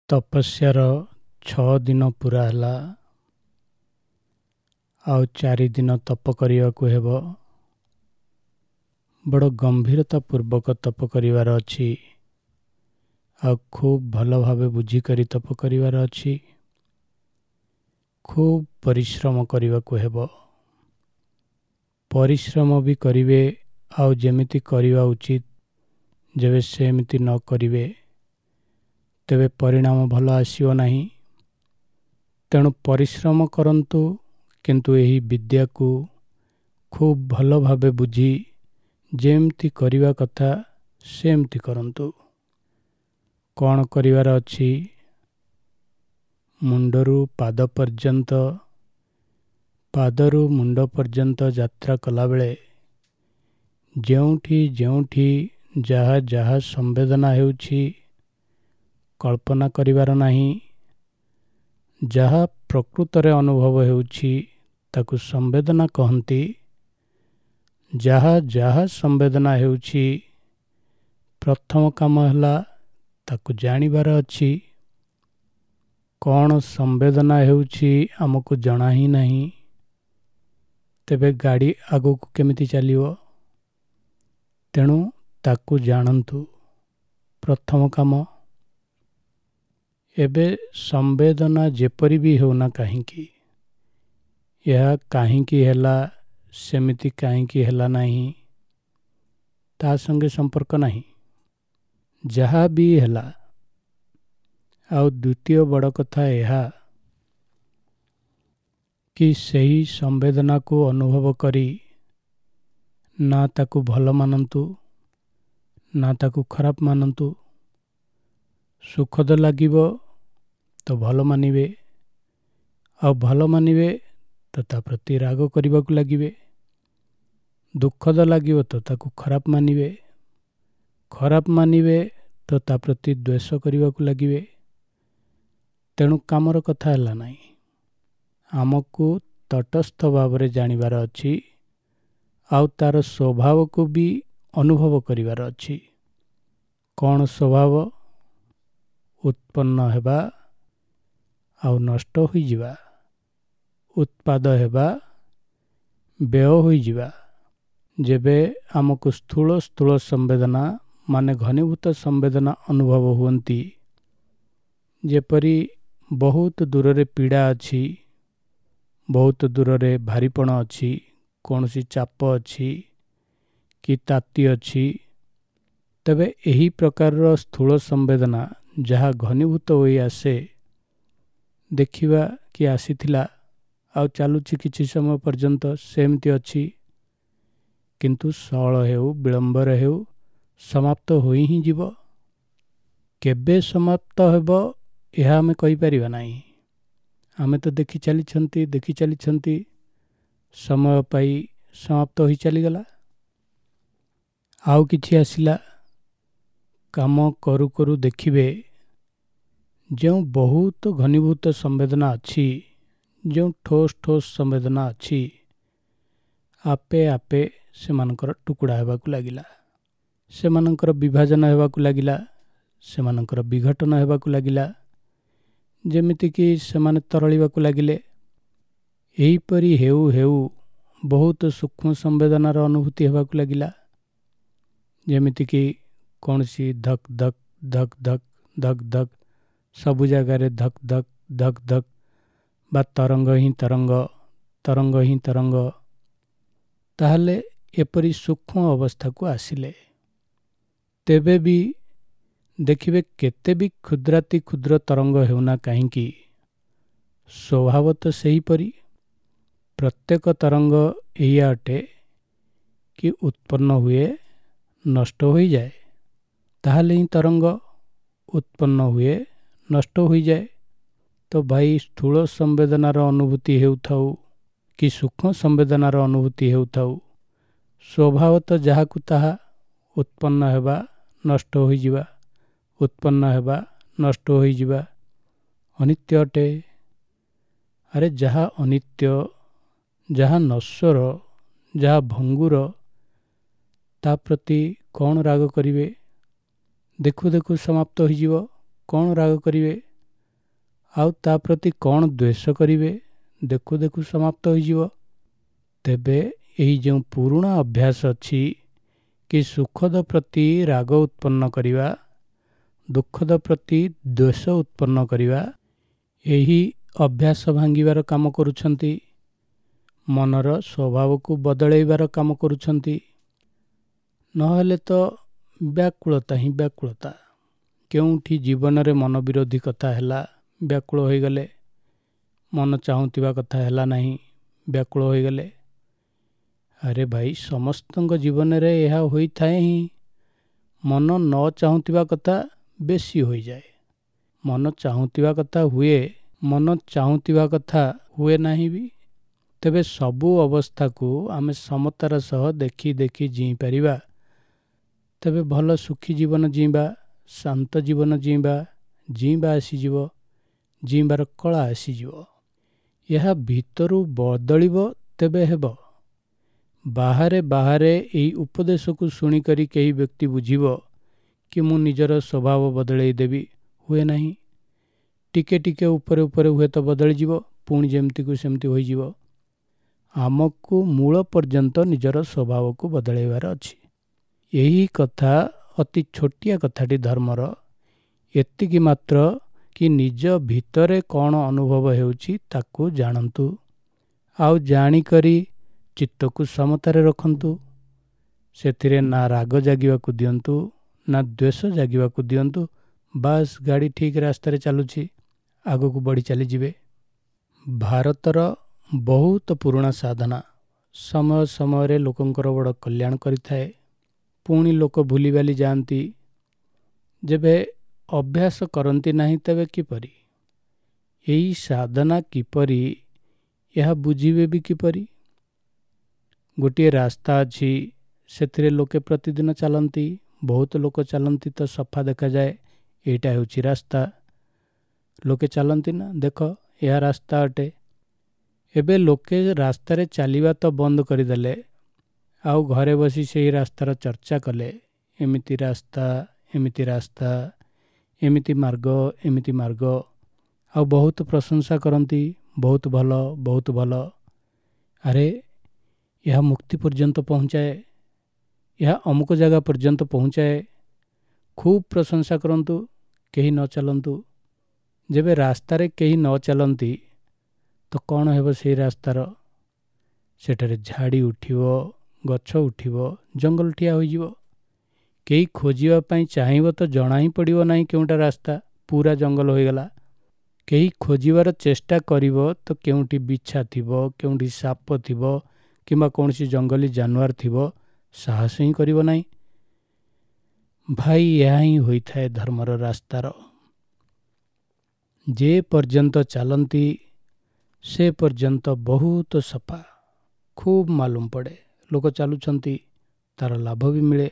ତପସ୍ୟାର 6 ଦିନ ପୁରା ହେଲା, ଆଉ 4 ଦିନ ତପ କରିବାକୁ ହେବ। ବଡ଼ ଗମ୍ଭୀରତା ପୂର୍ବକ ତପ କରିବାର ଅଛି, ଆଉ ଖୁବ୍ ଭଲ ଭାବେ ବୁଝିକରି ତପ କରିବାର ଅଛି। ଖୁବ୍ ପରିଶ୍ରମ କରିବାକୁ ହେବ। ପରିଶ୍ରମ ବି କରିବେ, ଆଉ ଯେମିତି କରିବା ଉଚିତ ଯେବେ ସେମିତି ନ କରିବେ ତେବେ ପରିଣାମ ଭଲ ଆସିବ ନାହିଁ। ତେଣୁ ପରିଶ୍ରମ କରନ୍ତୁ, କିନ୍ତୁ ଏହି ବିଦ୍ୟାକୁ ଖୁବ୍ ଭଲ ଭାବେ ବୁଝି ଯେମିତି କରିବା କଥା ସେମିତି କରନ୍ତୁ। କ'ଣ କରିବାର ଅଛି? ମୁଣ୍ଡରୁ ପାଦ ପର୍ଯ୍ୟନ୍ତ, ପାଦରୁ ମୁଣ୍ଡ ପର୍ଯ୍ୟନ୍ତ ଯାତ୍ରା କଲାବେଳେ ଯେଉଁଠି ଯେଉଁଠି ଯାହା ଯାହା ସମ୍ବେଦନା ହେଉଛି କଳ୍ପନା କରିବାର ନାହିଁ। ଯାହା ପ୍ରକୃତରେ ଅନୁଭବ ହେଉଛି ତାକୁ ସମ୍ବେଦନା କହନ୍ତି। ଯାହା ଯାହା ସମ୍ବେଦନା ହେଉଛି, ପ୍ରଥମ କାମ ହେଲା ତାକୁ ଜାଣିବାର ଅଛି। କ'ଣ ସମ୍ବେଦନା ହେଉଛି ଆମକୁ ଜଣା ହିଁ ନାହିଁ, ତେବେ ଗାଡ଼ି ଆଗକୁ କେମିତି ଚାଲିବ? ତେଣୁ ତାକୁ ଜାଣନ୍ତୁ, ପ୍ରଥମ କାମ। ଏବେ ସମ୍ବେଦନା ଯେପରି ବି ହେଉନା କାହିଁକି, ଏହା କାହିଁକି ହେଲା, ସେମିତି କାହିଁକି ହେଲା ନାହିଁ, ତା ସଙ୍ଗେ ସମ୍ପର୍କ ନାହିଁ। ଯାହା ବି ହେଲା। ଆଉ ଦ୍ୱିତୀୟ ବଡ଼ କଥା ଏହା କି ସେହି ସମ୍ବେଦନାକୁ ଅନୁଭବ କରି ନା ତାକୁ ଭଲ ମାନନ୍ତୁ ନା ତାକୁ ଖରାପ ମାନନ୍ତୁ। ସୁଖଦ ଲାଗିବ ତ ଭଲ ମାନିବେ, ଆଉ ଭଲ ମାନିବେ ତ ତା ପ୍ରତି ରାଗ କରିବାକୁ ଲାଗିବେ। ଦୁଃଖଦ ଲାଗିବ ତ ତାକୁ ଖରାପ ମାନିବେ, ଖରାପ ମାନିବେ ତ ତା ପ୍ରତି ଦ୍ୱେଷ କରିବାକୁ ଲାଗିବେ। ତେଣୁ କାମର କଥା ହେଲା ନାହିଁ, ଆମକୁ ତଟସ୍ଥ ଭାବରେ ଜାଣିବାର ଅଛି, ଆଉ ତାର ସ୍ୱଭାବକୁ ବି ଅନୁଭବ କରିବାର ଅଛି। କ'ଣ ସ୍ୱଭାବ? ଉତ୍ପନ୍ନ ହେବା ଆଉ ନଷ୍ଟ ହୋଇଯିବା, ଉତ୍ପାଦ ହେବା, ବ୍ୟୟ ହୋଇଯିବା। ଯେବେ ଆମକୁ ସ୍ଥୂଳ ସ୍ଥୂଳ ସମ୍ବେଦନା ମାନେ ଘନୀଭୂତ ସମ୍ବେଦନା ଅନୁଭବ ହୁଅନ୍ତି, ଯେପରି ବହୁତ ଦୂରରେ ପୀଡ଼ା ଅଛି, ବହୁତ ଦୂରରେ ଭାରିପଣ ଅଛି, କୌଣସି ଚାପ ଅଛି କି ତାତି ଅଛି, ତେବେ ଏହି ପ୍ରକାରର ସ୍ଥୂଳ ସମ୍ବେଦନା ଯାହା ଘନୀଭୂତ ହୋଇ ଆସେ, ଦେଖିବା କି ଆସିଥିଲା ଆଉ ଚାଲୁଛି କିଛି ସମୟ ପର୍ଯ୍ୟନ୍ତ ସେମିତି ଅଛି, କିନ୍ତୁ ସଅଳ ହେଉ ବିଳମ୍ବରେ ହେଉ ସମାପ୍ତ ହୋଇ ହିଁ ଯିବ। କେବେ ସମାପ୍ତ ହେବ ଏହା ଆମେ କହିପାରିବା ନାହିଁ। ଆମେ ତ ଦେଖି ଚାଲିଛନ୍ତି, ଦେଖି ଚାଲିଛନ୍ତି, ସମୟ ପାଇ ସମାପ୍ତ ହୋଇ ଚାଲିଗଲା। ଆଉ କିଛି ଆସିଲା। କାମ କରୁ କରୁ ଦେଖିବେ ଯେଉଁ ବହୁତ ଘନୀଭୂତ ସମ୍ବେଦନା ଅଛି, ଯେଉଁ ଠୋସ୍ ଠୋସ୍ ସମ୍ବେଦନା ଅଛି, ଆପେ ଆପେ ସେମାନଙ୍କର ଟୁକୁଡ଼ା ହେବାକୁ ଲାଗିଲା, ସେମାନଙ୍କର ବିଭାଜନ ହେବାକୁ ଲାଗିଲା, ସେମାନଙ୍କର ବିଘଟନ ହେବାକୁ ଲାଗିଲା, ଯେମିତିକି ସେମାନେ ତରଳିବାକୁ ଲାଗିଲେ। ଏହିପରି ହେଉ ହେଉ ବହୁତ ସୂକ୍ଷ୍ମ ସମ୍ବେଦନାର ଅନୁଭୂତି ହେବାକୁ ଲାଗିଲା, ଯେମିତିକି କୌଣସି ଧକ୍ ଧକ୍ ଧକ୍ ଧକ୍ ଧକ୍ ଧକ୍, ସବୁ ଜାଗାରେ ଧକ୍ ଧକ୍ ଧକ୍ ଧକ୍, ବା ତରଙ୍ଗ ହିଁ ତରଙ୍ଗ, ତରଙ୍ଗ ହିଁ ତରଙ୍ଗ। ତାହେଲେ ଏପରି ସୂକ୍ଷ୍ମ ଅବସ୍ଥାକୁ ଆସିଲେ ତେବେ ବି ଦେଖିବେ କେତେ ବି କ୍ଷୁଦ୍ରାତି କ୍ଷୁଦ୍ର ତରଙ୍ଗ ହେଉନା କାହିଁକି, ସ୍ୱଭାବ ତ ସେହିପରି। ପ୍ରତ୍ୟେକ ତରଙ୍ଗ ଏଇଆ ଅଟେ କି ଉତ୍ପନ୍ନ ହୁଏ, ନଷ୍ଟ ହୋଇଯାଏ। ତାହେଲେ ହିଁ ତରଙ୍ଗ ଉତ୍ପନ୍ନ ହୁଏ, ନଷ୍ଟ ହୋଇଯାଏ। ତ ଭାଇ, ସ୍ଥୂଳ ସମ୍ବେଦନାର ଅନୁଭୂତି ହେଉଥାଉ କି ସୂକ୍ଷ୍ମ ସମ୍ବେଦନାର ଅନୁଭୂତି ହେଉଥାଉ, ସ୍ୱଭାବ ତ ଯାହାକୁ ତାହା, ଉତ୍ପନ୍ନ ହେବା, ନଷ୍ଟ ହୋଇଯିବା, ଉତ୍ପନ୍ନ ହେବା, ନଷ୍ଟ ହୋଇଯିବା, ଅନିତ୍ୟ ଅଟେ। ଆରେ ଯାହା ଅନିତ୍ୟ, ଯାହା ନଶ୍ୱର, ଯାହା ଭଙ୍ଗୁର, ତା ପ୍ରତି କ'ଣ ରାଗ କରିବେ? ଦେଖୁ ଦେଖୁ ସମାପ୍ତ ହୋଇଯିବ, କ'ଣ ରାଗ କରିବେ? ଆଉ ତା ପ୍ରତି କ'ଣ ଦ୍ୱେଷ କରିବେ, ଦେଖୁ ଦେଖୁ ସମାପ୍ତ ହୋଇଯିବ। ତେବେ ଏହି ଯେଉଁ ପୁରୁଣା ଅଭ୍ୟାସ ଅଛି କି ସୁଖଦ ପ୍ରତି ରାଗ ଉତ୍ପନ୍ନ କରିବା, ଦୁଃଖଦ ପ୍ରତି ଦ୍ୱେଷ ଉତ୍ପନ୍ନ କରିବା, ଏହି ଅଭ୍ୟାସ ଭାଙ୍ଗିବାର କାମ କରୁଛନ୍ତି, ମନର ସ୍ୱଭାବକୁ ବଦଳାଇବାର କାମ କରୁଛନ୍ତି। ନହେଲେ ତ ବ୍ୟାକୁଳତା ହିଁ ବ୍ୟାକୁଳତା। କେଉଁଠି ଜୀବନରେ ମନ ବିରୋଧୀ କଥା ହେଲା, ବ୍ୟାକୁଳ ହୋଇଗଲେ। ମନ ଚାହୁଁଥିବା କଥା ହେଲା ନାହିଁ, ବ୍ୟାକୁଳ ହୋଇଗଲେ। ଆରେ ଭାଇ, ସମସ୍ତଙ୍କ ଜୀବନରେ ଏହା ହୋଇଥାଏ ହିଁ। ମନ ନ ଚାହୁଁଥିବା କଥା ବେଶୀ ହୋଇଯାଏ। ମନ ଚାହୁଁଥିବା କଥା ହୁଏ, ମନ ଚାହୁଁଥିବା କଥା ହୁଏ ନାହିଁ ବି। ତେବେ ସବୁ ଅବସ୍ଥାକୁ ଆମେ ସମତାର ସହ ଦେଖି ଦେଖି ଜିଇଁପାରିବା, ତେବେ ଭଲ ସୁଖୀ ଜୀବନ ଜିଇଁବା, ଶାନ୍ତ ଜୀବନ ଜିଇଁବା, ଜିଇଁବା ଆସିଯିବ, ଜିଇଁବାର କଳା ଆସିଯିବ। ଏହା ଭିତରୁ ବଦଳିବ ତେବେ ହେବ। ବାହାରେ ବାହାରେ ଏହି ଉପଦେଶକୁ ଶୁଣିକରି କେହି ବ୍ୟକ୍ତି ବୁଝିବ କି ମୁଁ ନିଜର ସ୍ୱଭାବ ବଦଳେଇ ଦେବି, ହୁଏ ନାହିଁ। ଟିକେ ଟିକେ ଉପରେ ଉପରେ ହୁଏତ ବଦଳିଯିବ, ପୁଣି ଯେମିତିକୁ ସେମିତି ହୋଇଯିବ। ଆମକୁ ମୂଳ ପର୍ଯ୍ୟନ୍ତ ନିଜର ସ୍ୱଭାବକୁ ବଦଳାଇବାର ଅଛି। ଏହି କଥା ଅତି ଛୋଟିଆ କଥାଟି ଧର୍ମର, ଏତିକି ମାତ୍ର କି ନିଜ ଭିତରେ କ'ଣ ଅନୁଭବ ହେଉଛି ତାକୁ ଜାଣନ୍ତୁ, ଆଉ ଜାଣିକରି ଚିତ୍ତକୁ ସମତାରେ ରଖନ୍ତୁ। ସେଥିରେ ନା ରାଗ ଜାଗିବାକୁ ଦିଅନ୍ତୁ, ନା ଦ୍ୱେଷ ଜାଗିବାକୁ ଦିଅନ୍ତୁ। ବାସ୍, ଗାଡ଼ି ଠିକ୍ ରାସ୍ତାରେ ଚାଲୁଛି, ଆଗକୁ ବଢ଼ି ଚାଲିଯିବେ। ଭାରତର ବହୁତ ପୁରୁଣା ସାଧନା ସମୟ ସମୟରେ ଲୋକଙ୍କର ବଡ଼ କଲ୍ୟାଣ କରିଥାଏ। ପୁଣି ଲୋକ ଭୁଲିବାଲି ଯାଆନ୍ତି। ଯେବେ ଅଭ୍ୟାସ କରନ୍ତି ନାହିଁ ତେବେ କିପରି ଏହି ସାଧନା କିପରି, ଏହା ବୁଝିବେ ବି କିପରି? ଗୋଟିଏ ରାସ୍ତା ଅଛି, ସେଥିରେ ଲୋକେ ପ୍ରତିଦିନ ଚାଲନ୍ତି, ବହୁତ ଲୋକ ଚାଲନ୍ତି ତ ସଫା ଦେଖାଯାଏ, ଏଇଟା ହେଉଛି ରାସ୍ତା। ଲୋକେ ଚାଲନ୍ତି ନା, ଦେଖ ଏହା ରାସ୍ତା ଅଟେ। ଏବେ ଲୋକେ ରାସ୍ତାରେ ଚାଲିବା ତ ବନ୍ଦ କରିଦେଲେ, ଆଉ ଘରେ ବସି ସେହି ରାସ୍ତାର ଚର୍ଚ୍ଚା କଲେ, ଏମିତି ରାସ୍ତା, ଏମିତି ରାସ୍ତା, ଏମିତି ମାର୍ଗ, ଏମିତି ମାର୍ଗ, ଆଉ ବହୁତ ପ୍ରଶଂସା କରନ୍ତି, ବହୁତ ଭଲ, ବହୁତ ଭଲ। ଆରେ ଏହା ମୁକ୍ତି ପର୍ଯ୍ୟନ୍ତ ପହଞ୍ଚାଏ, ଏହା ଅମୁକ ଜାଗା ପର୍ଯ୍ୟନ୍ତ ପହଞ୍ଚାଏ। ଖୁବ୍ ପ୍ରଶଂସା କରନ୍ତୁ, କେହି ନ ଚାଲନ୍ତୁ। ଯେବେ ରାସ୍ତାରେ କେହି ନ ଚାଲନ୍ତି ତ କ'ଣ ହେବ ସେଇ ରାସ୍ତାର? ସେଠାରେ ଝାଡ଼ି ଉଠିବ, ଗଛ ଉଠିବ, ଜଙ୍ଗଲ ଠିଆ ହୋଇଯିବ। କେହି ଖୋଜିବା ପାଇଁ ଚାହିଁବ ତ ଜଣା ହିଁ ପଡ଼ିବ ନାହିଁ କେଉଁଟା ରାସ୍ତା, ପୁରା ଜଙ୍ଗଲ ହୋଇଗଲା। କେହି ଖୋଜିବାର ଚେଷ୍ଟା କରିବ ତ କେଉଁଠି ବିଛା ଥିବ, କେଉଁଠି ସାପ ଥିବ, କିମ୍ବା କୌଣସି ଜଙ୍ଗଲୀ ଜାନୁଆର ଥିବ, ସାହସ ହିଁ କରିବ ନାହିଁ। ଭାଇ, ଏହା ହିଁ ହୋଇଥାଏ ଧର୍ମର ରାସ୍ତାର। ଯେ ପର୍ଯ୍ୟନ୍ତ ଚାଲନ୍ତି ସେ ପର୍ଯ୍ୟନ୍ତ ବହୁତ ସଫା, ଖୁବ୍ ମାଲୁମ ପଡ଼େ। ଲୋକ ଚାଲୁଛନ୍ତି, ତାର ଲାଭ ବି ମିଳେ।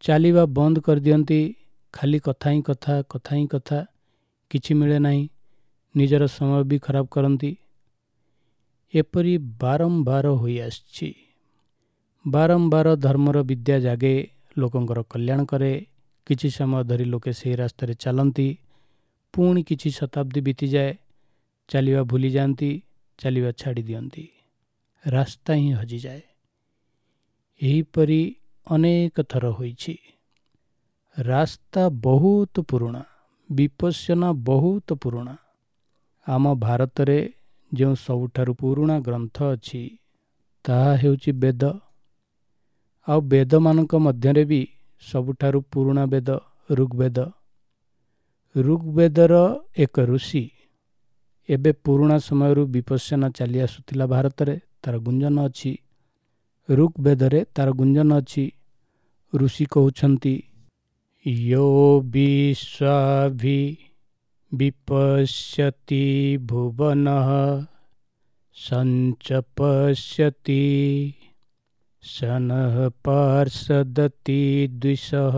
ଚାଲିବା ବନ୍ଦ କରିଦିଅନ୍ତି, ଖାଲି କଥା ହିଁ କଥା, କଥା ହିଁ କଥା, କିଛି ମିଳେ ନାହିଁ। ନିଜର ସମୟ ବି ଖରାପ କରନ୍ତି। ଏପରି ବାରମ୍ବାର ହୋଇଆସିଛି। ବାରମ୍ବାର ଧର୍ମର ବିଦ୍ୟା ଜାଗେ, ଲୋକଙ୍କର କଲ୍ୟାଣ କରେ। କିଛି ସମୟ ଧରି ଲୋକେ ସେହି ରାସ୍ତାରେ ଚାଲନ୍ତି, ପୁଣି କିଛି ଶତାବ୍ଦୀ ବିତିଯାଏ, ଚାଲିବା ଭୁଲିଯାଆନ୍ତି, ଚାଲିବା ଛାଡ଼ି ଦିଅନ୍ତି, ରାସ୍ତା ହିଁ ହଜିଯାଏ। ଏହିପରି ଅନେକ ଥର ହୋଇଛି। ରାସ୍ତା ବହୁତ ପୁରୁଣା, ବିପଶ୍ୟନା ବହୁତ ପୁରୁଣା। ଆମ ଭାରତରେ ଯେଉଁ ସବୁଠାରୁ ପୁରୁଣା ଗ୍ରନ୍ଥ ଅଛି ତାହା ହେଉଛି ବେଦ। ଆଉ ବେଦମାନଙ୍କ ମଧ୍ୟରେ ବି ସବୁଠାରୁ ପୁରୁଣା ବେଦ ଋଗ୍ବେଦ। ଋଗ୍ବେଦର ଏକ ଋଷି, ଏବେ ପୁରୁଣା ସମୟରୁ ବିପଶ୍ୟନା ଚାଲି ଆସୁଥିଲା ଭାରତରେ, ତାର ଗୁଞ୍ଜନ ଅଛି। ଋଗ୍ବେଦରେ ତାର ଗୁଞ୍ଜନ ଅଛି। ଋଷି କହୁଛନ୍ତି, ୟୋ ବିଶ୍ୱାଭି ବିପଶ୍ୟତି ଭୁବନଃ ସଞ୍ଚପଶ୍ୟତି ସନଃ ପାର୍ଷଦତି ଦ୍ୱିଷଃ।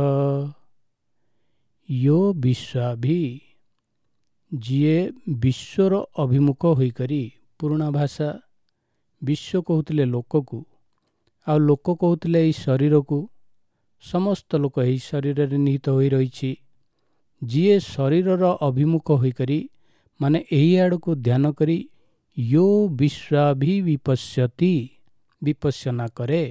ୟୋ ବିଶ୍ୱାଭି, ଯିଏ ବିଶ୍ୱର ଅଭିମୁଖ ହୋଇକରି, ପୁରୁଣା ଭାଷା, ବିଶ୍ୱ କହୁଥିଲେ ଲୋକକୁ, ଆଉ ଲୋକ କହୁଥିଲେ ଏହି ଶରୀରକୁ। ସମସ୍ତ ଲୋକ ଏହି ଶରୀରରେ ନିହିତ ହୋଇ ରହିଛି। ଯିଏ ଶରୀରର ଅଭିମୁଖ ହୋଇକରି ମାନେ ଏହି ଆଡ଼କୁ ଧ୍ୟାନ କରି ୟୋ ବିଶ୍ୱାଭି ବିପଶ୍ୟତି, ବିପଶ୍ୟନା କରେ,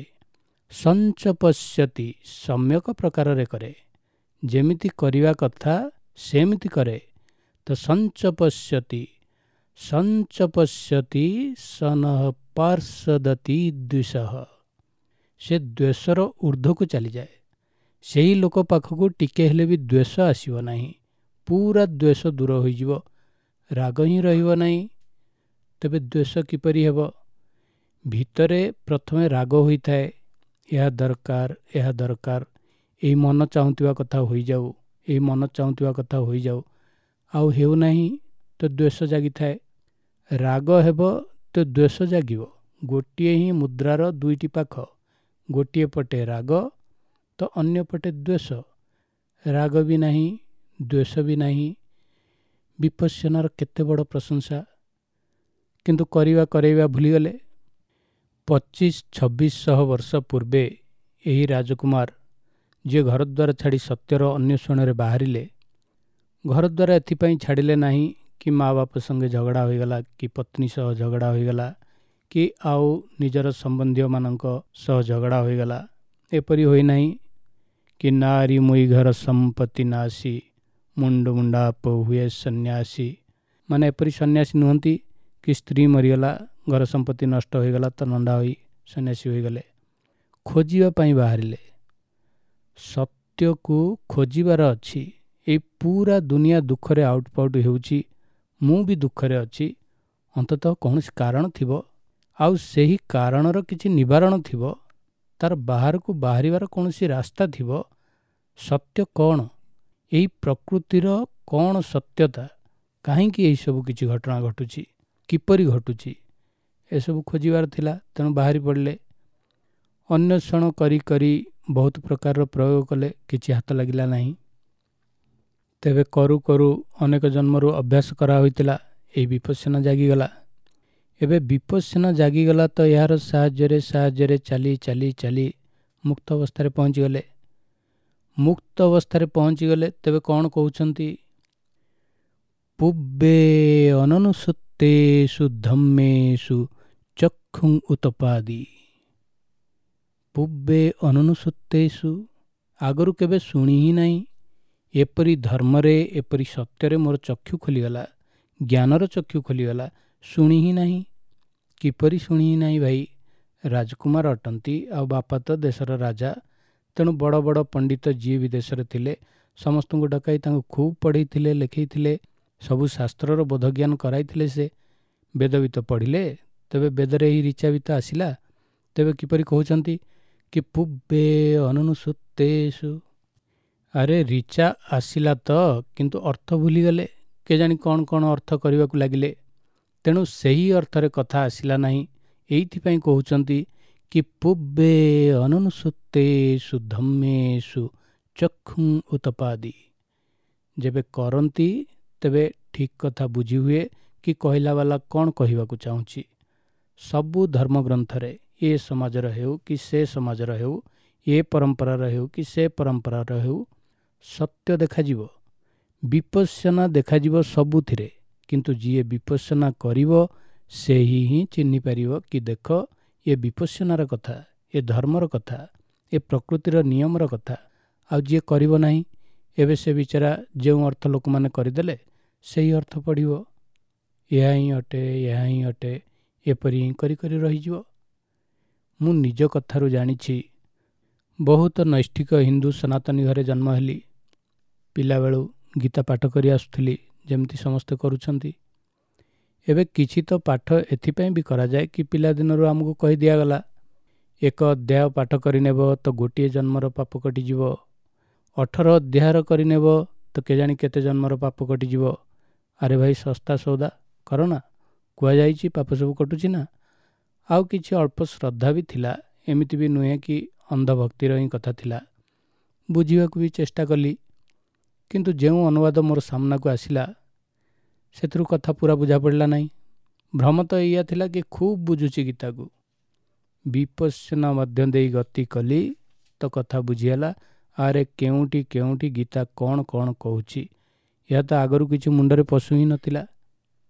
ସଞ୍ଚପଶ୍ୟତି, ସମ୍ୟକ ପ୍ରକାରରେ କରେ, ଯେମିତି କରିବା କଥା ସେମିତି କରେ। ତ ସଞ୍ଚପଶ୍ୟତି, ସଞ୍ଚପଶ୍ୟତି ସନଃ ପାର୍ଶ୍ୱଦତି ଦ୍ୱିଷଃ, ସେ ଦ୍ୱେଷର ଉର୍ଦ୍ଧ୍ୱକୁ ଚାଲିଯାଏ। ସେହି ଲୋକ ପାଖକୁ ଟିକେ ହେଲେ ବି ଦ୍ୱେଷ ଆସିବ ନାହିଁ, ପୁରା ଦ୍ୱେଷ ଦୂର ହୋଇଯିବ, ରାଗ ହିଁ ରହିବ ନାହିଁ। ତେବେ ଦ୍ୱେଷ କିପରି ହେବ? ଭିତରେ ପ୍ରଥମେ ରାଗ ହୋଇଥାଏ, ଏହା ଦରକାର, ଏହା ଦରକାର, ଏଇ ମନ ଚାହୁଁଥିବା କଥା ହୋଇଯାଉ, ଏଇ ମନ ଚାହୁଁଥିବା କଥା ହୋଇଯାଉ, ଆଉ ହେଉନାହିଁ ତ ଦ୍ୱେଷ ଜାଗିଥାଏ। ରାଗ ହେବ ତ ଦ୍ୱେଷ ଜାଗିବ। ଗୋଟିଏ ହିଁ ମୁଦ୍ରାର ଦୁଇଟି ପାଖ, ଗୋଟିଏ ପଟେ ରାଗ ତ ଅନ୍ୟ ପଟେ ଦ୍ୱେଷ। ରାଗ ବି ନାହିଁ, ଦ୍ୱେଷ ବି ନାହିଁ। ବିପଶ୍ୟନାର କେତେ ବଡ଼ ପ୍ରଶଂସା! କିନ୍ତୁ କରିବା କରେଇବା ଭୁଲିଗଲେ। 25-26 ବର୍ଷ ପୂର୍ବେ ଏହି ରାଜକୁମାର ଯିଏ ଘରଦ୍ୱାର ଛାଡ଼ି ସତ୍ୟର ଅନ୍ୱେଷଣରେ ବାହାରିଲେ, ଘରଦ୍ୱାର ଏଥିପାଇଁ ଛାଡ଼ିଲେ ନାହିଁ କି ମା ବାପ ସଙ୍ଗେ ଝଗଡ଼ା ହୋଇଗଲା, କି ପତ୍ନୀ ସହ ଝଗଡ଼ା ହୋଇଗଲା, କି ଆଉ ନିଜର ସମ୍ବନ୍ଧୀୟମାନଙ୍କ ସହ ଝଗଡ଼ା ହୋଇଗଲା। ଏପରି ହୋଇନାହିଁ କି ନାରୀ ମୁଇ ଘର ସମ୍ପତ୍ତି ନାସି, ମୁଣ୍ଡ ମୁଣ୍ଡାପ ହୁଏ ସନ୍ନ୍ୟାସୀ। ମାନେ ଏପରି ସନ୍ନ୍ୟାସୀ ନୁହନ୍ତି କି ସ୍ତ୍ରୀ ମରିଗଲା, ଘର ସମ୍ପତ୍ତି ନଷ୍ଟ ହୋଇଗଲା ତ ନଣ୍ଡା ହୋଇ ସନ୍ନ୍ୟାସୀ ହୋଇଗଲେ। ଖୋଜିବା ପାଇଁ ବାହାରିଲେ। ସତ୍ୟକୁ ଖୋଜିବାର ଅଛି। ଏଇ ପୁରା ଦୁନିଆ ଦୁଃଖରେ ଆଉଟପାଉଟ ହେଉଛି, ମୁଁ ବି ଦୁଃଖରେ ଅଛି, ଅନ୍ତତଃ କୌଣସି କାରଣ ଥିବ, ଆଉ ସେହି କାରଣର କିଛି ନିବାରଣ ଥିବ, ତାର ବାହାରକୁ ବାହାରିବାର କୌଣସି ରାସ୍ତା ଥିବ। ସତ୍ୟ କ'ଣ? ଏଇ ପ୍ରକୃତିର କ'ଣ ସତ୍ୟତା? କାହିଁକି ଏହିସବୁ କିଛି ଘଟଣା ଘଟୁଛି, କିପରି ଘଟୁଛି, ଏସବୁ ଖୋଜିବାର ଥିଲା। ତେଣୁ ବାହାରି ପଡ଼ିଲେ। ଅନ୍ୱେଷଣ କରି କରି ବହୁତ ପ୍ରକାରର ପ୍ରୟୋଗ କଲେ, କିଛି ହାତ ଲାଗିଲା ନାହିଁ। ତେବେ କରୁ କରୁ ଅନେକ ଜନ୍ମରୁ ଅଭ୍ୟାସ କରାହୋଇଥିଲା, ଏଇ ବିପଶ୍ୟନା ଜାଗିଗଲା। ଏବେ ବିପଶ୍ୟନା ଜାଗିଗଲା ତ ଏହାର ସାହାଯ୍ୟରେ ସାହାଯ୍ୟରେ ଚାଲି ଚାଲି ଚାଲି ମୁକ୍ତ ଅବସ୍ଥାରେ ପହଞ୍ଚିଗଲେ। ମୁକ୍ତ ଅବସ୍ଥାରେ ପହଞ୍ଚିଗଲେ। ତେବେ କ'ଣ କହୁଛନ୍ତି? ପୂର୍ବେ ଅନନୁସୁତ୍ତେଷୁ ଧମ୍ମେଷୁ ଚକ୍ଷୁଂ ଉତପାଦି। ପୂର୍ବେ ଅନନୁସୁତ୍ତେଷୁ, ଆଗରୁ କେବେ ଶୁଣି ହିଁ ନାହିଁ ଏପରି ଧର୍ମରେ, ଏପରି ସତ୍ୟରେ ମୋର ଚକ୍ଷୁ ଖୋଲିଗଲା, ଜ୍ଞାନର ଚକ୍ଷୁ ଖୋଲିଗଲା, ଶୁଣି ହିଁ ନାହିଁ। କିପରି ଶୁଣି ହିଁ ନାହିଁ ଭାଇ? ରାଜକୁମାର ଅଟନ୍ତି, ଆଉ ବାପା ତ ଦେଶର ରାଜା। ତେଣୁ ବଡ଼ ବଡ଼ ପଣ୍ଡିତ ଯିଏ ବି ଦେଶରେ ଥିଲେ ସମସ୍ତଙ୍କୁ ଡକାଇ ତାଙ୍କୁ ଖୁବ୍ ପଢ଼େଇଥିଲେ, ଲେଖେଇଥିଲେ, ସବୁ ଶାସ୍ତ୍ରର ବୋଧଜ୍ଞାନ କରାଇଥିଲେ। ସେ ବେଦ ବି ତ ପଢ଼ିଲେ, ତେବେ ବେଦରେ ଏହି ରିଚା ବି ତ ଆସିଲା। ତେବେ କିପରି କହୁଛନ୍ତି କି ପୂର୍ବେ ଅନନୁସୁତ୍ତେଷୁ? ଆରେ ରିଚା ଆସିଲା ତ, କିନ୍ତୁ ଅର୍ଥ ଭୁଲିଗଲେ, କେଜାଣି କ'ଣ କ'ଣ ଅର୍ଥ କରିବାକୁ ଲାଗିଲେ। ତେଣୁ ସେହି ଅର୍ଥରେ କଥା ଆସିଲା ନାହିଁ। ଏଇଥିପାଇଁ କହୁଛନ୍ତି କି ପୂର୍ବେ ଅନନୁସୁତ୍ତେଷୁ ଧମ୍ମେଷୁ ଚକ୍ଷୁଂ ଉତପାଦି। ଯେବେ କରନ୍ତି ତେବେ ଠିକ୍ କଥା ବୁଝି ହୁଏ କି କହିଲା ବାଲା କ'ଣ କହିବାକୁ ଚାହୁଁଛି। ସବୁ ଧର୍ମଗ୍ରନ୍ଥରେ, ଏ ସମାଜର ହେଉ କି ସେ ସମାଜର ହେଉ, ଏ ପରମ୍ପରାର ହେଉ କି ସେ ପରମ୍ପରାର ହେଉ, ସତ୍ୟ ଦେଖାଯିବ, ବିପଶ୍ୟନା ଦେଖାଯିବ ସବୁଥିରେ। କିନ୍ତୁ ଯିଏ ବିପଶ୍ୟନା କରିବ ସେହି ହିଁ ଚିହ୍ନି ପାରିବ କି ଦେଖ ଏ ବିପଶ୍ୟନାର କଥା, ଏ ଧର୍ମର କଥା, ଏ ପ୍ରକୃତିର ନିୟମର କଥା। ଆଉ ଯିଏ କରିବ ନାହିଁ, ଏବେ ସେ ବିଚାରା ଯେଉଁ ଅର୍ଥ ଲୋକମାନେ କରିଦେଲେ ସେହି ଅର୍ଥ ପଢ଼ିବ, ଏହା ହିଁ ଅଟେ, ଏହା ହିଁ ଅଟେ, ଏପରି ହିଁ କରି କରି ରହିଯିବ। ମୁଁ ନିଜ କଥାରୁ ଜାଣିଛି। ବହୁତ ନୈଷ୍ଠିକ ହିନ୍ଦୁ ସନାତନୀ ଘରେ ଜନ୍ମ ହେଲି। ପିଲାବେଳୁ ଗୀତା ପାଠ କରି ଆସୁଥିଲି, ଯେମିତି ସମସ୍ତେ କରୁଛନ୍ତି। ଏବେ କିଛି ତ ପାଠ ଏଥିପାଇଁ ବି କରାଯାଏ କି ପିଲାଦିନରୁ ଆମକୁ କହି ଦିଆଗଲା, ଏକ ଅଧ୍ୟାୟ ପାଠ କରିନେବ ତ ଗୋଟିଏ ଜନ୍ମର ପାପ କଟିଯିବ, 18 ଅଧ୍ୟାୟର କରିନେବ ତ କେଜାଣି କେତେ ଜନ୍ମର ପାପ କଟିଯିବ। ଆରେ ଭାଇ, ଶସ୍ତା ସଉଦା କର ନା, କୁହାଯାଇଛି ପାପ ସବୁ କଟୁଛି ନା। ଆଉ କିଛି ଅଳ୍ପ ଶ୍ରଦ୍ଧା ବି ଥିଲା, ଏମିତି ବି ନୁହେଁ କି ଅନ୍ଧଭକ୍ତିର ହିଁ କଥା ଥିଲା। ବୁଝିବାକୁ ବି ଚେଷ୍ଟା କଲି, କିନ୍ତୁ ଯେଉଁ ଅନୁବାଦ ମୋର ସାମ୍ନାକୁ ଆସିଲା ସେଥିରୁ କଥା ପୁରା ବୁଝା ପଡ଼ିଲା ନାହିଁ। ଭ୍ରମ ତ ଏଇଆ ଥିଲା କି ଖୁବ୍ ବୁଝୁଛି ଗୀତାକୁ। ବିପଶ୍ୟନା ମଧ୍ୟ ଦେଇ ଗତି କଲି ତ କଥା ବୁଝିହେଲା, ଆରେ କେଉଁଠି କେଉଁଠି ଗୀତା କ'ଣ କ'ଣ କହୁଛି, ଏହା ତ ଆଗରୁ କିଛି ମୁଣ୍ଡରେ ପଶୁ ହିଁ ନଥିଲା।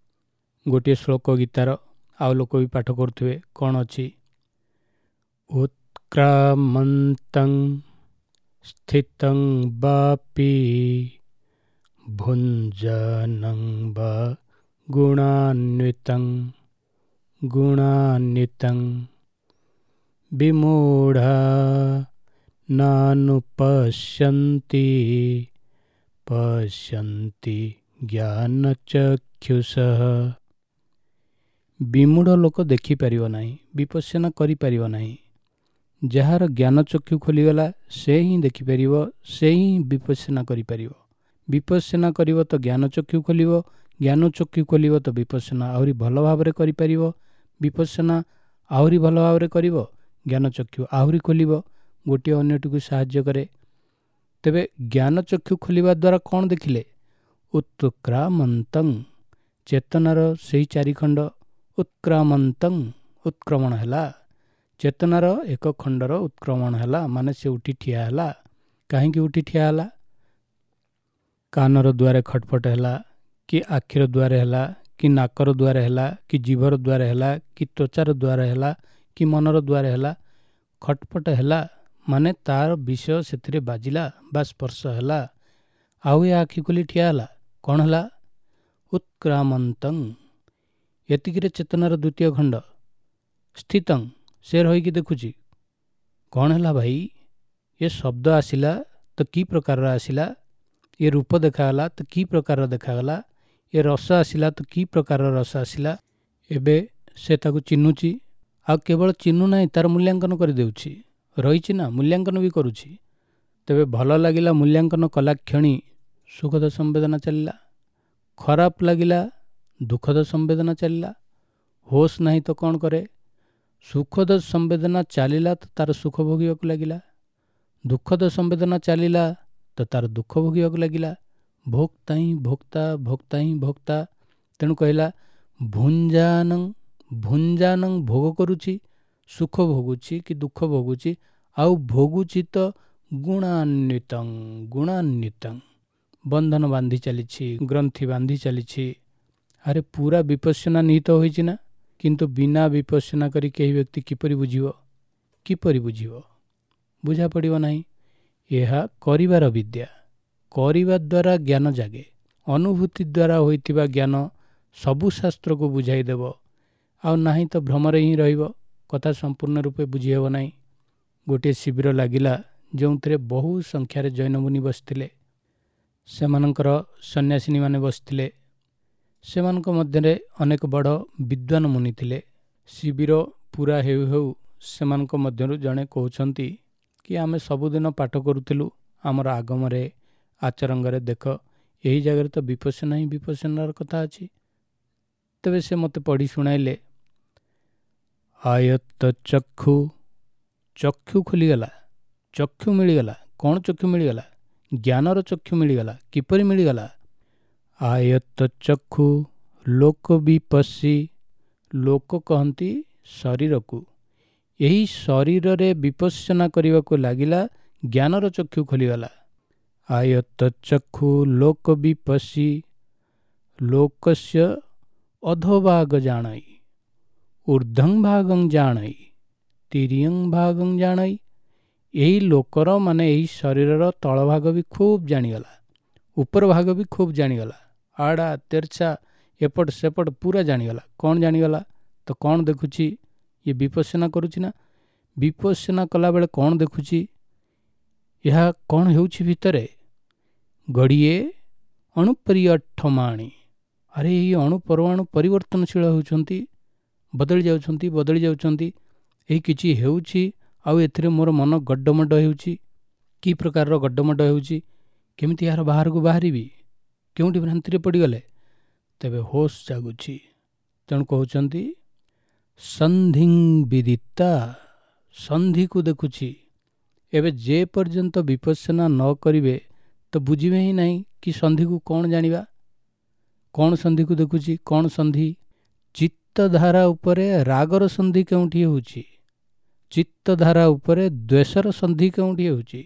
ଗୋଟିଏ ଶ୍ଳୋକ ଗୀତାର, ଆଉ ଲୋକ ବି ପାଠ କରୁଥିବେ, କ'ଣ ଅଛି? ଉତ୍କ୍ରାମନ୍ତଂ ସ୍ଥିତଂ ବାପି ଭୁଞ୍ଜନଂ ବା ଗୁଣାନ୍ୱିତଂ ଗୁଣାନ୍ୱିତଂ ବିମୂଢ଼ା ନାନୁପଶ୍ୟନ୍ତି ପଶ୍ୟନ୍ତି ଜ୍ଞାନଚକ୍ଷୁଷଃ। ବିମୂଢ଼ ଲୋକ ଦେଖିପାରିବ ନାହିଁ, ବିପଶ୍ୟନା କରିପାରିବ ନାହିଁ। ଯାହାର ଜ୍ଞାନଚକ୍ଷୁ ଖୋଲିଗଲା ସେ ହିଁ ଦେଖିପାରିବ, ସେ ହିଁ ବିପଶ୍ୟନା କରିପାରିବ। ବିପଶ୍ୟନା କରିବ ତ ଜ୍ଞାନଚକ୍ଷୁ ଖୋଲିବ, ଜ୍ଞାନଚକ୍ଷୁ ଖୋଲିବ ତ ବିପଶ୍ୟନା ଆହୁରି ଭଲ ଭାବରେ କରିପାରିବ, ବିପଶ୍ୟନା ଆହୁରି ଭଲ ଭାବରେ କରିବ, ଜ୍ଞାନଚକ୍ଷୁ ଆହୁରି ଖୋଲିବ। ଗୋଟିଏ ଅନ୍ୟଟିକୁ ସାହାଯ୍ୟ କରେ। ତେବେ ଜ୍ଞାନଚକ୍ଷୁ ଖୋଲିବା ଦ୍ୱାରା କ'ଣ ଦେଖିଲେ? ଉତ୍କ୍ରାମନ୍ତଂ, ଚେତନାର ସେଇ ଚାରିଖଣ୍ଡ ଉତ୍କ୍ରାମନ୍ତଂ, ଉତ୍କ୍ରମଣ ହେଲା। ଚେତନାର ଏକ ଖଣ୍ଡର ଉତ୍କ୍ରମଣ ହେଲା, ମାନେ ସେ ଉଠି ଠିଆ ହେଲା। କାହିଁକି ଉଠି ଠିଆ ହେଲା? କାନର ଦ୍ୱାରେ ଖଟଫଟ ହେଲା, କି ଆଖିର ଦ୍ୱାରେ ହେଲା, କି ନାକର ଦ୍ୱାରେ ହେଲା, କି ଜିଭର ଦ୍ୱାରେ ହେଲା, କି ତ୍ୱଚାର ଦ୍ୱାରେ ହେଲା, କି ମନର ଦ୍ୱାରେ ହେଲା। ଖଟଫଟ ହେଲା ମାନେ ତାର ବିଷୟ ସେଥିରେ ବାଜିଲା ବା ସ୍ପର୍ଶ ହେଲା। ଆଉ ଏ ଆଖି ଖୋଲି ଠିଆ ହେଲା, କ'ଣ ହେଲା? ଉତ୍କ୍ରାମନ୍ତଂ। ଏତିକିରେ ଚେତନାର ଦ୍ୱିତୀୟ ଖଣ୍ଡ ସ୍ଥିତଂ, ସେ ରହିକି ଦେଖୁଛି। କ'ଣ ହେଲା ଭାଇ? ଏ ଶବ୍ଦ ଆସିଲା ତ କି ପ୍ରକାରର ଆସିଲା? ଏ ରୂପ ଦେଖାଗଲା ତ କି ପ୍ରକାରର ଦେଖାଗଲା? ଏ ରସ ଆସିଲା ତ କି ପ୍ରକାରର ରସ ଆସିଲା? ଏବେ ସେ ତାକୁ ଚିହ୍ନୁଛି। ଆଉ କେବଳ ଚିହ୍ନୁ ନାହିଁ, ତାର ମୂଲ୍ୟାଙ୍କନ କରିଦେଉଛି। ରହିଛି ନା, ମୂଲ୍ୟାଙ୍କନ ବି କରୁଛି। ତେବେ ଭଲ ଲାଗିଲା ମୂଲ୍ୟାଙ୍କନ କଲା କ୍ଷଣି ସୁଖଦ ସମ୍ବେଦନା ଚାଲିଲା, ଖରାପ ଲାଗିଲା ଦୁଃଖଦ ସମ୍ବେଦନା ଚାଲିଲା। ହୋସ୍ ନାହିଁ ତ କ'ଣ କରେ? ସୁଖଦ ସମ୍ବେଦନା ଚାଲିଲା ତ ତାର ସୁଖ ଭୋଗିବାକୁ ଲାଗିଲା, ଦୁଃଖଦ ସମ୍ବେଦନା ଚାଲିଲା ତ ତାର ଦୁଃଖ ଭୋଗିବାକୁ ଲାଗିଲା। ଭୋକ୍ତା ହିଁ ଭୋକ୍ତା, ଭୋକ୍ତା ହିଁ ଭୋକ୍ତା। ତେଣୁ କହିଲା ଭୁଞ୍ଜାନଂ, ଭୁଞ୍ଜାନଂ ଭୋଗ କରୁଛି, ସୁଖ ଭୋଗୁଛି କି ଦୁଃଖ ଭୋଗୁଛି, ଆଉ ଭୋଗୁଛି ତ ଗୁଣାନ୍ୱିତଂ, ଗୁଣାନ୍ୱିତଂ, ବନ୍ଧନ ବାନ୍ଧି ଚାଲିଛି, ଗ୍ରନ୍ଥି ବାନ୍ଧି ଚାଲିଛି। ଆରେ ପୁରା ବିପଶ୍ୟନା ନିହିତ ହୋଇଛି ନା? କିନ୍ତୁ ବିନା ବିପଶ୍ୟନା କରି କେହି ବ୍ୟକ୍ତି କିପରି ବୁଝିବ? କିପରି ବୁଝିବ? ବୁଝା ପଡ଼ିବ ନାହିଁ। ଏହା କରିବାର ବିଦ୍ୟା। କରିବା ଦ୍ୱାରା ଜ୍ଞାନ ଜାଗେ। ଅନୁଭୂତି ଦ୍ୱାରା ହୋଇଥିବା ଜ୍ଞାନ ସବୁ ଶାସ୍ତ୍ରକୁ ବୁଝାଇଦେବ। ଆଉ ନାହିଁ ତ ଭ୍ରମରେ ହିଁ ରହିବ, କଥା ସମ୍ପୂର୍ଣ୍ଣ ରୂପେ ବୁଝି ହେବ ନାହିଁ। ଗୋଟିଏ ଶିବିର ଲାଗିଲା ଯେଉଁଥିରେ ବହୁ ସଂଖ୍ୟାରେ ଜୈନମୁନି ବସିଥିଲେ, ସେମାନଙ୍କର ସନ୍ନ୍ୟାସିନୀମାନେ ବସିଥିଲେ। ସେମାନଙ୍କ ମଧ୍ୟରେ ଅନେକ ବଡ଼ ବିଦ୍ୱାନ ମୁନି ଥିଲେ। ଶିବିର ପୁରା ହେଉ ହେଉ ସେମାନଙ୍କ ମଧ୍ୟରୁ ଜଣେ କହୁଛନ୍ତି କି ଆମେ ସବୁଦିନ ପାଠ କରୁଥିଲୁ ଆମର ଆଗମରେ ଆଚରଙ୍ଗରେ, ଦେଖ ଏହି ଜାଗାରେ ତ ବିପଶ୍ୟନା ହିଁ ବିପଶ୍ୟନାର କଥା ଅଛି। ତେବେ ସେ ମୋତେ ପଢ଼ି ଶୁଣାଇଲେ, ଆୟତ୍ତ ଚକ୍ଷୁ, ଚକ୍ଷୁ ଖୋଲିଗଲା, ଚକ୍ଷୁ ମିଳିଗଲା। କ'ଣ ଚକ୍ଷୁ ମିଳିଗଲା? ଜ୍ଞାନର ଚକ୍ଷୁ ମିଳିଗଲା। କିପରି ମିଳିଗଲା? ଆୟତ୍ତ ଚକ୍ଷୁ ଲୋକ ବିପଶ୍ୟି, ଲୋକ କହନ୍ତି ଶରୀରକୁ, ଏହି ଶରୀରରେ ବିପଶ୍ୟନା କରିବାକୁ ଲାଗିଲା, ଜ୍ଞାନର ଚକ୍ଷୁ ଖୋଲିଗଲା। ଆୟତ୍ତ ଚକ୍ଷୁ ଲୋକ ବିପଶ୍ୟି ଲୋକସ୍ୟ ଅଧୋଭାଗ ଜାଣଇ ଊର୍ଦ୍ଧ୍ୱଂ ଭାଗଂ ଜାଣଇ ତିରିୟଂ ଭାଗଂ ଜାଣଇ। ଏହି ଲୋକର ମାନେ ଏହି ଶରୀରର ତଳ ଭାଗ ବି ଖୁବ୍ ଜାଣିଗଲା, ଉପର ଭାଗ ବି ଖୁବ୍ ଜାଣିଗଲା, ଆଡ଼ା ତେରଛା ଏପଟ ସେପଟ ପୁରା ଜାଣିଗଲା। କ'ଣ ଜାଣିଗଲା? ତ କ'ଣ ଦେଖୁଛି? ଇଏ ବିପଶ୍ୟନା କରୁଛି ନା? ବିପଶ୍ୟନା କଲାବେଳେ କ'ଣ ଦେଖୁଛି? ଏହା କ'ଣ ହେଉଛି ଭିତରେ? ଗଡ଼ିଏ ଅଣୁପରିଅଠମାଣି, ଆରେ ଏଇ ଅଣୁ ପରମାଣୁ ପରିବର୍ତ୍ତନଶୀଳ ହେଉଛନ୍ତି, ବଦଳି ଯାଉଛନ୍ତି, ବଦଳି ଯାଉଛନ୍ତି। ଏହି କିଛି ହେଉଛି ଆଉ ଏଥିରେ ମୋର ମନ ଗଡ଼ମଡ଼ ହେଉଛି। କି ପ୍ରକାରର ଗଡ଼ମଡ଼ ହେଉଛି? କେମିତି ଏହାର ବାହାରକୁ ବାହାରିବି? କେଉଁଠି ଭ୍ରାନ୍ତିରେ ପଡ଼ିଗଲେ? ତେବେ ହୋସ୍ ଜାଗୁଛି। ତେଣୁ କହୁଛନ୍ତି ସନ୍ଧିଂ ବିଦିତା, ସନ୍ଧିକୁ ଦେଖୁଛି। ଏବେ ଯେ ପର୍ଯ୍ୟନ୍ତ ବିପଶ୍ୟନା ନ କରିବେ ତ ବୁଝିବେ ହିଁ ନାହିଁ କି ସନ୍ଧିକୁ କ'ଣ ଜାଣିବା, କ'ଣ ସନ୍ଧିକୁ ଦେଖୁଛି, କ'ଣ ସନ୍ଧି। ଚିତ୍ତଧାରା ଉପରେ ରାଗର ସନ୍ଧି କେଉଁଠି ହେଉଛି? ଚିତ୍ତଧାରା ଉପରେ ଦ୍ୱେଷର ସନ୍ଧି କେଉଁଠି ହେଉଛି?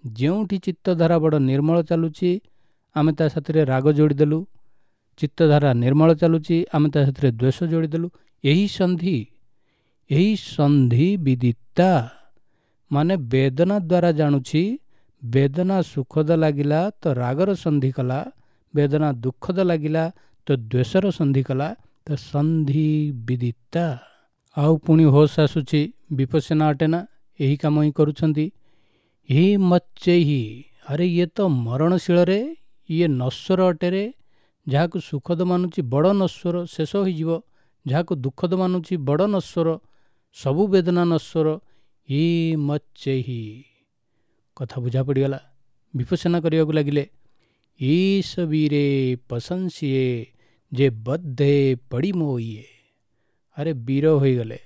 ଯେଉଁଠି ଚିତ୍ତଧାରା ବଡ଼ ନିର୍ମଳ ଚାଲୁଛି, ଆମେ ତା ସାଥିରେ ରାଗ ଯୋଡ଼ିଦେଲୁ। ଚିତ୍ତଧାରା ନିର୍ମଳ ଚାଲୁଛି, ଆମେ ତା ସେଥିରେ ଦ୍ୱେଷ ଯୋଡ଼ିଦେଲୁ। ଏହି ସନ୍ଧି, ଏହି ସନ୍ଧି ବିଦିତା ମାନେ ବେଦନା ଦ୍ୱାରା ଜାଣୁଛି। ବେଦନା ସୁଖଦ ଲାଗିଲା ତ ରାଗର ସନ୍ଧି କଲା, ବେଦନା ଦୁଃଖଦ ଲାଗିଲା ତ ଦ୍ୱେଷର ସନ୍ଧି କଲା, ତ ସନ୍ଧି ବିଦିତା। ଆଉ ପୁଣି ହୋସ୍ ଆସୁଛି, ବିପස්සନା ଅଟେ ନା, ଏହି କାମ ହିଁ କରୁଛନ୍ତି। ହି ମଚ୍ଚେହି, ଆରେ ଇଏ ତ ମରଣଶୀଳରେ, ଇଏ ନଶ୍ୱର ଅଟେରେ। ଯାହାକୁ ସୁଖଦ ମାନୁଛି ବଡ଼ ନଶ୍ୱର, ଶେଷ ହୋଇଯିବ। ଯାହାକୁ ଦୁଃଖଦ ମାନୁଛି ବଡ଼ ନଶ୍ୱର, ସବୁ ବେଦନା ନଶ୍ୱର। ହି ମଚ୍ଚେହି, କଥା ବୁଝା ପଡ଼ିଗଲା। ବିପස්සନା କରିବାକୁ ଲାଗିଲେ। ଈଶ ବୀରେ ପଶଂସିଏ ଯେ ବଦ୍ଧେ ପଡ଼ି ମୋଇଏ। ଆରେ ବୀର ହୋଇଗଲେ,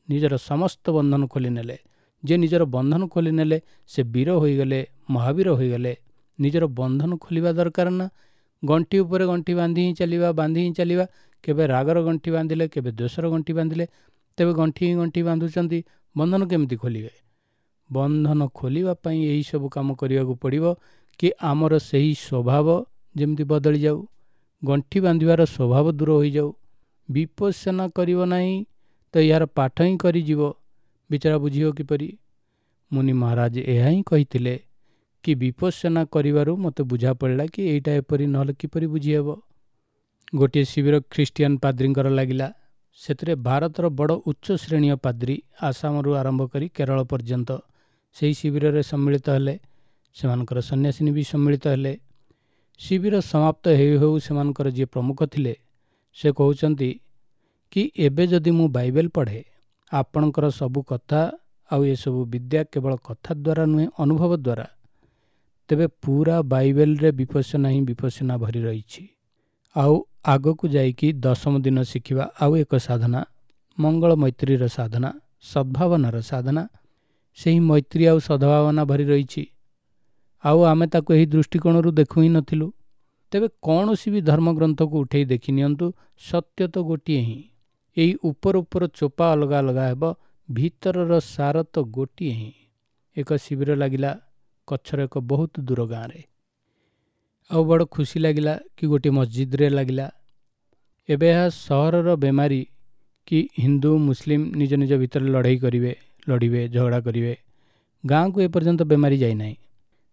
ନିଜର ସମସ୍ତ ବନ୍ଧନ ଖୋଲି ନେଲେ। ଯିଏ ନିଜର ବନ୍ଧନ ଖୋଲି ନେଲେ ସେ ବୀର ହୋଇଗଲେ, ମହାବୀର ହୋଇଗଲେ। ନିଜର ବନ୍ଧନ ଖୋଲିବା ଦରକାର ନା, ଗଣ୍ଠି ଉପରେ ଗଣ୍ଠି ବାନ୍ଧି ହିଁ ଚାଲିବା, ବାନ୍ଧି ହିଁ ଚାଲିବା। କେବେ ରାଗର ଗଣ୍ଠି ବାନ୍ଧିଲେ, କେବେ ଦ୍ୱେଷର ଗଣ୍ଠି ବାନ୍ଧିଲେ, ତେବେ ଗଣ୍ଠି ହିଁ ଗଣ୍ଠି ବାନ୍ଧୁଛନ୍ତି, ବନ୍ଧନ କେମିତି ଖୋଲିବେ? ବନ୍ଧନ ଖୋଲିବା ପାଇଁ ଏହିସବୁ କାମ କରିବାକୁ ପଡ଼ିବ କି ଆମର ସେହି ସ୍ୱଭାବ ଯେମିତି ବଦଳି ଯାଉ, ଗଣ୍ଠି ବାନ୍ଧିବାର ସ୍ୱଭାବ ଦୂର ହୋଇଯାଉ। ବିପස්සନା କରିବ ନାହିଁ ତ ଏହାର ପାଠ ହିଁ କରିଯିବ, ବିଚାରା ବୁଝିବ କିପରି? ମୁନି ମହାରାଜ ଏହା ହିଁ କହିଥିଲେ କି ବିପස්සନା କରିବାରୁ ମୋତେ ବୁଝା ପଡ଼ିଲା କି ଏଇଟା ଏପରି, ନହେଲେ କିପରି ବୁଝିହେବ? ଗୋଟିଏ ଶିବିର ଖ୍ରୀଷ୍ଟିଆନ ପାଦ୍ରୀଙ୍କର ଲାଗିଲା। ସେଥିରେ ଭାରତର ବଡ଼ ଉଚ୍ଚ ଶ୍ରେଣୀୟ ପାଦ୍ରୀ ଆସାମରୁ ଆରମ୍ଭ କରି କେରଳ ପର୍ଯ୍ୟନ୍ତ ସେହି ଶିବିରରେ ସମ୍ମିଳିତ ହେଲେ। ସେମାନଙ୍କର ସନ୍ନ୍ୟାସିନୀ ବି ସମ୍ମିଳିତ ହେଲେ। ଶିବିର ସମାପ୍ତ ହେଉ ହେଉ ସେମାନଙ୍କର ଯିଏ ପ୍ରମୁଖ ଥିଲେ ସେ କହୁଛନ୍ତି କି ଏବେ ଯଦି ମୁଁ ବାଇବେଲ ପଢ଼େ, ଆପଣଙ୍କର ସବୁ କଥା ଆଉ ଏସବୁ ବିଦ୍ୟା କେବଳ କଥା ଦ୍ୱାରା ନୁହେଁ, ଅନୁଭବ ଦ୍ୱାରା, ତେବେ ପୁରା ବାଇବେଲରେ ବିପස්සନା ହିଁ ବିପස්සନା ଭରି ରହିଛି। ଆଉ ଆଗକୁ ଯାଇକି ଦଶମ ଦିନ ଶିଖିବା ଆଉ ଏକ ସାଧନା, ମଙ୍ଗଳ ମୈତ୍ରୀର ସାଧନା, ସଦ୍ଭାବନାର ସାଧନା। ସେହି ମୈତ୍ରୀ ଆଉ ସଦ୍ଭାବନା ଭରି ରହିଛି, ଆଉ ଆମେ ତାକୁ ଏହି ଦୃଷ୍ଟିକୋଣରୁ ଦେଖୁ ହିଁ ନଥିଲୁ। ତେବେ କୌଣସି ବି ଧର୍ମଗ୍ରନ୍ଥକୁ ଉଠେଇ ଦେଖି ନିଅନ୍ତୁ, ସତ୍ୟ ତ ଗୋଟିଏ ହିଁ। ଏଇ ଉପର ଉପର ଚୋପା ଅଲଗା ଅଲଗା ହେବ, ଭିତରର ସାର ତ ଗୋଟିଏ ହିଁ। ଏକ ଶିବିର ଲାଗିଲା କଚ୍ଛର ଏକ ବହୁତ ଦୂର ଗାଁରେ। ଆଉ ବଡ଼ ଖୁସି ଲାଗିଲା କି ଗୋଟିଏ ମସଜିଦରେ ଲାଗିଲା। ଏବେ ଏହା ସହରର ବେମାରୀ କି ହିନ୍ଦୁ ମୁସଲିମ ନିଜ ନିଜ ଭିତରେ ଲଢ଼େଇ କରିବେ, ଲଢ଼ିବେ, ଝଗଡ଼ା କରିବେ। ଗାଁକୁ ଏପର୍ଯ୍ୟନ୍ତ ବେମାରୀ ଯାଇନାହିଁ।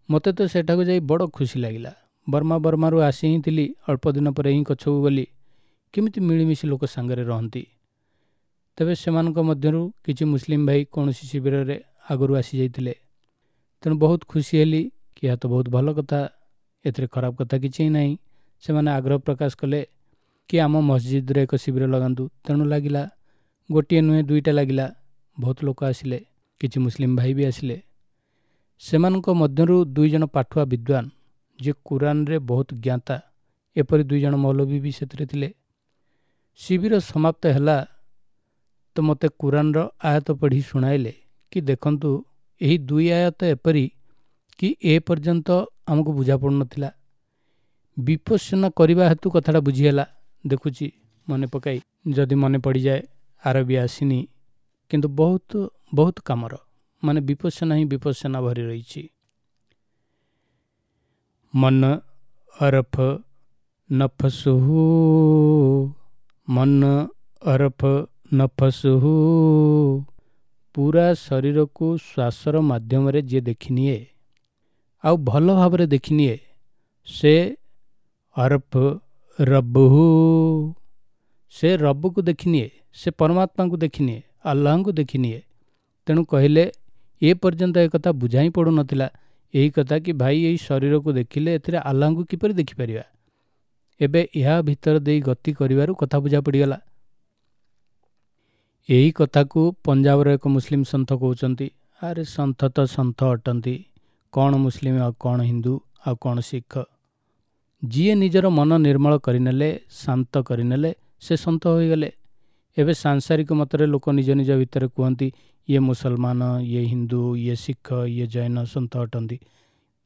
ମୋତେ ତ ସେଠାକୁ ଯାଇ ବଡ଼ ଖୁସି ଲାଗିଲା। ବର୍ମାରୁ ଆସି ହିଁ ଥିଲି, ଅଳ୍ପ ଦିନ ପରେ ହିଁ କଚ୍ଛକୁ ଗଲି। କେମିତି ମିଳିମିଶି ଲୋକ ସାଙ୍ଗରେ ରହନ୍ତି। ତେବେ ସେମାନଙ୍କ ମଧ୍ୟରୁ କିଛି ମୁସଲିମ ଭାଇ କୌଣସି ଶିବିରରେ ଆଗରୁ ଆସିଯାଇଥିଲେ। ତେଣୁ ବହୁତ ଖୁସି ହେଲି କି ଏହା ତ ବହୁତ ଭଲ କଥା, ଏଥିରେ ଖରାପ କଥା କିଛି ହିଁ ନାହିଁ। ସେମାନେ ଆଗ୍ରହ ପ୍ରକାଶ କଲେ କି ଆମ ମସଜିଦରେ ଏକ ଶିବିର ଲଗାନ୍ତୁ। ତେଣୁ ଲାଗିଲା, ଗୋଟିଏ ନୁହେଁ ଦୁଇଟା ଲାଗିଲା। ବହୁତ ଲୋକ ଆସିଲେ, କିଛି ମୁସଲିମ ଭାଇ ବି ଆସିଲେ। ସେମାନଙ୍କ ମଧ୍ୟରୁ ଦୁଇ ଜଣ ପାଠୁଆ ବିଦ୍ୱାନ, ଯିଏ କୁରାନରେ ବହୁତ ଜ୍ଞାତା, ଏପରି ଦୁଇ ଜଣ ମୌଲବୀ ବି ସେଥିରେ ଥିଲେ। ଶିବିର ସମାପ୍ତ ହେଲା ତ ମୋତେ କୁରାନର ଆୟତ ପଢ଼ି ଶୁଣାଇଲେ କି ଦେଖନ୍ତୁ, ଏହି ଦୁଇ ଆୟତ ଏପରି କି ଏ ପର୍ଯ୍ୟନ୍ତ ଆମକୁ ବୁଝା ପଡ଼ୁନଥିଲା, ବିପස්සନା କରିବା ହେତୁ କଥାଟା ବୁଝିହେଲା। ଦେଖୁଛି ମନେ ପକାଇ, ଯଦି ମନେ ପଡ଼ିଯାଏ। ଆରବୀ ଆସିନି, କିନ୍ତୁ ବହୁତ ବହୁତ କାମର, ମାନେ ବିପස්සନା ହିଁ ବିପස්සନା ଭରି ରହିଛି। ମନ ଅରଫ ନଫସୁହୁ, ମନ ଅରଫ ନଫସୁହୁ, ପୁରା ଶରୀରକୁ ଶ୍ୱାସର ମାଧ୍ୟମରେ ଯିଏ ଦେଖିନିଏ, ଆଉ ଭଲ ଭାବରେ ଦେଖିନିଏ, ସେ ଅରଫ ରବ୍ବୁହୁ, ସେ ରବ୍ବୁକୁ ଦେଖିନିଏ, ସେ ପରମାତ୍ମାଙ୍କୁ ଦେଖିନିଏ, ଆଲ୍ଲାହଙ୍କୁ ଦେଖିନିଏ। ତେଣୁ କହିଲେ ଏ ପର୍ଯ୍ୟନ୍ତ ଏ କଥା ବୁଝା ହିଁ ପଡ଼ୁନଥିଲା, ଏହି କଥା କି ଭାଇ ଏଇ ଶରୀରକୁ ଦେଖିଲେ ଏଥିରେ ଆଲ୍ଲାହଙ୍କୁ କିପରି ଦେଖିପାରିବା? ଏବେ ଏହା ଭିତର ଦେଇ ଗତି କରିବାରୁ କଥା ବୁଝା ପଡ଼ିଗଲା। ଏହି କଥାକୁ ପଞ୍ଜାବର ଏକ ମୁସଲିମ ସନ୍ଥ କହୁଛନ୍ତି। ଆରେ ସନ୍ଥ ତ ସନ୍ଥ ଅଟନ୍ତି, କ'ଣ ମୁସଲିମ ଆଉ କ'ଣ ହିନ୍ଦୁ ଆଉ କ'ଣ ଶିଖ? ଯିଏ ନିଜର ମନ ନିର୍ମଳ କରିନେଲେ, ଶାନ୍ତ କରିନେଲେ, ସେ ସନ୍ଥ ହୋଇଗଲେ। ଏବେ ସାଂସାରିକ ମତରେ ଲୋକ ନିଜ ନିଜ ଭିତରେ କୁହନ୍ତି ଇଏ ମୁସଲମାନ, ଇଏ ହିନ୍ଦୁ, ଇଏ ଶିଖ, ଇଏ ଜୈନ ସନ୍ଥ ଅଟନ୍ତି।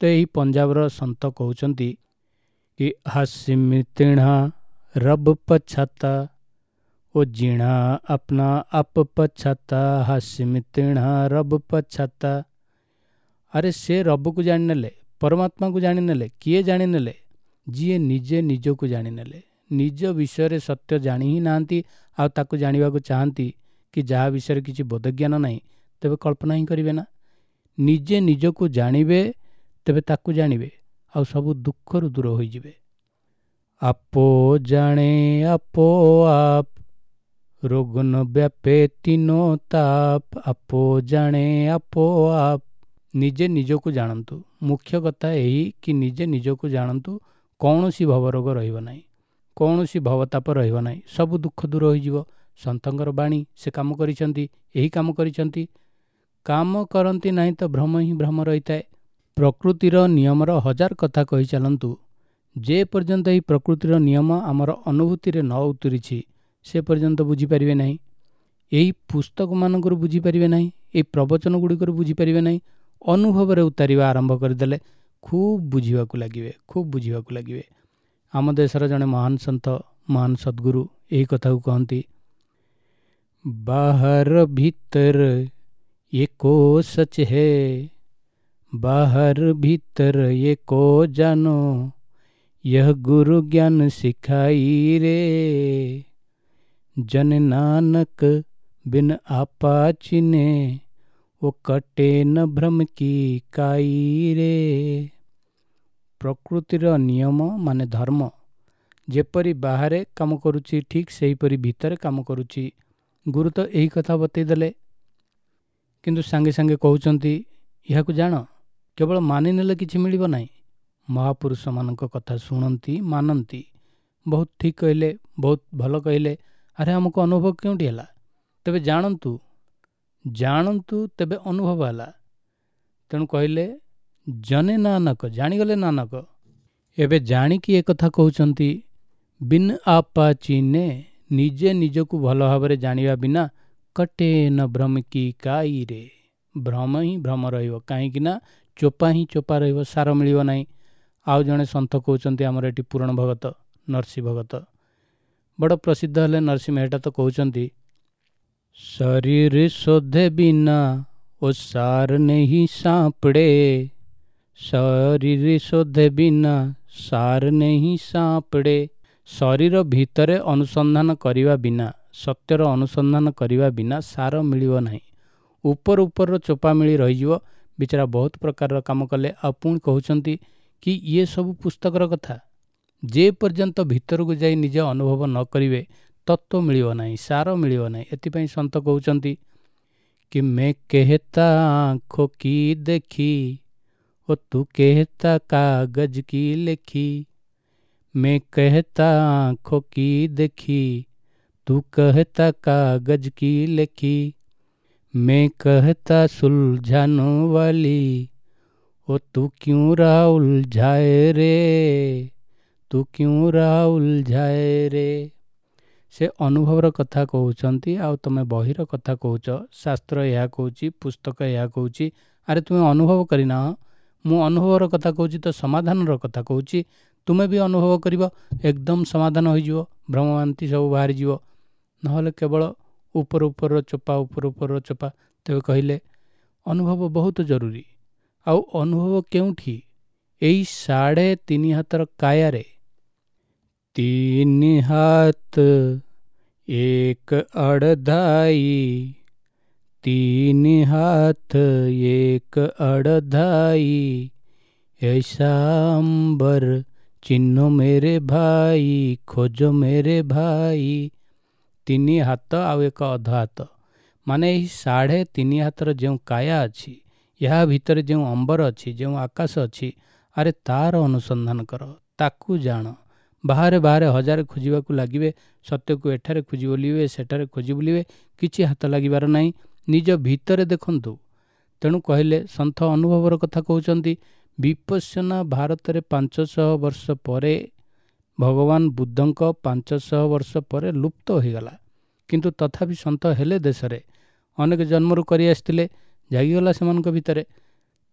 ତ ଏହି ପଞ୍ଜାବର ସନ୍ଥ କହୁଛନ୍ତି କି ହାସିମ ତିଣା ରବ ପଛାତା, ଓ ଜିଣା ଆପନା ଆପ ପଛାତା, ହାସିମ ତିଣା ରବ ପଛାତା। ଆରେ ସେ ରବକୁ ଜାଣିନେଲେ, ପରମାତ୍ମାକୁ ଜାଣିନେଲେ। କିଏ ଜାଣିନେଲେ? ଯିଏ ନିଜେ ନିଜକୁ ଜାଣିନେଲେ, ନିଜ ବିଷୟରେ ସତ୍ୟ ଜାଣି ହିଁ ନାହାନ୍ତି ଆଉ ତାକୁ ଜାଣିବାକୁ ଚାହାନ୍ତି କି ଯାହା ବିଷୟରେ କିଛି ବୋଧଜ୍ଞାନ ନାହିଁ, ତେବେ କଳ୍ପନା ହିଁ କରିବେ ନା। ନିଜେ ନିଜକୁ ଜାଣିବେ ତେବେ ତାକୁ ଜାଣିବେ, ଆଉ ସବୁ ଦୁଃଖରୁ ଦୂର ହୋଇଯିବେ। ଆପୋ ଜାଣେ ଆପୋ ଆପ୍, ରୋଗ ନ ବ୍ୟାପେ ତିନୋ ତାପ। ଆପୋ ଜାଣେ ଆପୋ ଆପ୍। ନିଜେ ନିଜକୁ ଜାଣନ୍ତୁ। ମୁଖ୍ୟ କଥା ଏହି କି ନିଜେ ନିଜକୁ ଜାଣନ୍ତୁ, କୌଣସି ଭବରୋଗ ରହିବ ନାହିଁ, କୌଣସି ଭବତାପ ରହିବ ନାହିଁ, ସବୁ ଦୁଃଖ ଦୂର ହୋଇଯିବ। ସନ୍ଥଙ୍କର ବାଣୀ, ସେ କାମ କରିଛନ୍ତି, ଏହି କାମ କରିଛନ୍ତି। କାମ କରନ୍ତି ନାହିଁ ତ ଭ୍ରମ ହିଁ ଭ୍ରମ ରହିଥାଏ। ପ୍ରକୃତିର ନିୟମର ହଜାର କଥା କହି ଚାଲନ୍ତୁ, ଯେ ପର୍ଯ୍ୟନ୍ତ ଏହି ପ୍ରକୃତିର ନିୟମ ଆମର ଅନୁଭୂତିରେ ନ ଉତୁରିଛି ସେ ପର୍ଯ୍ୟନ୍ତ ବୁଝିପାରିବେ ନାହିଁ। ଏହି ପୁସ୍ତକମାନଙ୍କରୁ ବୁଝିପାରିବେ ନାହିଁ, ଏହି ପ୍ରବଚନ ଗୁଡ଼ିକରୁ ବୁଝିପାରିବେ ନାହିଁ। ଅନୁଭବରେ ଉତାରିବା ଆରମ୍ଭ କରିଦେଲେ ଖୁବ୍ ବୁଝିବାକୁ ଲାଗିବେ, ଖୁବ୍ ବୁଝିବାକୁ ଲାଗିବେ। ଆମ ଦେଶର ଜଣେ ମହାନ ସନ୍ଥ, ମହାନ ସଦ୍ଗୁରୁ ଏହି କଥାକୁ କହନ୍ତି, ବାହାର ଭିତର ଏକ ସଚ ହେ, ବାହାର ଭିତର ଏକ ଜାନୋ, यह गुरु ज्ञान सिखाई रे। जन नानक बिन आपा चिने, वो कटे न भ्रम की काई रे। ପ୍ରକୃତିର ନିୟମ ମାନେ ଧର୍ମ ଯେପରି ବାହାରେ କାମ କରୁଛି, ଠିକ୍ ସେହିପରି ଭିତରେ କାମ କରୁଛି। ଗୁରୁ ତ ଏହି କଥା ବତେଇଦେଲେ, କିନ୍ତୁ ସାଙ୍ଗେ ସାଙ୍ଗେ କହୁଛନ୍ତି ଏହାକୁ ଜାଣ, କେବଳ ମାନିନେଲେ କିଛି ମିଳିବ ନାହିଁ। ମହାପୁରୁଷମାନଙ୍କ କଥା ଶୁଣନ୍ତି, ମାନନ୍ତି, ବହୁତ ଠିକ୍ କହିଲେ, ବହୁତ ଭଲ କହିଲେ, ଆରେ ଆମକୁ ଅନୁଭବ କେଉଁଠି ହେଲା? ତେବେ ଜାଣନ୍ତୁ, ଜାଣନ୍ତୁ ତେବେ ଅନୁଭବ ହେଲା। ତେଣୁ କହିଲେ ଜନେ ନାନକ, ଜାଣିଗଲେ ନାନକ। ଏବେ ଜାଣିକି ଏକଥା କହୁଛନ୍ତି, ବିନ୍ ଆପା ଚିହ୍ନେ, ନିଜେ ନିଜକୁ ଭଲ ଭାବରେ ଜାଣିବା ବିନା କଟେ ନ ଭ୍ରମ କି କାଇରେ, ଭ୍ରମ ହିଁ ଭ୍ରମ ରହିବ। କାହିଁକି ନା ଚୋପା ହିଁ ଚୋପା ରହିବ, ସାର ମିଳିବ ନାହିଁ। ଆଉ ଜଣେ ସନ୍ଥ କହୁଛନ୍ତି, ଆମର ଏଠି ପୂରଣ ଭଗତ, ନରସିଂହ ଭଗତ ବଡ଼ ପ୍ରସିଦ୍ଧ ହେଲେ, ନରସିଂହ ମେହେଟା ତ କହୁଛନ୍ତି, ଶରୀର ଶୋଧେ ବିନା ଓ ସାର ନେହି ସାପଡ଼େ, ଶରୀର ଶୋଧେ ବିନା ସାର ନେହି ସାପଡ଼େ। ଶରୀର ଭିତରେ ଅନୁସନ୍ଧାନ କରିବା ବିନା, ସତ୍ୟର ଅନୁସନ୍ଧାନ କରିବା ବିନା ସାର ମିଳିବ ନାହିଁ। ଉପର ଉପରର ଚୋପା ମିଳି ରହିଯିବ। ବିଚାରା ବହୁତ ପ୍ରକାରର କାମ କଲେ। ଆଉ ପୁଣି କହୁଛନ୍ତି କି ଇଏ ସବୁ ପୁସ୍ତକର କଥା, ଯେ ପର୍ଯ୍ୟନ୍ତ ଭିତରକୁ ଯାଇ ନିଜେ ଅନୁଭବ ନ କରିବେ ତତ୍ତ୍ୱ ମିଳିବ ନାହିଁ, ସାର ମିଳିବ ନାହିଁ। ଏଥିପାଇଁ ସନ୍ଥ କହୁଛନ୍ତି କି ମେ କେହେତା ଆଁଖୋ କି ଦେଖି, ଓ ତୁ କେହେତା କାଗଜ କି ଲେଖି। ମେ କହେତା ଆଁଖୋ କି ଦେଖି, ତୁ କହେତା କାଗଜ କି ଲେଖି। ମେ କହେତା ସୁଲଝାନ ବାଲି, ଓ ତୁ କ୍ୟୁଁ ରହା ଉଲଝାଏ ରେ, ତୁ କ୍ୟୁଁ ରହା ଉଲଝାଏ ରେ। ସେ ଅନୁଭବର କଥା କହୁଛନ୍ତି, ଆଉ ତୁମେ ବହିର କଥା କହୁଛ। ଶାସ୍ତ୍ର ଏହା କହୁଛି, ପୁସ୍ତକ ଏହା କହୁଛି, ଆରେ ତୁମେ ଅନୁଭବ କରିନାହ। ମୁଁ ଅନୁଭବର କଥା କହୁଛି ତ ସମାଧାନର କଥା କହୁଛି, ତୁମେ ବି ଅନୁଭବ କରିବ, ଏକଦମ ସମାଧାନ ହୋଇଯିବ, ଭ୍ରମଭ୍ରାନ୍ତି ସବୁ ବାହାରିଯିବ। ନହେଲେ କେବଳ ଉପର ଉପରର ଚୋପା, ଉପର ଉପରର ଚୋପା। ତେବେ କହିଲେ ଅନୁଭବ ବହୁତ ଜରୁରୀ। ଆଉ ଅନୁଭବ କେଉଁଠି? ଏଇ 3.5 ହାତର କାୟାରେ। 3 ହାତ 1 ଅଢ଼ାଇ, 3 ହାତ 1 ଅଢ଼ାଇ, ऐसा अंबर ଚିହ୍ନ ମେରେ ଭାଇ, ଖୋଜ ମେରେ ଭାଇ। 3 ହାତ ଆଉ 1 ଅଧ ହାତ, ମାନେ ଏହି 3.5 ହାତର ଯେଉଁ କାୟା ଅଛି, ଏହା ଭିତରେ ଯେଉଁ ଅମ୍ବର ଅଛି, ଯେଉଁ ଆକାଶ ଅଛି, ଆରେ ତାର ଅନୁସନ୍ଧାନ କର, ତାକୁ ଜାଣ। ବାହାରେ ବାହାରେ ହଜାରେ ଖୋଜିବାକୁ ଲାଗିବେ, ସତ୍ୟକୁ ଏଠାରେ ଖୋଜି ବୁଲିବେ, ସେଠାରେ ଖୋଜି ବୁଲିବେ, କିଛି ହାତ ଲାଗିବାର ନାହିଁ। ନିଜ ଭିତରେ ଦେଖନ୍ତୁ। ତେଣୁ କହିଲେ ସନ୍ଥ ଅନୁଭବର କଥା କହୁଛନ୍ତି। ବିପଶ୍ୟନା ଭାରତରେ 500 ବର୍ଷ ପରେ, ଭଗବାନ ବୁଦ୍ଧଙ୍କ 500 ବର୍ଷ ପରେ ଲୁପ୍ତ ହୋଇଗଲା। କିନ୍ତୁ ତଥାପି ସନ୍ଥ ହେଲେ ଦେଶରେ ଅନେକ ଜନ୍ମରୁ କରି ଆସିଥିଲେ, ଜାଗିଗଲା ସେମାନଙ୍କ ଭିତରେ।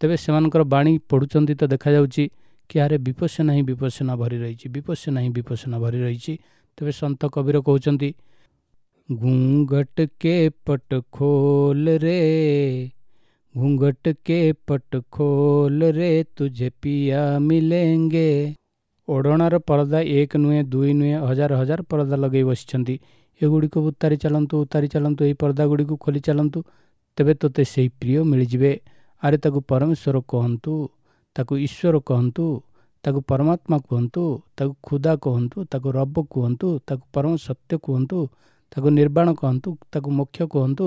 ତେବେ ସେମାନଙ୍କର ବାଣୀ ପଢ଼ୁଛନ୍ତି ତ ଦେଖାଯାଉଛି କି ଆରେ ବିପଶ୍ୟନା ହିଁ ବିପଶ୍ୟନା ଭରି ରହିଛି, ବିପଶ୍ୟନା ହିଁ ବିପଶ୍ୟନା ଭରି ରହିଛି। ତେବେ ସନ୍ଥ କବୀର କହୁଛନ୍ତି, ଘୁଙ୍ଘଟ କେ ପଟ ଖୋଲ ରେ, ଘୁଙ୍ଘଟ କେ ପଟ ଖୋଲ ରେ, ତୁଝେ ପିଆ ମିଲେଙ୍ଗେ। ଓଢ଼ଣାର ପରଦା ଏକ ନୁହେଁ, ଦୁଇ ନୁହେଁ, ହଜାର ହଜାର ପରଦା ଲଗେଇ ବସିଛନ୍ତି। ଏଗୁଡ଼ିକୁ ଉତାରି ଚାଲନ୍ତୁ, ଉତାରି ଚାଲନ୍ତୁ, ଏହି ପରଦା ଗୁଡ଼ିକୁ ଖୋଲି ଚାଲନ୍ତୁ, ତେବେ ତୋତେ ସେଇ ପ୍ରିୟ ମିଳିଯିବେ। ଆରେ ତାକୁ ପରମେଶ୍ୱର କୁହନ୍ତୁ, ତାକୁ ଈଶ୍ୱର କୁହନ୍ତୁ, ତାକୁ ପରମାତ୍ମା କୁହନ୍ତୁ, ତାକୁ ଖୁଦା କୁହନ୍ତୁ, ତାକୁ ରବ କୁହନ୍ତୁ, ତାକୁ ପରମ ସତ୍ୟ କୁହନ୍ତୁ, ତାକୁ ନିର୍ବାଣ କୁହନ୍ତୁ, ତାକୁ ମୋକ୍ଷ କୁହନ୍ତୁ।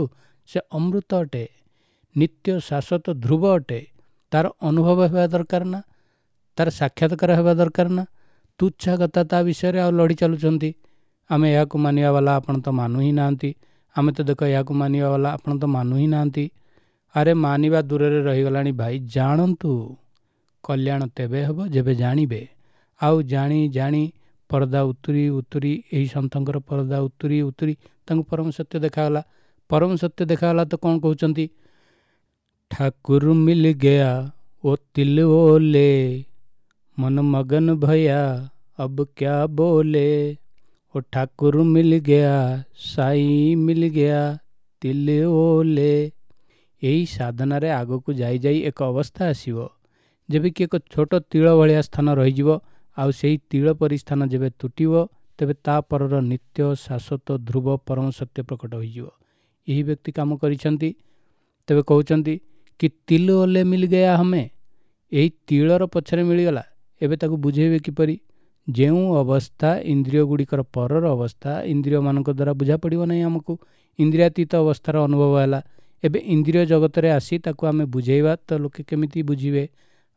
ସେ ଅମୃତ ଅଟେ, ନିତ୍ୟ ଶାଶ୍ୱତ ଧ୍ରୁବ ଅଟେ। ତାର ଅନୁଭବ ହେବା ଦରକାର ନା, ତାର ସାକ୍ଷାତକାର ହେବା ଦରକାର ନା? ତୁଚ୍ଛା କଥା ତା ବିଷୟରେ ଆଉ ଲଢ଼ି ଚାଲୁଛନ୍ତି। ଆମେ ଏହାକୁ ମାନିବା ବାଲା, ଆପଣ ତ ମାନୁ ହିଁ ନାହାନ୍ତି। ଆମେ ତ ଦେଖ ଏହାକୁ ମାନିବା ବାଲା, ଆପଣ ତ ମାନୁ ହିଁ ନାହାନ୍ତି। ଆରେ ମାନିବା ଦୂରରେ ରହିଗଲାଣି ଭାଇ, ଜାଣନ୍ତୁ। କଲ୍ୟାଣ ତେବେ ହେବ ଯେବେ ଜାଣିବେ। ଆଉ ଜାଣି ଜାଣି ପରଦା ଉତୁରି ଉତୁରି, ଏହି ସନ୍ଥଙ୍କର ପରଦା ଉତୁରି ଉତୁରି ତାଙ୍କୁ ପରମ ସତ୍ୟ ଦେଖାଗଲା। ପରମ ସତ୍ୟ ଦେଖାଗଲା ତ କ'ଣ କହୁଛନ୍ତି? ଠାକୁର ମିଲ ଗୟା ଓ ତିଲ ଓଲେ, ମନ ମଗନ ଭୟା ଅବ କ୍ୟା ବୋଲେ। ଓ ଠାକୁର ମିଲ ଗୟା, ସାଇ ମିଲ ଗୟା, ତିଲ ଓଲେ। ଏହି ସାଧନାରେ ଆଗକୁ ଯାଇ ଯାଇ ଏକ ଅବସ୍ଥା ଆସିବ ଯେବେ କି ଏକ ଛୋଟ ତିଳ ଭଳିଆ ସ୍ଥାନ ରହିଯିବ। ଆଉ ସେଇ ତିଳ ପରି ସ୍ଥାନ ଯେବେ ତୁଟିବ, ତେବେ ତା ପରର ନିତ୍ୟ ଶାଶ୍ୱତ ଧ୍ରୁବ ପରମ ସତ୍ୟ ପ୍ରକଟ ହୋଇଯିବ। ଏହି ବ୍ୟକ୍ତି କାମ କରିଛନ୍ତି। ତେବେ କହୁଛନ୍ତି କି ତିଲ ଓଲେ ମିଲ ଗୟା ହମେ, ଏହି ତିଳର ପଛରେ ମିଳିଗଲା। ଏବେ ତାକୁ ବୁଝେଇବେ କିପରି? ଯେଉଁ ଅବସ୍ଥା ଇନ୍ଦ୍ରିୟ ଗୁଡ଼ିକର ପରର ଅବସ୍ଥା, ଇନ୍ଦ୍ରିୟମାନଙ୍କ ଦ୍ୱାରା ବୁଝା ପଡ଼ିବ ନାହିଁ ଆମକୁ। ଇନ୍ଦ୍ରିୟାତୀତ ଅବସ୍ଥାର ଅନୁଭବ ହେଲା। ଏବେ ଇନ୍ଦ୍ରିୟ ଜଗତରେ ଆସି ତାକୁ ଆମେ ବୁଝେଇବା ତ ଲୋକେ କେମିତି ବୁଝିବେ?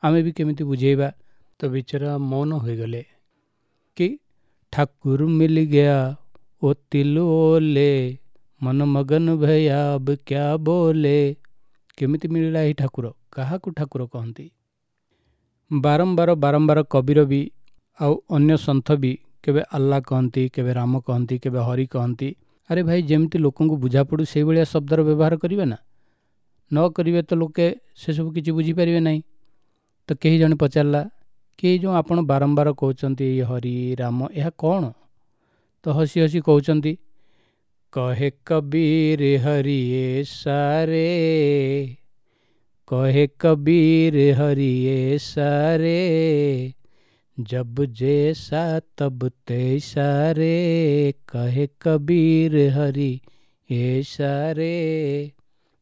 ଆମେ ବି କେମିତି ବୁଝେଇବା? ତ ବିଚରା ମୌନ ହୋଇଗଲେ କି ଠାକୁର ମିଲ ଗୟା ଓ ତିଲ ଓଲେ, ମନ ମଗନ ଭୟା ଅବ କ୍ୟା ବୋଲେ। କେମିତି ମିଳିଲା ଏହି ଠାକୁର? କାହାକୁ ଠାକୁର କହନ୍ତି? ବାରମ୍ବାର ବାରମ୍ବାର କବୀର ବି ଆଉ ଅନ୍ୟ ସନ୍ଥ ବି କେବେ ଆଲ୍ଲା କହନ୍ତି, କେବେ ରାମ କହନ୍ତି, କେବେ ହରି କହନ୍ତି। ଆରେ ଭାଇ, ଯେମିତି ଲୋକଙ୍କୁ ବୁଝାପଡ଼ୁ ସେଇଭଳିଆ ଶବ୍ଦର ବ୍ୟବହାର କରିବେ ନା, ନ କରିବେ ତ ଲୋକେ ସେସବୁ କିଛି ବୁଝିପାରିବେ ନାହିଁ। ତ କେହି ଜଣେ ପଚାରିଲା କି ଏଇ ଯେଉଁ ଆପଣ ବାରମ୍ବାର କହୁଛନ୍ତି ଏଇ ହରି ରାମ, ଏହା କ'ଣ? ତ ହସି ହସି କହୁଛନ୍ତି, କହେ କବୀର ହରି ଏ ସାରେ, କହେ କବୀର ହରି ଏ ସାରେ, ଜବ ଜେସା ତବ ତୈସା ରେ, କହେ କବୀର ହରି ଏ ସାରେ।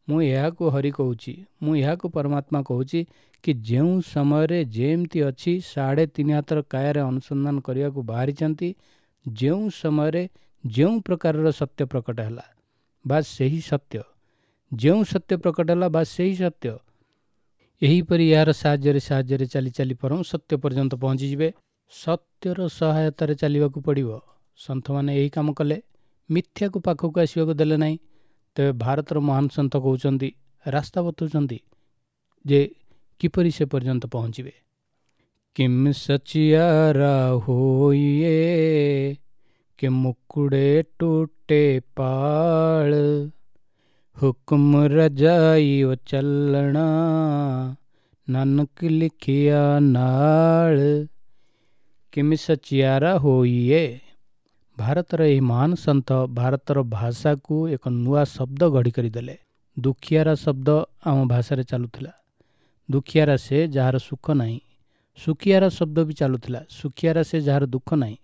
ମୁଁ ଏହାକୁ ହରି କହୁଛି, ମୁଁ ଏହାକୁ ପରମାତ୍ମା କହୁଛି କି ଯେଉଁ ସମୟରେ ଯେମିତି ଅଛି 3.5 ହାତର କାୟାରେ ଅନୁସନ୍ଧାନ କରିବାକୁ ବାହାରିଛନ୍ତି, ଯେଉଁ ସମୟରେ ଯେଉଁ ପ୍ରକାରର ସତ୍ୟ ପ୍ରକଟ ହେଲା ବା ସେହି ସତ୍ୟ, ଯେଉଁ ସତ୍ୟ ପ୍ରକଟ ହେଲା ବା ସେହି ସତ୍ୟ। ଏହିପରି ଏହାର ସାହାଯ୍ୟରେ ସାହାଯ୍ୟରେ ଚାଲି ଚାଲି ପରମ ସତ୍ୟ ପର୍ଯ୍ୟନ୍ତ ପହଞ୍ଚିଯିବେ। ସତ୍ୟର ସହାୟତାରେ ଚାଲିବାକୁ ପଡ଼ିବ। ସନ୍ଥମାନେ ଏହି କାମ କଲେ, ମିଥ୍ୟାକୁ ପାଖକୁ ଆସିବାକୁ ଦେଲେ ନାହିଁ। ତେବେ ଭାରତର ମହାନ ସନ୍ଥ କହୁଛନ୍ତି, ରାସ୍ତା ବତାଉଛନ୍ତି ଯେ କିପରି ସେ ପର୍ଯ୍ୟନ୍ତ ପହଞ୍ଚିବେ। କିମ୍ ସଚିଆରା ହୋଇଏ କି ମୁକୁଡ଼େ ଟୁଟେ ପାଳ, ହୁକୁମ ରଜାଇ ଓ ଚଲଣା, ନାନକ ଲିଖିଆ ନାଳ। କିମ୍ ସଚିଆରା ହୋଇଏ। ଭାରତର ଏହି ମହାନ ସନ୍ଥ ଭାରତର ଭାଷାକୁ ଏକ ନୂଆ ଶବ୍ଦ ଗଢ଼ି କରିଦେଲେ। ଦୁଃଖିଆରା ଶବ୍ଦ ଆମ ଭାଷାରେ ଚାଲୁଥିଲା। ଦୁଃଖିଆରା ସେ ଯାହାର ସୁଖ ନାହିଁ। ସୁଖିଆରା ଶବ୍ଦ ବି ଚାଲୁଥିଲା, ସୁଖିଆରା ସେ ଯାହାର ଦୁଃଖ ନାହିଁ।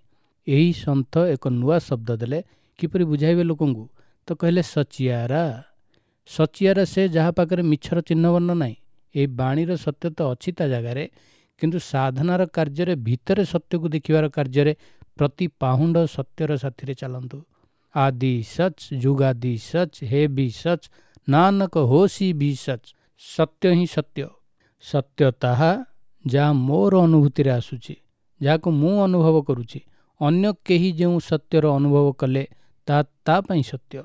ଏହି ସନ୍ଥ ଏକ ନୂଆ ଶବ୍ଦ ଦେଲେ। କିପରି ବୁଝାଇବେ ଲୋକଙ୍କୁ? ତ କହିଲେ ସଚିଆରା। ସଚିଆରା ସେ ଯାହା ପାଖରେ ମିଛର ଚିହ୍ନବର୍ଣ୍ଣ ନାହିଁ। ଏହି ବାଣୀର ସତ୍ୟ ତ ଅଛି ତା ଜାଗାରେ, କିନ୍ତୁ ସାଧନାର କାର୍ଯ୍ୟରେ ଭିତରେ ସତ୍ୟକୁ ଦେଖିବାର କାର୍ଯ୍ୟରେ ପ୍ରତି ପାହୁଣ୍ଡ ସତ୍ୟର ସାଥିରେ ଚାଲନ୍ତୁ। ଆଦି ସଚ୍, ଯୁଗାଦି ସଚ୍, ହେ ବି ସଚ୍, ନାନକ ହୋସି ବି ସଚ୍। ସତ୍ୟ ହିଁ ସତ୍ୟ। ସତ୍ୟ ତାହା ଯାହା ମୋର ଅନୁଭୂତିରେ ଆସୁଛି, ଯାହାକୁ ମୁଁ ଅନୁଭବ କରୁଛି। ଅନ୍ୟ କେହି ଯେଉଁ ସତ୍ୟର ଅନୁଭବ କଲେ ତାହା ତା ପାଇଁ ସତ୍ୟ।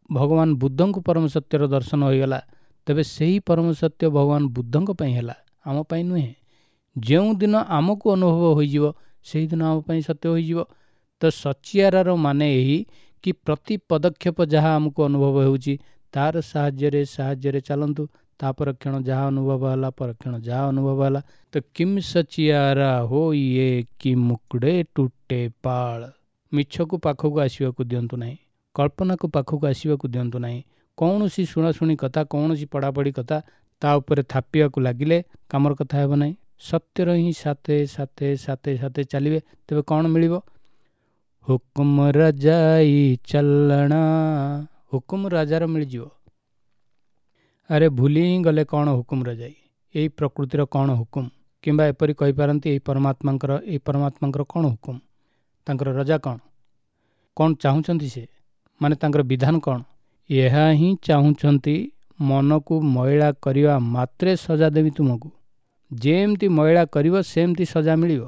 ଭଗବାନ ବୁଦ୍ଧଙ୍କୁ ପରମ ସତ୍ୟର ଦର୍ଶନ ହୋଇଗଲା, ତେବେ ସେହି ପରମ ସତ୍ୟ ଭଗବାନ ବୁଦ୍ଧଙ୍କ ପାଇଁ ହେଲା, ଆମ ପାଇଁ ନୁହେଁ। ଯେଉଁଦିନ ଆମକୁ ଅନୁଭବ ହୋଇଯିବ ସେହିଦିନ ଆମ ପାଇଁ ସତ୍ୟ ହୋଇଯିବ। ତ ସଚିଆରାର ମାନେ ଏହି କି ପ୍ରତି ପଦକ୍ଷେପ ଯାହା ଆମକୁ ଅନୁଭବ ହେଉଛି ତାର ସାହାଯ୍ୟରେ ସାହାଯ୍ୟରେ ଚାଲନ୍ତୁ। ତା ପରକ୍ଷଣ ଯାହା ଅନୁଭବ ହେଲା, ପରକ୍ଷଣ ଯାହା ଅନୁଭବ ହେଲା। ତ କିମ୍ ସଚିଆରା ହୋ ଇଏ କି ମୁକୁଡ଼େ ଟୁଟେ ପାଳ। ମିଛକୁ ପାଖକୁ ଆସିବାକୁ ଦିଅନ୍ତୁ ନାହିଁ, କଳ୍ପନାକୁ ପାଖକୁ ଆସିବାକୁ ଦିଅନ୍ତୁ ନାହିଁ। କୌଣସି ଶୁଣାଶୁଣି କଥା, କୌଣସି ପଢ଼ାପଢ଼ି କଥା ତା ଉପରେ ଥାପିବାକୁ ଲାଗିଲେ କାମର କଥା ହେବ ନାହିଁ। ସତ୍ୟର ହିଁ ସାଥେ ସାଥେ ସାଥେ ସାଥେ ଚାଲିବେ, ତେବେ କ'ଣ ମିଳିବ? ହୁକୁମ ରଜାଇ ଚଲଣା, ହୁକୁମ ରାଜାର ମିଳିଯିବ। ଆରେ ଭୁଲି ହିଁ ଗଲେ କ'ଣ ହୁକୁମ ରଜାଇ, ଏଇ ପ୍ରକୃତିର କ'ଣ ହୁକୁମ, କିମ୍ବା ଏପରି କହିପାରନ୍ତି ଏଇ ପରମାତ୍ମାଙ୍କର କ'ଣ ହୁକୁମ, ତାଙ୍କର ରଜା କ'ଣ, କ'ଣ ଚାହୁଁଛନ୍ତି ସେ, ମାନେ ତାଙ୍କର ବିଧାନ କ'ଣ? ଏହା ହିଁ ଚାହୁଁଛନ୍ତି, ମନକୁ ମଇଳା କରିବା ମାତ୍ରେ ସଜା ଦେବି ତୁମକୁ। ଯେମିତି ମଇଳା କରିବ ସେମିତି ସଜା ମିଳିବ।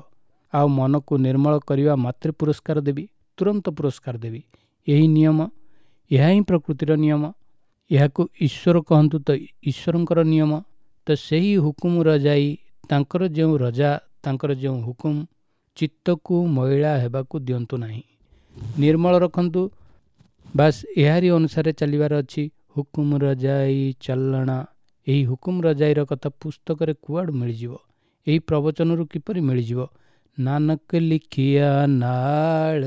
ଆଉ ମନକୁ ନିର୍ମଳ କରିବା ମାତ୍ରେ ପୁରସ୍କାର ଦେବି, ତୁରନ୍ତ ପୁରସ୍କାର ଦେବି। ଏହି ନିୟମ, ଏହା ହିଁ ପ୍ରକୃତିର ନିୟମ। ଏହାକୁ ଈଶ୍ୱର କହନ୍ତୁ ତ ଈଶ୍ୱରଙ୍କର ନିୟମ। ତ ସେହି ହୁକୁମ ରଜାଇ, ତାଙ୍କର ଯେଉଁ ରଜା, ତାଙ୍କର ଯେଉଁ ହୁକୁମ, ଚିତ୍ତକୁ ମଇଳା ହେବାକୁ ଦିଅନ୍ତୁ ନାହିଁ, ନିର୍ମଳ ରଖନ୍ତୁ। ବାସ୍ ଏହାରି ଅନୁସାରେ ଚାଲିବାର ଅଛି। ହୁକୁମ ରଜାଇ ଚଲଣା, ଏହି ହୁକୁମ ରଜାଇର କଥା ପୁସ୍ତକରେ କୁଆଡ଼ୁ ମିଳିଯିବ? ଏହି ପ୍ରବଚନରୁ କିପରି ମିଳିଯିବ? ନାନକ ଲିଖିଆ ନାଳ,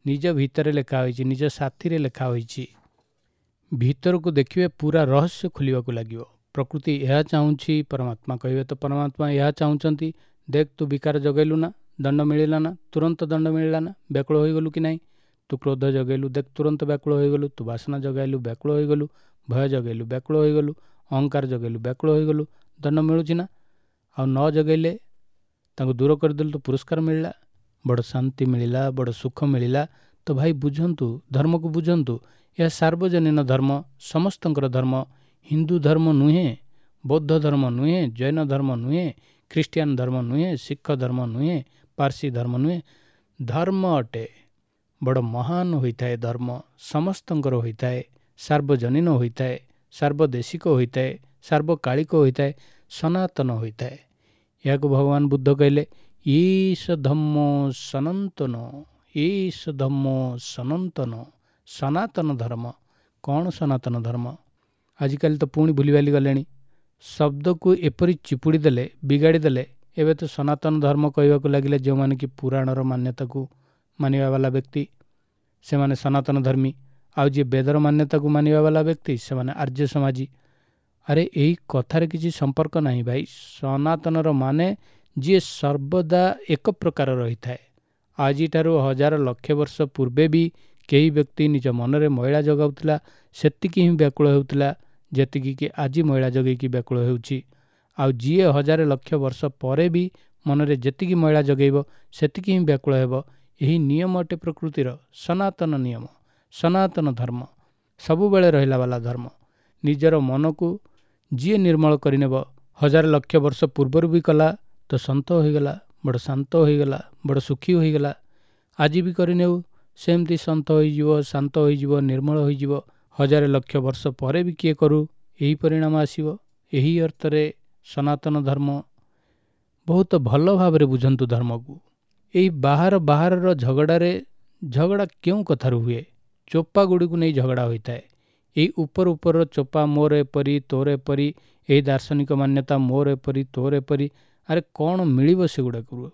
ନିଜ ଭିତରେ ଲେଖା ହୋଇଛି, ନିଜ ସାଥିରେ ଲେଖା ହୋଇଛି। ଭିତରକୁ ଦେଖିବେ ପୁରା ରହସ୍ୟ ଖୋଲିବାକୁ ଲାଗିବ। ପ୍ରକୃତି ଏହା ଚାହୁଁଛି, ପରମାତ୍ମା କହିବେ ତ ପରମାତ୍ମା ଏହା ଚାହୁଁଛନ୍ତି। ଦେଖ ତୁ ବିକାର ଜଗେଇଲୁ ନା, ଦଣ୍ଡ ମିଳିଲା ନା, ତୁରନ୍ତ ଦଣ୍ଡ ମିଳିଲା ନା, ବ୍ୟାକୁଳ ହୋଇଗଲୁ କି ନାହିଁ? ତୁ କ୍ରୋଧ ଜଗେଇଲୁ, ଦେଖ ତୁରନ୍ତ ବ୍ୟାକୁଳ ହୋଇଗଲୁ। ତୁ ବାସନା ଜଗାଇଲୁ, ବ୍ୟାକୁଳ ହୋଇଗଲୁ। ଭୟ ଜଗେଇଲୁ, ବ୍ୟାକୁଳ ହୋଇଗଲୁ। ଅହଙ୍କାର ଜଗେଇଲୁ, ବ୍ୟାକୁଳ ହୋଇଗଲୁ। ଦଣ୍ଡ ମିଳୁଛି ନା? ଆଉ ନ ଜଗେଇଲେ ତାଙ୍କୁ ଦୂର କରିଦେଲୁ ତ ପୁରସ୍କାର ମିଳିଲା, ବଡ଼ ଶାନ୍ତି ମିଳିଲା, ବଡ଼ ସୁଖ ମିଳିଲା। ତ ଭାଇ ବୁଝନ୍ତୁ, ଧର୍ମକୁ ବୁଝନ୍ତୁ। ଏହା ସାର୍ବଜନୀନ ଧର୍ମ, ସମସ୍ତଙ୍କର ଧର୍ମ। ହିନ୍ଦୁ ଧର୍ମ ନୁହେଁ, ବୌଦ୍ଧ ଧର୍ମ ନୁହେଁ, ଜୈନ ଧର୍ମ ନୁହେଁ, ଖ୍ରୀଷ୍ଟିଆନ ଧର୍ମ ନୁହେଁ, ଶିଖ ଧର୍ମ ନୁହେଁ, ପାର୍ସୀ ଧର୍ମ ନୁହେଁ, ଧର୍ମ ଅଟେ। ବଡ଼ ମହାନ ହୋଇଥାଏ ଧର୍ମ, ସମସ୍ତଙ୍କର ହୋଇଥାଏ, ସାର୍ବଜନୀନ ହୋଇଥାଏ, ସାର୍ବଦେଶିକ ହୋଇଥାଏ, ସାର୍ବକାଳିକ ହୋଇଥାଏ, ସନାତନ ହୋଇଥାଏ। ଏହାକୁ ଭଗବାନ ବୁଦ୍ଧ କହିଲେ ଈଶ ଧମ୍ମ ସନାତନ, ଈଶ ଧମ୍ମ ସନାତନ, ସନାତନ ଧର୍ମ। କ'ଣ ସନାତନ ଧର୍ମ? ଆଜିକାଲି ତ ପୁଣି ଭୁଲିଭାଲି ଗଲେଣି। ଶବ୍ଦକୁ ଏପରି ଚିପୁଡ଼ି ଦେଲେ, ବିଗାଡ଼ି ଦେଲେ। ଏବେ ତ ସନାତନ ଧର୍ମ କହିବାକୁ ଲାଗିଲେ ଯେଉଁମାନେ କି ପୁରାଣର ମାନ୍ୟତାକୁ ମାନିବା ବାଲା ବ୍ୟକ୍ତି, ସେମାନେ ସନାତନ ଧର୍ମୀ। ଆଉ ଯିଏ ବେଦର ମାନ୍ୟତାକୁ ମାନିବା ବାଲା ବ୍ୟକ୍ତି, ସେମାନେ ଆର୍ଯ୍ୟ ସମାଜୀ। ଆରେ ଏଇ କଥାରେ କିଛି ସମ୍ପର୍କ ନାହିଁ ଭାଇ। ସନାତନର ମାନେ ଯିଏ ସର୍ବଦା ଏକ ପ୍ରକାର ରହିଥାଏ। ଆଜିଠାରୁ ହଜାର ଲକ୍ଷ ବର୍ଷ ପୂର୍ବେ ବି କେହି ବ୍ୟକ୍ତି ନିଜ ମନରେ ମଇଳା ଜଗାଉଥିଲା, ସେତିକି ହିଁ ବ୍ୟାକୁଳ ହେଉଥିଲା ଯେତିକି କି ଆଜି ମଇଳା ଜଗେଇକି ବ୍ୟାକୁଳ ହେଉଛି। ଆଉ ଯିଏ ହଜାର ଲକ୍ଷ ବର୍ଷ ପରେ ବି ମନରେ ଯେତିକି ମଇଳା ଜଗେଇବ ସେତିକି ହିଁ ବ୍ୟାକୁଳ ହେବ। ଏହି ନିୟମ ଅଟେ ପ୍ରକୃତିର ସନାତନ ନିୟମ, ସନାତନ ଧର୍ମ, ସବୁବେଳେ ରହିଲା ବାଲା ଧର୍ମ। ନିଜର ମନକୁ ଯିଏ ନିର୍ମଳ କରିନେବ, ହଜାର ଲକ୍ଷ ବର୍ଷ ପୂର୍ବରୁ ବି କଲା ତ ସନ୍ତ ହୋଇଗଲା, ବଡ଼ ଶାନ୍ତ ହୋଇଗଲା, ବଡ଼ ସୁଖୀ ହୋଇଗଲା। ଆଜି ବି କରିନେଉ ସେମିତି ସନ୍ତ ହୋଇଯିବ, ଶାନ୍ତ ହୋଇଯିବ, ନିର୍ମଳ ହୋଇଯିବ। ହଜାର ଲକ୍ଷ ବର୍ଷ ପରେ ବି କିଏ କରୁ ଏହି ପରିଣାମ ଆସିବ। ଏହି ଅର୍ଥରେ ସନାତନ ଧର୍ମ। ବହୁତ ଭଲ ଭାବରେ ବୁଝନ୍ତୁ ଧର୍ମକୁ। ଏଇ ବାହାର ବାହାରର ଝଗଡ଼ାରେ, ଝଗଡ଼ା କେଉଁ କଥାରୁ ହୁଏ? ଚୋପା ଗୁଡ଼ିକୁ ନେଇ ଝଗଡ଼ା ହୋଇଥାଏ। ଏଇ ଉପର ଉପରର ଚୋପା, ମୋର ଏପରି, ତୋର ଏପରି, ଏଇ ଦାର୍ଶନିକ ମାନ୍ୟତା ମୋର ଏପରି, ତୋର ଏପରି। ଆରେ କ'ଣ ମିଳିବ ସେଗୁଡ଼ାକରୁ?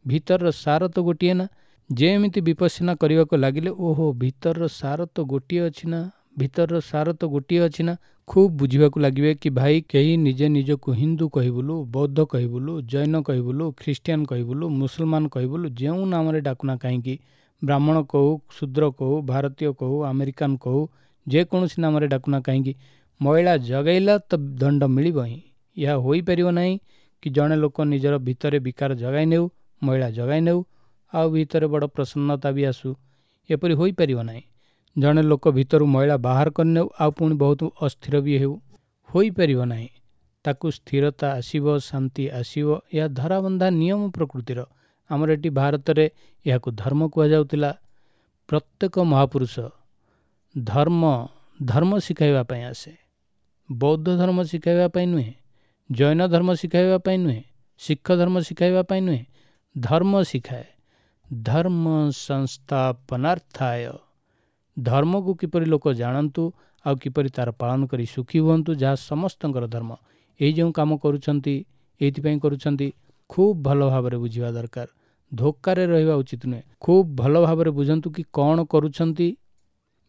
ଭିତରର ସାର ତ ଗୋଟିଏ ନା। ଯେମିତି ବିପස්සନା କରିବାକୁ ଲାଗିଲେ, ଓହୋ ଭିତରର ସାର ତ ଗୋଟିଏ ଅଛି ନା, ଭିତରର ସାର ତ ଗୋଟିଏ ଅଛି ନା, ଖୁବ୍ ବୁଝିବାକୁ ଲାଗିବେ କି ଭାଇ କେହି ନିଜେ ନିଜକୁ ହିନ୍ଦୁ କହିବୁଲୁ, ବୌଦ୍ଧ କହିବୁଲୁ, ଜୈନ କହିବୁଲୁ, ଖ୍ରୀଷ୍ଟିଆନ କହିବୁଲୁ, ମୁସଲମାନ କହିବୁଲୁ, ଯେଉଁ ନାମରେ ଡାକୁନା କାହିଁକି, ବ୍ରାହ୍ମଣ କହୁ, ଶୂଦ୍ର କହୁ, ଭାରତୀୟ କହୁ, ଆମେରିକାନ କହୁ, ଯେକୌଣସି ନାମରେ ଡାକୁନା କାହିଁକି, ମଇଳା ଜଗାଇଲା ତ ଦଣ୍ଡ ମିଳିବ ହିଁ। ଏହା ହୋଇପାରିବ ନାହିଁ କି ଜଣେ ଲୋକ ନିଜର ଭିତରେ ବିକାର ଜଗାଇ ନେଉ, ମଇଳା ଜଗାଇ ନେଉ, ଆଉ ଭିତରେ ବଡ଼ ପ୍ରସନ୍ନତା ବି ଆସୁ, ଏପରି ହୋଇପାରିବ ନାହିଁ। ଜଣେ ଲୋକ ଭିତରୁ ମଇଳା ବାହାର କରିନେଉ ଆଉ ପୁଣି ବହୁତ ଅସ୍ଥିର ବି ହେଉ, ହୋଇପାରିବ ନାହିଁ। ତାକୁ ସ୍ଥିରତା ଆସିବ, ଶାନ୍ତି ଆସିବ। ଏହା ଧରାବନ୍ଧା ନିୟମ ପ୍ରକୃତିର। ଆମର ଏଠି ଭାରତରେ ଏହାକୁ ଧର୍ମ କୁହାଯାଉଥିଲା। ପ୍ରତ୍ୟେକ ମହାପୁରୁଷ ଧର୍ମ ଶିଖାଇବା ପାଇଁ ଆସେ। ବୌଦ୍ଧ ଧର୍ମ ଶିଖାଇବା ପାଇଁ ନୁହେଁ, ଜୈନ ଧର୍ମ ଶିଖାଇବା ପାଇଁ ନୁହେଁ, ଶିଖ ଧର୍ମ ଶିଖାଇବା ପାଇଁ ନୁହେଁ, ଧର୍ମ ଶିଖାଏ। ଧର୍ମ ସଂସ୍ଥାପନାର୍ଥାୟ, ଧର୍ମକୁ କିପରି ଲୋକ ଜାଣନ୍ତୁ ଆଉ କିପରି ତା'ର ପାଳନ କରି ସୁଖୀ ହୁଅନ୍ତୁ, ଯାହା ସମସ୍ତଙ୍କର ଧର୍ମ। ଏଇ ଯେଉଁ କାମ କରୁଛନ୍ତି ଏଇଥିପାଇଁ କରୁଛନ୍ତି। ଖୁବ୍ ଭଲ ଭାବରେ ବୁଝିବା ଦରକାର, ଧୋକାରେ ରହିବା ଉଚିତ ନୁହେଁ। ଖୁବ୍ ଭଲ ଭାବରେ ବୁଝନ୍ତୁ କି କ'ଣ କରୁଛନ୍ତି।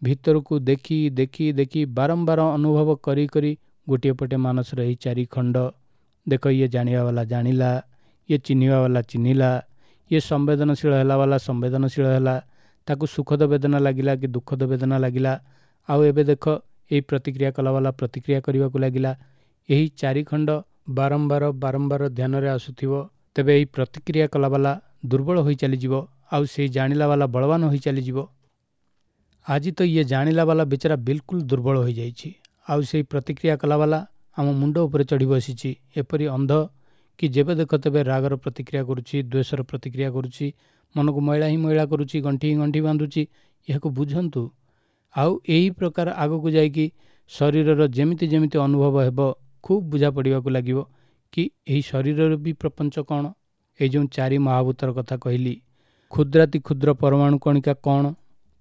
ଭିତରକୁ ଦେଖି ଦେଖି ଦେଖି ବାରମ୍ବାର ଅନୁଭବ କରି କରି ଗୋଟିଏ ପଟେ ମାନସର ଏହି ଚାରି ଖଣ୍ଡ ଦେଖ, ଇଏ ଜାଣିବା ବାଲା ଜାଣିଲା, ଇଏ ଚିହ୍ନିବା ବାଲା ଚିହ୍ନିଲା, ଇଏ ସମ୍ବେଦନଶୀଳ ହେଲା ବାଲା ସମ୍ବେଦନଶୀଳ ହେଲା, ତାକୁ ସୁଖଦ ବେଦନା ଲାଗିଲା କି ଦୁଃଖଦ ବେଦନା ଲାଗିଲା। ଆଉ ଏବେ ଦେଖ ଏହି ପ୍ରତିକ୍ରିୟା କଲାବାଲା ପ୍ରତିକ୍ରିୟା କରିବାକୁ ଲାଗିଲା। ଏହି ଚାରିଖଣ୍ଡ ବାରମ୍ବାର ବାରମ୍ବାର ଧ୍ୟାନରେ ଆସୁଥିବ, ତେବେ ଏହି ପ୍ରତିକ୍ରିୟା କଲାବାଲା ଦୁର୍ବଳ ହୋଇ ଚାଲିଯିବ, ଆଉ ସେଇ ଜାଣିଲା ବାଲା ବଳବାନ ହୋଇ ଚାଲିଯିବ। ଆଜି ତ ଇଏ ଜାଣିଲା ବାଲା ବିଚାରା ବିଲକୁଲ ଦୁର୍ବଳ ହୋଇଯାଇଛି, ଆଉ ସେଇ ପ୍ରତିକ୍ରିୟା କଲାବାଲା ଆମ ମୁଣ୍ଡ ଉପରେ ଚଢ଼ି ବସିଛି, ଏପରି ଅନ୍ଧ କି ଯେବେ ଦେଖ ତେବେ ରାଗର ପ୍ରତିକ୍ରିୟା କରୁଛି, ଦ୍ୱେଷର ପ୍ରତିକ୍ରିୟା କରୁଛି, ମନକୁ ମଇଳା ହିଁ ମଇଳା କରୁଛି, ଗଣ୍ଠି ହିଁ ଗଣ୍ଠି ବାନ୍ଧୁଛି। ଏହାକୁ ବୁଝନ୍ତୁ। ଆଉ ଏହି ପ୍ରକାର ଆଗକୁ ଯାଇକି ଶରୀରର ଯେମିତି ଯେମିତି ଅନୁଭବ ହେବ, ଖୁବ୍ ବୁଝା ପଡ଼ିବାକୁ ଲାଗିବ କି ଏହି ଶରୀରର ବି ପ୍ରପଞ୍ଚ କ'ଣ। ଏଇ ଯେଉଁ ଚାରି ମହାଭୂତର କଥା କହିଲି, କ୍ଷୁଦ୍ରାତି କ୍ଷୁଦ୍ର ପରମାଣୁ କଣିକା କ'ଣ,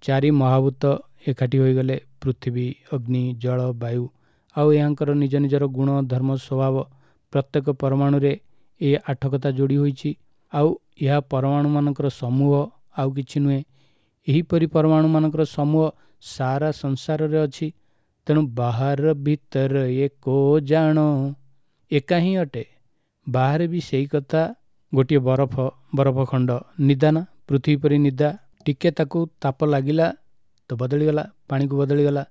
ଚାରି ମହାଭୂତ ଏକାଠି ହୋଇଗଲେ ପୃଥିବୀ, ଅଗ୍ନି, ଜଳ, ବାୟୁ, ଆଉ ଏହାଙ୍କର ନିଜ ନିଜର ଗୁଣ ଧର୍ମ ସ୍ୱଭାବ ପ୍ରତ୍ୟେକ ପରମାଣୁରେ ଏ ଆଠ କଥା ଯୋଡ଼ି ହୋଇଛି। ଆଉ ଏହା ପରମାଣୁମାନଙ୍କର ସମୂହ, ଆଉ କିଛି ନୁହେଁ। ଏହିପରି ପରମାଣୁମାନଙ୍କର ସମୂହ ସାରା ସଂସାରରେ ଅଛି। ତେଣୁ ବାହାର ଭିତର ଏ କୋ ଜାଣ ଏକା ହିଁ ଅଟେ। ବାହାରେ ବି ସେଇ କଥା, ଗୋଟିଏ ବରଫ ଖଣ୍ଡ ନିଦା ନା, ପୃଥିବୀ ପରି ନିଦା, ଟିକେ ତାକୁ ତାପ ଲାଗିଲା ତ ବଦଳିଗଲା, ପାଣିକୁ ବଦଳିଗଲା,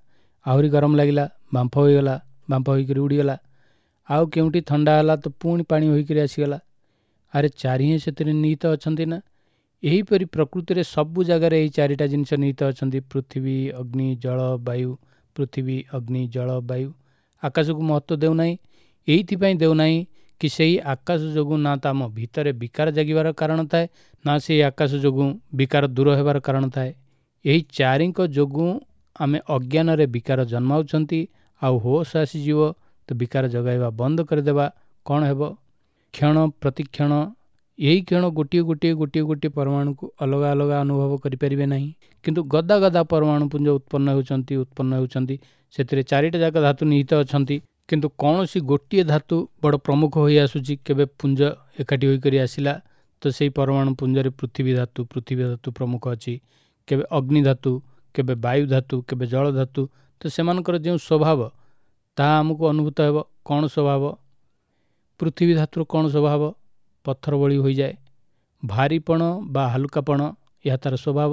ଆହୁରି ଗରମ ଲାଗିଲା ବାମ୍ଫ ହୋଇଗଲା, ବାମ୍ଫ ହୋଇକରି ଉଡ଼ିଗଲା, ଆଉ କେଉଁଠି ଥଣ୍ଡା ହେଲା ତ ପୁଣି ପାଣି ହୋଇକରି ଆସିଗଲା। ଆରେ ଚାରିହେଁ ସେଥିରେ ନିହିତ ଅଛନ୍ତି ନା। ଏହିପରି ପ୍ରକୃତିରେ ସବୁ ଜାଗାରେ ଏହି ଚାରିଟା ଜିନିଷ ନିହିତ ଅଛନ୍ତି, ପୃଥିବୀ, ଅଗ୍ନି, ଜଳ, ବାୟୁ। ପୃଥିବୀ, ଅଗ୍ନି, ଜଳ, ବାୟୁ। ଆକାଶକୁ ମହତ୍ତ୍ୱ ଦେଉନାହିଁ, ଏଇଥିପାଇଁ ଦେଉନାହିଁ କି ସେଇ ଆକାଶ ଯୋଗୁଁ ନା ତ ଆମ ଭିତରେ ବିକାର ଜାଗିବାର କାରଣ ଥାଏ, ନା ସେଇ ଆକାଶ ଯୋଗୁଁ ବିକାର ଦୂର ହେବାର କାରଣ ଥାଏ। ଏହି ଚାରିଙ୍କ ଯୋଗୁଁ ଆମେ ଅଜ୍ଞାନରେ ବିକାର ଜନ୍ମାଉଛନ୍ତି। ଆଉ ହୋସ୍ ଆସିଯିବ ତ ବିକାର ଜଗାଇବା ବନ୍ଦ କରିଦେବା, କ'ଣ ହେବ? କ୍ଷଣ ପ୍ରତିକ୍ଷଣ ଏହି କ୍ଷଣ ଗୋଟିଏ ଗୋଟିଏ ଗୋଟିଏ ଗୋଟିଏ ପରମାଣୁକୁ ଅଲଗା ଅଲଗା ଅନୁଭବ କରିପାରିବେ ନାହିଁ, କିନ୍ତୁ ଗଦା ଗଦା ପରମାଣୁ ପୁଞ୍ଜ ଉତ୍ପନ୍ନ ହେଉଛନ୍ତି, ଉତ୍ପନ୍ନ ହେଉଛନ୍ତି। ସେଥିରେ ଚାରିଟା ଯାକ ଧାତୁ ନିହିତ ଅଛନ୍ତି, କିନ୍ତୁ କୌଣସି ଗୋଟିଏ ଧାତୁ ବଡ଼ ପ୍ରମୁଖ ହୋଇ ଆସୁଛି। କେବେ ପୁଞ୍ଜ ଏକାଠି ହୋଇକରି ଆସିଲା ତ ସେଇ ପରମାଣୁ ପୁଞ୍ଜରେ ପୃଥିବୀ ଧାତୁ ପ୍ରମୁଖ ଅଛି, କେବେ ଅଗ୍ନି ଧାତୁ, କେବେ ବାୟୁ ଧାତୁ, କେବେ ଜଳ ଧାତୁ। ତ ସେମାନଙ୍କର ଯେଉଁ ସ୍ୱଭାବ ତାହା ଆମକୁ ଅନୁଭୂତ ହେବ। କ'ଣ ସ୍ୱଭାବ? ପୃଥିବୀ ଧାତୁର କ'ଣ ସ୍ୱଭାବ? ପଥର ଭଳି ହୋଇଯାଏ, ଭାରିପଣ ବା ହାଲୁକାପଣ ଏହା ତା'ର ସ୍ୱଭାବ।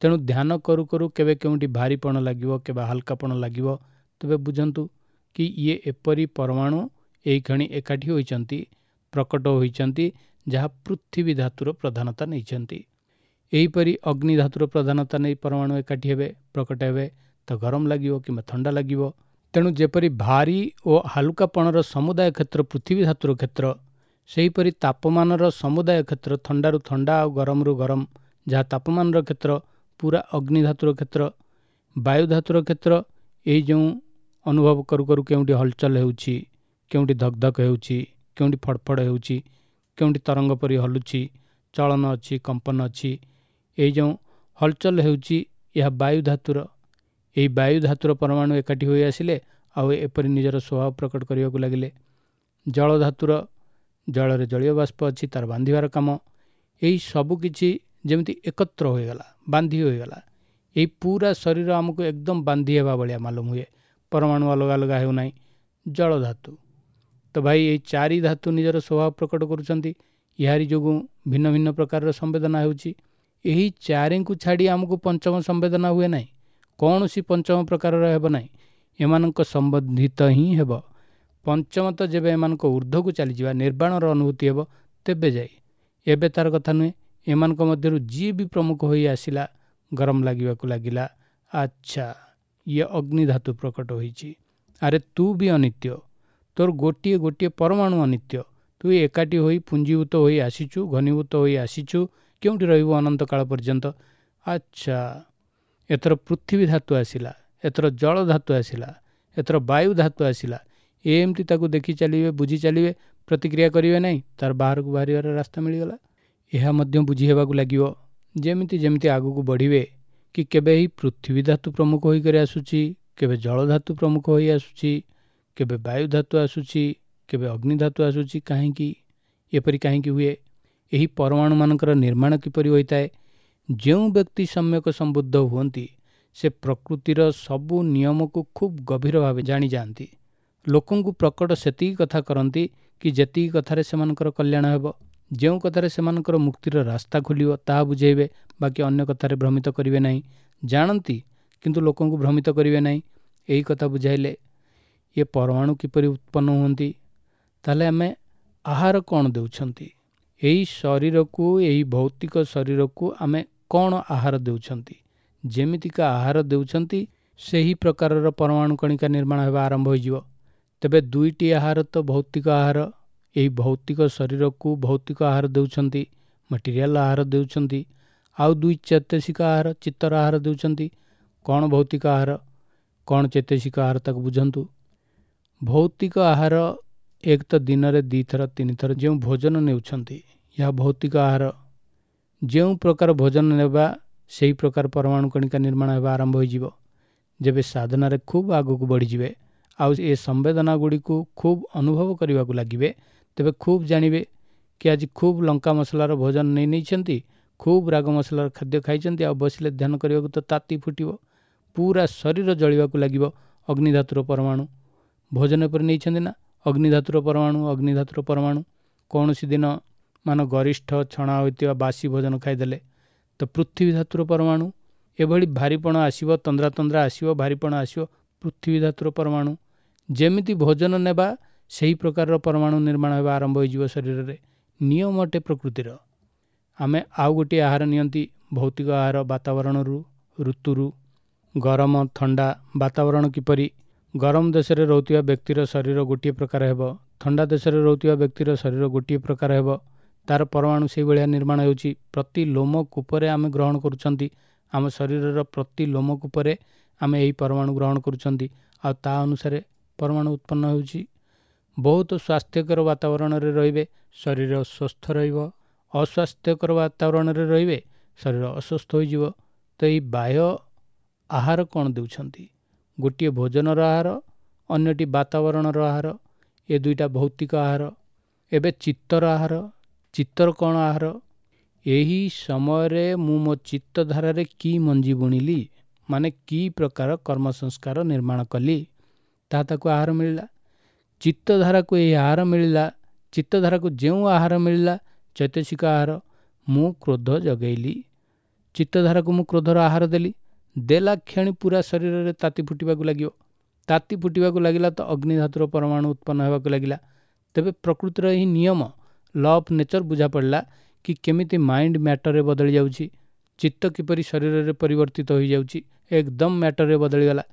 ତେଣୁ ଧ୍ୟାନ କରୁ କରୁ କେବେ କେଉଁଠି ଭାରିପଣ ଲାଗିବ, କେବେ ହାଲୁକାପଣ ଲାଗିବ, ତେବେ ବୁଝନ୍ତୁ କି ଇଏ ଏପରି ପରମାଣୁ ଏଇକ୍ଷଣି ଏକାଠି ହୋଇଛନ୍ତି, ପ୍ରକଟ ହୋଇଛନ୍ତି, ଯାହା ପୃଥିବୀ ଧାତୁର ପ୍ରଧାନତା ନେଇଛନ୍ତି। ଏହିପରି ଅଗ୍ନି ଧାତୁର ପ୍ରଧାନତା ନେଇ ପରମାଣୁ ଏକାଠି ହେବେ, ପ୍ରକଟ ହେବେ, ତ ଗରମ ଲାଗିବ କିମ୍ବା ଥଣ୍ଡା ଲାଗିବ। ତେଣୁ ଯେପରି ଭାରି ଓ ହାଲୁକାପଣର ସମୁଦାୟ କ୍ଷେତ୍ର ପୃଥିବୀ ଧାତୁର କ୍ଷେତ୍ର, ସେହିପରି ତାପମାନର ସମୁଦାୟ କ୍ଷେତ୍ର ଥଣ୍ଡାରୁ ଥଣ୍ଡା ଆଉ ଗରମରୁ ଗରମ, ଯାହା ତାପମାନର କ୍ଷେତ୍ର ପୁରା ଅଗ୍ନି ଧାତୁର କ୍ଷେତ୍ର। ବାୟୁ ଧାତୁର କ୍ଷେତ୍ର ଏଇ ଯେଉଁ ଅନୁଭବ କରୁ କରୁ କେଉଁଠି ହଲଚଲ ହେଉଛି, କେଉଁଠି ଧକଧକ ହେଉଛି, କେଉଁଠି ଫଡ଼ଫଡ଼ ହେଉଛି, କେଉଁଠି ତରଙ୍ଗ ପରି ହଲୁଛି, ଚଳନ ଅଛି, କମ୍ପନ ଅଛି, ଏଇ ଯେଉଁ ହଲଚଲ ହେଉଛି ଏହା ବାୟୁ ଧାତୁର। ଏହି ବାୟୁ ଧାତୁର ପରମାଣୁ ଏକାଠି ହୋଇ ଆସିଲେ ଆଉ ଏପରି ନିଜର ସ୍ୱଭାବ ପ୍ରକଟ କରିବାକୁ ଲାଗିଲେ। ଜଳ ଧାତୁର, ଜଳରେ ଜଳୀୟ ବାଷ୍ପ ଅଛି, ତାର ବାନ୍ଧିବାର କାମ, ଏହି ସବୁ କିଛି ଯେମିତି ଏକତ୍ର ହୋଇଗଲା, ବାନ୍ଧି ହୋଇଗଲା। ଏହି ପୁରା ଶରୀର ଆମକୁ ଏକଦମ ବାନ୍ଧି ହେବା ଭଳିଆ ମାଲୁମ ହୁଏ, ପରମାଣୁ ଅଲଗା ଅଲଗା ହେଉନାହିଁ। ଜଳ ଧାତୁ ତ ଭାଇ ଏଇ ଚାରି ଧାତୁ ନିଜର ସ୍ୱଭାବ ପ୍ରକଟ କରୁଛନ୍ତି, ଏହାରି ଯୋଗୁଁ ଭିନ୍ନ ଭିନ୍ନ ପ୍ରକାରର ସମ୍ବେଦନା ହେଉଛି। ଏହି ଚାରିଙ୍କୁ ଛାଡ଼ି ଆମକୁ ପଞ୍ଚମ ସମ୍ବେଦନା ହୁଏ ନାହିଁ, କୌଣସି ପଞ୍ଚମ ପ୍ରକାରର ହେବ ନାହିଁ, ଏମାନଙ୍କ ସମ୍ବନ୍ଧିତ ହିଁ ହେବ। ପଞ୍ଚମ ତ ଯେବେ ଏମାନଙ୍କ ଉର୍ଦ୍ଧ୍ୱକୁ ଚାଲିଯିବା, ନିର୍ବାଣର ଅନୁଭୂତି ହେବ, ତେବେ ଯାଇ। ଏବେ ତାର କଥା ନୁହେଁ। ଏମାନଙ୍କ ମଧ୍ୟରୁ ଯିଏ ବି ପ୍ରମୁଖ ହୋଇ ଆସିଲା, ଗରମ ଲାଗିବାକୁ ଲାଗିଲା, ଆଚ୍ଛା ଇଏ ଅଗ୍ନି ଧାତୁ ପ୍ରକଟ ହୋଇଛି, ଆରେ ତୁ ବି ଅନିତ୍ୟ, ତୋର ଗୋଟିଏ ଗୋଟିଏ ପରମାଣୁ ଅନିତ୍ୟ, ତୁ ଏକାଠି ହୋଇ ପୁଞ୍ଜୀଭୂତ ହୋଇ ଆସିଛୁ, ଘନୀଭୂତ ହୋଇ ଆସିଛୁ, କେଉଁଠି ରହିବୁ ଅନନ୍ତ କାଳ ପର୍ଯ୍ୟନ୍ତ? ଆଚ୍ଛା ଏଥର ପୃଥିବୀ ଧାତୁ ଆସିଲା, ଏଥର ଜଳ ଧାତୁ ଆସିଲା, ଏଥର ବାୟୁ ଧାତୁ ଆସିଲା। ଏମିତି ତାକୁ ଦେଖି ଚାଲିବେ, ବୁଝି ଚାଲିବେ, ପ୍ରତିକ୍ରିୟା କରିବେ ନାହିଁ, ତାର ବାହାରକୁ ବାହାରିବାର ରାସ୍ତା ମିଳିଗଲା। ଏହା ମଧ୍ୟ ବୁଝି ହେବାକୁ ଲାଗିବ ଯେମିତି ଯେମିତି ଆଗକୁ ବଢ଼ିବେ କି କେବେ ଏହି ପୃଥିବୀ ଧାତୁ ପ୍ରମୁଖ ହୋଇକରି ଆସୁଛି, କେବେ ଜଳ ଧାତୁ ପ୍ରମୁଖ ହୋଇ ଆସୁଛି, କେବେ ବାୟୁ ଧାତୁ ଆସୁଛି, କେବେ ଅଗ୍ନି ଧାତୁ ଆସୁଛି। କାହିଁକି ଏପରି କାହିଁକି ହୁଏ? ଏହି ପରମାଣୁମାନଙ୍କର ନିର୍ମାଣ କିପରି ହୋଇଥାଏ? ଯେଉଁ ବ୍ୟକ୍ତି ସମ୍ୟକ ସମ୍ବୁଦ୍ଧ ହୁଅନ୍ତି ସେ ପ୍ରକୃତିର ସବୁ ନିୟମକୁ ଖୁବ୍ ଗଭୀର ଭାବେ ଜାଣିଯାଆନ୍ତି। ଲୋକଙ୍କୁ ପ୍ରକଟ ସେତିକି କଥା କରନ୍ତି କି ଯେତିକି କଥାରେ ସେମାନଙ୍କର କଲ୍ୟାଣ ହେବ। ଯେଉଁ କଥାରେ ସେମାନଙ୍କର ମୁକ୍ତିର ରାସ୍ତା ଖୋଲିବ ତାହା ବୁଝେଇବେ, ବାକି ଅନ୍ୟ କଥାରେ ଭ୍ରମିତ କରିବେ ନାହିଁ। ଜାଣନ୍ତି କିନ୍ତୁ ଲୋକଙ୍କୁ ଭ୍ରମିତ କରିବେ ନାହିଁ। ଏହି କଥା ବୁଝାଇଲେ ଇଏ ପରମାଣୁ କିପରି ଉତ୍ପନ୍ନ ହୁଅନ୍ତି, ତାହେଲେ ଆମେ ଆହାର କ'ଣ ଦେଉଛନ୍ତି? ଏହି ଶରୀରକୁ, ଏହି ଭୌତିକ ଶରୀରକୁ ଆମେ କ'ଣ ଆହାର ଦେଉଛନ୍ତି? ଯେମିତିକା ଆହାର ଦେଉଛନ୍ତି ସେହି ପ୍ରକାରର ପରମାଣୁ କଣିକା ନିର୍ମାଣ ହେବା ଆରମ୍ଭ ହୋଇଯିବ। ତେବେ ଦୁଇଟି ଆହାର ତ ଭୌତିକ ଆହାର, ଏହି ଭୌତିକ ଶରୀରକୁ ଭୌତିକ ଆହାର ଦେଉଛନ୍ତି, ମେଟେରିଆଲ ଆହାର ଦେଉଛନ୍ତି। ଆଉ ଦୁଇ ଚୈତସିକ ଆହାର, ଚିତ୍ତର ଆହାର ଦେଉଛନ୍ତି। କ'ଣ ଭୌତିକ ଆହାର, କ'ଣ ଚୈତସିକ ଆହାର, ତାକୁ ବୁଝନ୍ତୁ। ଭୌତିକ ଆହାର ଏକ ତ ଦିନରେ 2ଥର 3ଥର ଯେଉଁ ଭୋଜନ ନେଉଛନ୍ତି, ଏହା ଭୌତିକ ଆହାର। ଯେଉଁ ପ୍ରକାର ଭୋଜନ ନେବା ସେହି ପ୍ରକାର ପରମାଣୁ କଣିକା ନିର୍ମାଣ ହେବା ଆରମ୍ଭ ହୋଇଯିବ। ଯେବେ ସାଧନାରେ ଖୁବ୍ ଆଗକୁ ବଢ଼ିଯିବେ ଆଉ ଏ ସମ୍ବେଦନା ଗୁଡ଼ିକୁ ଖୁବ୍ ଅନୁଭବ କରିବାକୁ ଲାଗିବେ, ତେବେ ଖୁବ୍ ଜାଣିବେ କି ଆଜି ଖୁବ୍ ଲଙ୍କା ମସଲାର ଭୋଜନ ନେଇ ନେଇଛନ୍ତି, ଖୁବ୍ ରାଗ ମସଲାର ଖାଦ୍ୟ ଖାଇଛନ୍ତି, ଆଉ ବସିଲେ ଧ୍ୟାନ କରିବାକୁ ତ ତାତି ଫୁଟିବ, ପୁରା ଶରୀର ଜଳିବାକୁ ଲାଗିବ। ଅଗ୍ନିଧାତୁର ପରମାଣୁ ଭୋଜନ ଉପରେ ନେଇଛନ୍ତି ନା, ଅଗ୍ନିଧାତୁର ପରମାଣୁ, ଅଗ୍ନିଧାତୁର ପରମାଣୁ। କୌଣସି ଦିନ ମାନ ଗରିଷ୍ଠ ଛଣା ହୋଇଥିବା ବାସି ଭୋଜନ ଖାଇଦେଲେ ତ ପୃଥିବୀ ଧାତୁର ପରମାଣୁ। ଏଭଳି ଭାରିପଣ ଆସିବ, ତନ୍ଦ୍ରା ତନ୍ଦ୍ରା ଆସିବ, ଭାରିପଣ ଆସିବ, ପୃଥିବୀ ଧାତୁର ପରମାଣୁ। ଯେମିତି ଭୋଜନ ନେବା ସେହି ପ୍ରକାରର ପରମାଣୁ ନିର୍ମାଣ ହେବା ଆରମ୍ଭ ହୋଇଯିବ ଶରୀରରେ। ନିୟମ ଅଟେ ପ୍ରକୃତିର। ଆମେ ଆଉ ଗୋଟିଏ ଆହାର ନିଅନ୍ତି, ଭୌତିକ ଆହାର, ବାତାବରଣରୁ, ଋତୁରୁ। ଗରମ ଥଣ୍ଡା ବାତାବରଣ କିପରି, ଗରମ ଦେଶରେ ରହୁଥିବା ବ୍ୟକ୍ତିର ଶରୀର ଗୋଟିଏ ପ୍ରକାର ହେବ, ଥଣ୍ଡା ଦେଶରେ ରହୁଥିବା ବ୍ୟକ୍ତିର ଶରୀର ଗୋଟିଏ ପ୍ରକାର ହେବ। ତା'ର ପରମାଣୁ ସେଇଭଳିଆ ନିର୍ମାଣ ହେଉଛି। ପ୍ରତି ଲୋମକୂପରେ ଆମେ ଗ୍ରହଣ କରୁଛନ୍ତି, ଆମ ଶରୀରର ପ୍ରତି ଲୋମକୂପରେ ଆମେ ଏହି ପରମାଣୁ ଗ୍ରହଣ କରୁଛନ୍ତି, ଆଉ ତା ଅନୁସାରେ ପରମାଣୁ ଉତ୍ପନ୍ନ ହେଉଛି। ବହୁତ ସ୍ୱାସ୍ଥ୍ୟକର ବାତାବରଣରେ ରହିବେ, ଶରୀର ସୁସ୍ଥ ରହିବ। ଅସ୍ୱାସ୍ଥ୍ୟକର ବାତାବରଣରେ ରହିବେ, ଶରୀର ଅସୁସ୍ଥ ହୋଇଯିବ। ତ ଏଇ ବାହ୍ୟ ଆହାର କ'ଣ ଦେଉଛନ୍ତି? ଗୋଟିଏ ଭୋଜନର ଆହାର, ଅନ୍ୟଟି ବାତାବରଣର ଆହାର। ଏ ଦୁଇଟା ଭୌତିକ ଆହାର। ଏବେ ଚିତ୍ତର ଆହାର, ଚିତ୍ତର କ'ଣ ଆହାର? ଏହି ସମୟରେ ମୁଁ ମୋ ଚିତ୍ତଧାରାରେ କି ମଞ୍ଜି ବୁଣିଲି, ମାନେ କି ପ୍ରକାର କର୍ମ ସଂସ୍କାର ନିର୍ମାଣ କଲି, ତାହା ତାକୁ ଆହାର ମିଳିଲା। ଚିତ୍ତଧାରାକୁ ଏହି ଆହାର ମିଳିଲା। ଚିତ୍ତଧାରାକୁ ଯେଉଁ ଆହାର ମିଳିଲା, ଚୈତସିକ ଆହାର। ମୁଁ କ୍ରୋଧ ଜଗେଇଲି, ଚିତ୍ତଧାରାକୁ ମୁଁ କ୍ରୋଧର ଆହାର ଦେଲି। ଦେଲା କ୍ଷଣି ପୁରା ଶରୀରରେ ତାତି ଫୁଟିବାକୁ ଲାଗିବ। ତାତି ଫୁଟିବାକୁ ଲାଗିଲା ତ ଅଗ୍ନିଧାତୁର ପରମାଣୁ ଉତ୍ପନ୍ନ ହେବାକୁ ଲାଗିଲା। ତେବେ ପ୍ରକୃତିର ଏହି ନିୟମ, ଲ ଅଫ୍ ନେଚର ବୁଝା ପଡ଼ିଲା କି କେମିତି ମାଇଣ୍ଡ ମ୍ୟାଟରରେ ବଦଳି ଯାଉଛି, ଚିତ୍ତ କିପରି ଶରୀରରେ ପରିବର୍ତ୍ତିତ ହୋଇଯାଉଛି, ଏକଦମ ମ୍ୟାଟରରେ ବଦଳିଗଲା।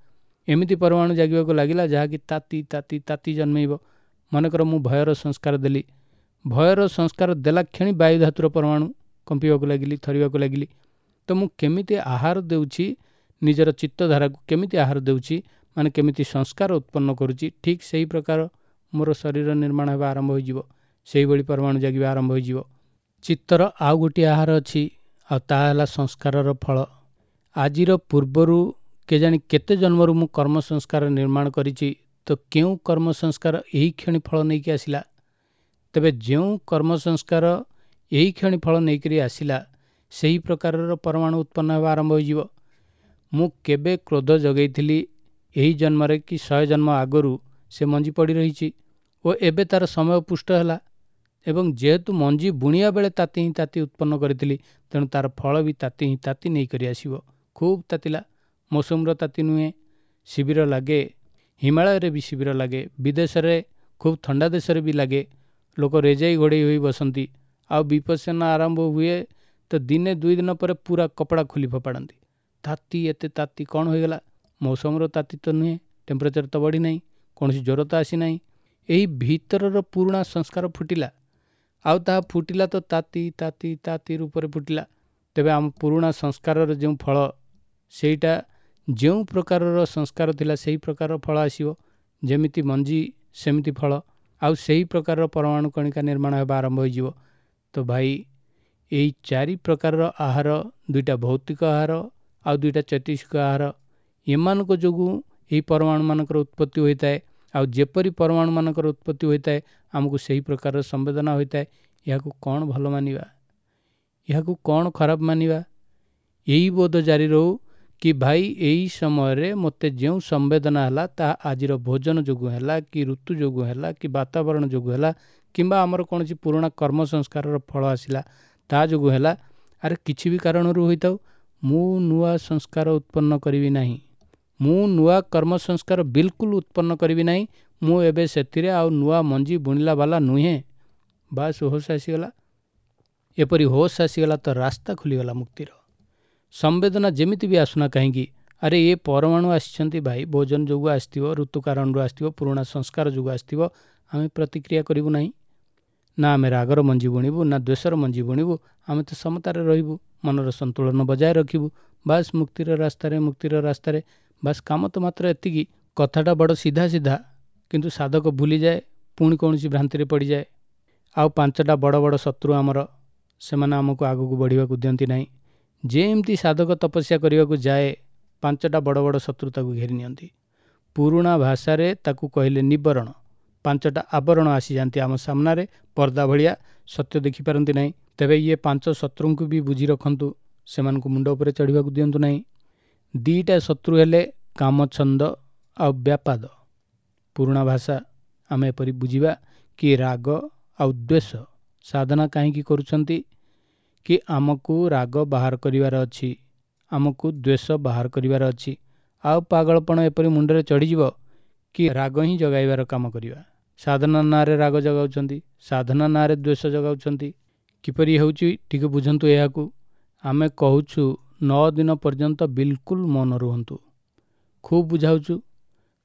ଏମିତି ପରମାଣୁ ଜାଗିବାକୁ ଲାଗିଲା ଯାହାକି ତାତି ତାତି ତାତି ଜନ୍ମେଇବ। ମନେକର ମୁଁ ଭୟର ସଂସ୍କାର ଦେଲି, ଭୟର ସଂସ୍କାର ଦେଲା କ୍ଷଣି ବାୟୁ ଧାତୁର ପରମାଣୁ କମ୍ପିବାକୁ ଲାଗିଲି, ଥରିବାକୁ ଲାଗିଲି। ତ ମୁଁ କେମିତି ଆହାର ଦେଉଛି, ନିଜର ଚିତ୍ତଧାରାକୁ କେମିତି ଆହାର ଦେଉଛି, ମାନେ କେମିତି ସଂସ୍କାର ଉତ୍ପନ୍ନ କରୁଛି, ଠିକ୍ ସେହି ପ୍ରକାର ମୋର ଶରୀର ନିର୍ମାଣ ହେବା ଆରମ୍ଭ ହୋଇଯିବ। ସେଇଭଳି ପରମାଣୁ ଜାଗିବା ଆରମ୍ଭ ହୋଇଯିବ। ଚିତ୍ତର ଆଉ ଗୋଟିଏ ଆହାର ଅଛି, ଆଉ ତାହା ହେଲା ସଂସ୍କାରର ଫଳ। ଆଜିର ପୂର୍ବରୁ କେଜାଣି କେତେ ଜନ୍ମରୁ ମୁଁ କର୍ମ ସଂସ୍କାର ନିର୍ମାଣ କରିଛି, ତ କେଉଁ କର୍ମ ସଂସ୍କାର ଏହି କ୍ଷଣି ଫଳ ନେଇକି ଆସିଲା? ତେବେ ଯେଉଁ କର୍ମ ସଂସ୍କାର ଏହି କ୍ଷଣି ଫଳ ନେଇକରି ଆସିଲା, ସେହି ପ୍ରକାରର ପରମାଣୁ ଉତ୍ପନ୍ନ ହେବା ଆରମ୍ଭ ହୋଇଯିବ। ମୁଁ କେବେ କ୍ରୋଧ ଜଗେଇଥିଲି ଏହି ଜନ୍ମରେ କି 100 ଜନ୍ମ ଆଗରୁ, ସେ ମଞ୍ଜି ପଡ଼ି ରହିଛି ଓ ଏବେ ତା'ର ସମୟ ପୁଷ୍ଟ ହେଲା। ଏବଂ ଯେହେତୁ ମଞ୍ଜି ବୁଣିବା ବେଳେ ତାତି ହିଁ ତାତି ଉତ୍ପନ୍ନ କରିଥିଲି, ତେଣୁ ତା'ର ଫଳ ବି ତାତି ହିଁ ତାତି ନେଇକରି ଆସିବ। ଖୁବ୍ ତାତିଲା, ମୌସୁମର ତାତି ନୁହେଁ। ଶିବିର ଲାଗେ, ହିମାଳୟରେ ବି ଶିବିର ଲାଗେ, ବିଦେଶରେ ଖୁବ୍ ଥଣ୍ଡା ଦେଶରେ ବି ଲାଗେ। ଲୋକ ରେଜାଇ ଘୋଡ଼େଇ ହୋଇ ବସନ୍ତି। ଆଉ ବିପස්සନା ଆରମ୍ଭ ହୁଏ ତ ଦିନେ 2 ଦିନ ପରେ ପୁରା କପଡ଼ା ଖୋଲି ଫୋପାଡ଼ନ୍ତି। ତାତି, ଏତେ ତାତି କ'ଣ ହୋଇଗଲା? ମୌସୁମର ତାତି ତ ନୁହେଁ, ଟେମ୍ପରେଚର ତ ବଢ଼ିନାହିଁ, କୌଣସି ଜ୍ୱର ତ ଆସିନାହିଁ। ଏହି ଭିତରର ପୁରୁଣା ସଂସ୍କାର ଫୁଟିଲା, ଆଉ ତାହା ଫୁଟିଲା ତ ତାତି ତାତି ତାତି ରୂପରେ ଫୁଟିଲା। ତେବେ ଆମ ପୁରୁଣା ସଂସ୍କାରର ଯେଉଁ ଫଳ, ସେଇଟା ଯେଉଁ ପ୍ରକାରର ସଂସ୍କାର ଥିଲା ସେହି ପ୍ରକାରର ଫଳ ଆସିବ। ଯେମିତି ମଞ୍ଜି ସେମିତି ଫଳ, ଆଉ ସେହି ପ୍ରକାରର ପରମାଣୁ କଣିକା ନିର୍ମାଣ ହେବା ଆରମ୍ଭ ହୋଇଯିବ। ତ ଭାଇ, ଏଇ 4 ପ୍ରକାରର ଆହାର, 2ଟା ଭୌତିକ ଆହାର ଆଉ 2ଟା ଚୈତସିକ ଆହାର, ଏମାନଙ୍କ ଯୋଗୁଁ ଏହି ପରମାଣୁମାନଙ୍କର ଉତ୍ପତ୍ତି ହୋଇଥାଏ। ଆଉ ଯେପରି ପରମାଣୁମାନଙ୍କର ଉତ୍ପତ୍ତି ହୋଇଥାଏ, ଆମକୁ ସେହି ପ୍ରକାରର ସମ୍ବେଦନା ହୋଇଥାଏ। ଏହାକୁ କ'ଣ ଭଲ ମାନିବା, ଏହାକୁ କ'ଣ ଖରାପ ମାନିବା? ଏହି ବୋଧ ଜାରି ରହୁ କି ଭାଇ, ଏହି ସମୟରେ ମୋତେ ଯେଉଁ ସମ୍ବେଦନା ହେଲା ତାହା ଆଜିର ଭୋଜନ ଯୋଗୁଁ ହେଲା କି ଋତୁ ଯୋଗୁଁ ହେଲା କି ବାତାବରଣ ଯୋଗୁଁ ହେଲା କିମ୍ବା ଆମର କୌଣସି ପୁରୁଣା କର୍ମ ସଂସ୍କାରର ଫଳ ଆସିଲା ତା ଯୋଗୁଁ ହେଲା, ଆରେ କିଛି ବି କାରଣରୁ ହୋଇଥାଉ, ମୁଁ ନୂଆ ସଂସ୍କାର ଉତ୍ପନ୍ନ କରିବି ନାହିଁ, ମୁଁ ନୂଆ କର୍ମ ସଂସ୍କାର ବିଲକୁଲ ଉତ୍ପନ୍ନ କରିବି ନାହିଁ, ମୁଁ ଏବେ ସେଥିରେ ଆଉ ନୂଆ ମଞ୍ଜି ବୁଣିଲା ବାଲା ନୁହେଁ। ବାସ୍ ହୋସ୍ ଆସିଗଲା। ଏପରି ହୋସ୍ ଆସିଗଲା ତ ରାସ୍ତା ଖୋଲିଗଲା ମୁକ୍ତିର। ସମ୍ବେଦନା ଯେମିତି ବି ଆସୁନା କାହିଁକି, ଆରେ ଏ ପରମାଣୁ ଆସିଛନ୍ତି ଭାଇ, ଭୋଜନ ଯୋଗୁଁ ଆସିଥିବ, ଋତୁ କାରଣରୁ ଆସିଥିବ, ପୁରୁଣା ସଂସ୍କାର ଯୋଗୁଁ ଆସିଥିବ, ଆମେ ପ୍ରତିକ୍ରିୟା କରିବୁ ନାହିଁ। ନା ଆମେ ରାଗର ମଞ୍ଜି ବୁଣିବୁ, ନା ଦ୍ୱେଷର ମଞ୍ଜି ବୁଣିବୁ, ଆମେ ତ ସମତାରେ ରହିବୁ, ମନର ସନ୍ତୁଳନ ବଜାୟ ରଖିବୁ। ବାସ୍ ମୁକ୍ତିର ରାସ୍ତାରେ, ମୁକ୍ତିର ରାସ୍ତାରେ। ବାସ୍ କାମ ତ ମାତ୍ର ଏତିକି। କଥାଟା ବଡ଼ ସିଧା ସିଧା, କିନ୍ତୁ ସାଧକ ଭୁଲିଯାଏ, ପୁଣି କୌଣସି ଭ୍ରାନ୍ତିରେ ପଡ଼ିଯାଏ। ଆଉ 5ଟା ବଡ଼ ବଡ଼ ଶତ୍ରୁ ଆମର, ସେମାନେ ଆମକୁ ଆଗକୁ ବଢ଼ିବାକୁ ଦିଅନ୍ତି ନାହିଁ। ଯେମିତି ସାଧକ ତପସ୍ୟା କରିବାକୁ ଯାଏ, 5ଟା ବଡ଼ ବଡ଼ ଶତ୍ରୁ ତାକୁ ଘେରି ନିଅନ୍ତି। ପୁରୁଣା ଭାଷାରେ ତାକୁ କହିଲେ ନିବରଣ। 5ଟା ଆବରଣ ଆସିଯାଆନ୍ତି ଆମ ସାମ୍ନାରେ, ପର୍ଦ୍ଦା ଭଳିଆ, ସତ୍ୟ ଦେଖିପାରନ୍ତି ନାହିଁ। ତେବେ ଇଏ 5 ଶତ୍ରୁଙ୍କୁ ବି ବୁଝି ରଖନ୍ତୁ, ସେମାନଙ୍କୁ ମୁଣ୍ଡ ଉପରେ ଚଢ଼ିବାକୁ ଦିଅନ୍ତୁ ନାହିଁ। 2ଟା ଶତ୍ରୁ ହେଲେ କାମଛନ୍ଦ ଆଉ ବ୍ୟାପାଦ। ପୁରୁଣା ଭାଷା ଆମେ ଏପରି ବୁଝିବା କି ରାଗ ଆଉ ଦ୍ୱେଷ। ସାଧନା କାହିଁକି କରୁଛନ୍ତି କି ଆମକୁ ରାଗ ବାହାର କରିବାର ଅଛି, ଆମକୁ ଦ୍ୱେଷ ବାହାର କରିବାର ଅଛି। ଆଉ ପାଗଳପଣ ଏପରି ମୁଣ୍ଡରେ ଚଢ଼ିଯିବ କି ରାଗ ହିଁ ଜଗାଇବାର କାମ କରିବା। ସାଧନା ନାଁରେ ରାଗ ଜଗାଉଛନ୍ତି, ସାଧନା ନାଁରେ ଦ୍ୱେଷ ଜଗାଉଛନ୍ତି। କିପରି ହେଉଛି ଟିକେ ବୁଝନ୍ତୁ ଏହାକୁ। ଆମେ କହୁଛୁ 9 ଦିନ ପର୍ଯ୍ୟନ୍ତ ବିଲକୁଲ ମୌନ ରୁହନ୍ତୁ, ଖୁବ୍ ବୁଝାଉଛୁ।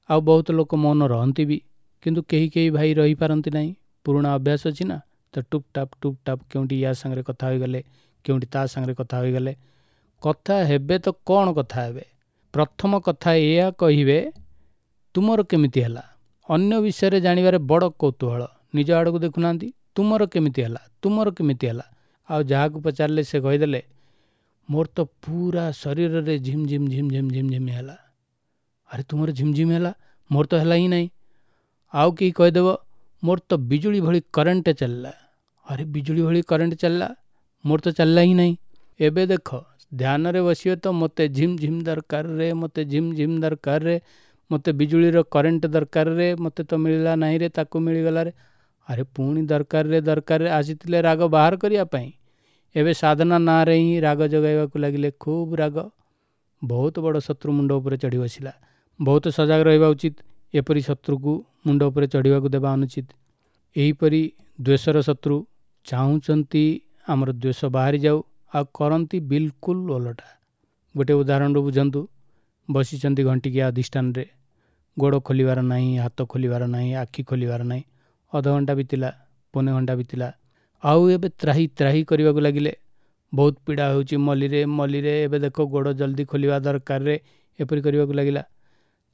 ଆଉ ବହୁତ ଲୋକ ମୌନ ରହନ୍ତି ବି, କିନ୍ତୁ କେହି କେହି ଭାଇ ରହିପାରନ୍ତି ନାହିଁ। ପୁରୁଣା ଅଭ୍ୟାସ ଅଛି ନା, ତ ଟୁପ୍ ଟାପ୍ ଟୁପ୍ ଟାପ୍, କେଉଁଠି ୟା ସାଙ୍ଗରେ କଥା ହୋଇଗଲେ, କେଉଁଠି ତା ସାଙ୍ଗରେ କଥା ହୋଇଗଲେ। କଥା ହେବେ ତ କ'ଣ କଥା ହେବେ? ପ୍ରଥମ କଥା ଏଇଆ କହିବେ, ତୁମର କେମିତି ହେଲା? ଅନ୍ୟ ବିଷୟରେ ଜାଣିବାରେ ବଡ଼ କୌତୂହଳ, ନିଜ ଆଡ଼କୁ ଦେଖୁନାହାନ୍ତି, ତୁମର କେମିତି ହେଲା, ତୁମର କେମିତି ହେଲା। ଆଉ ଯାହାକୁ ପଚାରିଲେ ସେ କହିଦେଲେ, ମୋର ତ ପୁରା ଶରୀରରେ ଝିମ୍ ଝିମ୍ ଝିମ୍ ଝିମ୍ ଝିମ୍ ଝିମ୍ ହେଲା। ଆରେ ତୁମର ଝିମ୍ ଝିମ୍ ହେଲା, ମୋର ତ ହେଲା ହିଁ ନାହିଁ। ଆଉ କେହି କହିଦେବ, ମୋର ତ ବିଜୁଳି ଭଳି କରେଣ୍ଟ ଚାଲିଲା। ଆରେ ବିଜୁଳି ଭଳି କରେଣ୍ଟ ଚାଲିଲା, ମୋର ତ ଚାଲିଲା ହିଁ ନାହିଁ। ଏବେ ଦେଖ, ଧ୍ୟାନରେ ବସିବେ ତ ମୋତେ ଝିମ୍ ଝିମ୍ ଦରକାର ରେ, ମୋତେ ଝିମ୍ ଝିମ୍ ଦରକାର ରେ, ମୋତେ ବିଜୁଳିର କରେଣ୍ଟ ଦରକାର ରେ, ମୋତେ ତ ମିଳିଲା ନାହିଁ ରେ, ତାକୁ ମିଳିଗଲା ରେ। ଆରେ ପୁଣି ଦରକାର ରେ, ଦରକାର ରେ, ଆସିଥିଲେ ରାଗ ବାହାର କରିବା ପାଇଁ, ଏବେ ସାଧନା ନାଁରେ ହିଁ ରାଗ ଜଗାଇବାକୁ ଲାଗିଲେ। ଖୁବ୍ ରାଗ, ବହୁତ ବଡ଼ ଶତ୍ରୁ ମୁଣ୍ଡ ଉପରେ ଚଢ଼ି ବସିଲା। ବହୁତ ସଜାଗ ରହିବା ଉଚିତ, ଏପରି ଶତ୍ରୁକୁ ମୁଣ୍ଡ ଉପରେ ଚଢ଼ିବାକୁ ଦେବା ଅନୁଚିତ। ଏହିପରି ଦ୍ୱେଷର ଶତ୍ରୁ ଚାହୁଁଛନ୍ତି ଆମର ଦ୍ୱେଷ ବାହାରି ଯାଉ, ଆଉ କରନ୍ତି ବିଲକୁଲ ଓଲଟା। ଗୋଟେ ଉଦାହରଣରୁ ବୁଝନ୍ତୁ। ବସିଛନ୍ତି ଘଣ୍ଟିକିଆ ଅଧିଷ୍ଠାନରେ, ଗୋଡ଼ ଖୋଲିବାର ନାହିଁ, ହାତ ଖୋଲିବାର ନାହିଁ, ଆଖି ଖୋଲିବାର ନାହିଁ। ଅଧଘଣ୍ଟା ବିତିଲା, ପୌନେ ଘଣ୍ଟା ବିତିଲା, ଆଉ ଏବେ ତ୍ରାହି ତ୍ରାହି କରିବାକୁ ଲାଗିଲେ। ବହୁତ ପୀଡ଼ା ହେଉଛି, ମଲିରେ ମଲିରେ, ଏବେ ଦେଖ ଗୋଡ଼ ଜଲ୍ଦି ଖୋଲିବା ଦରକାରରେ, ଏପରି କରିବାକୁ ଲାଗିଲା।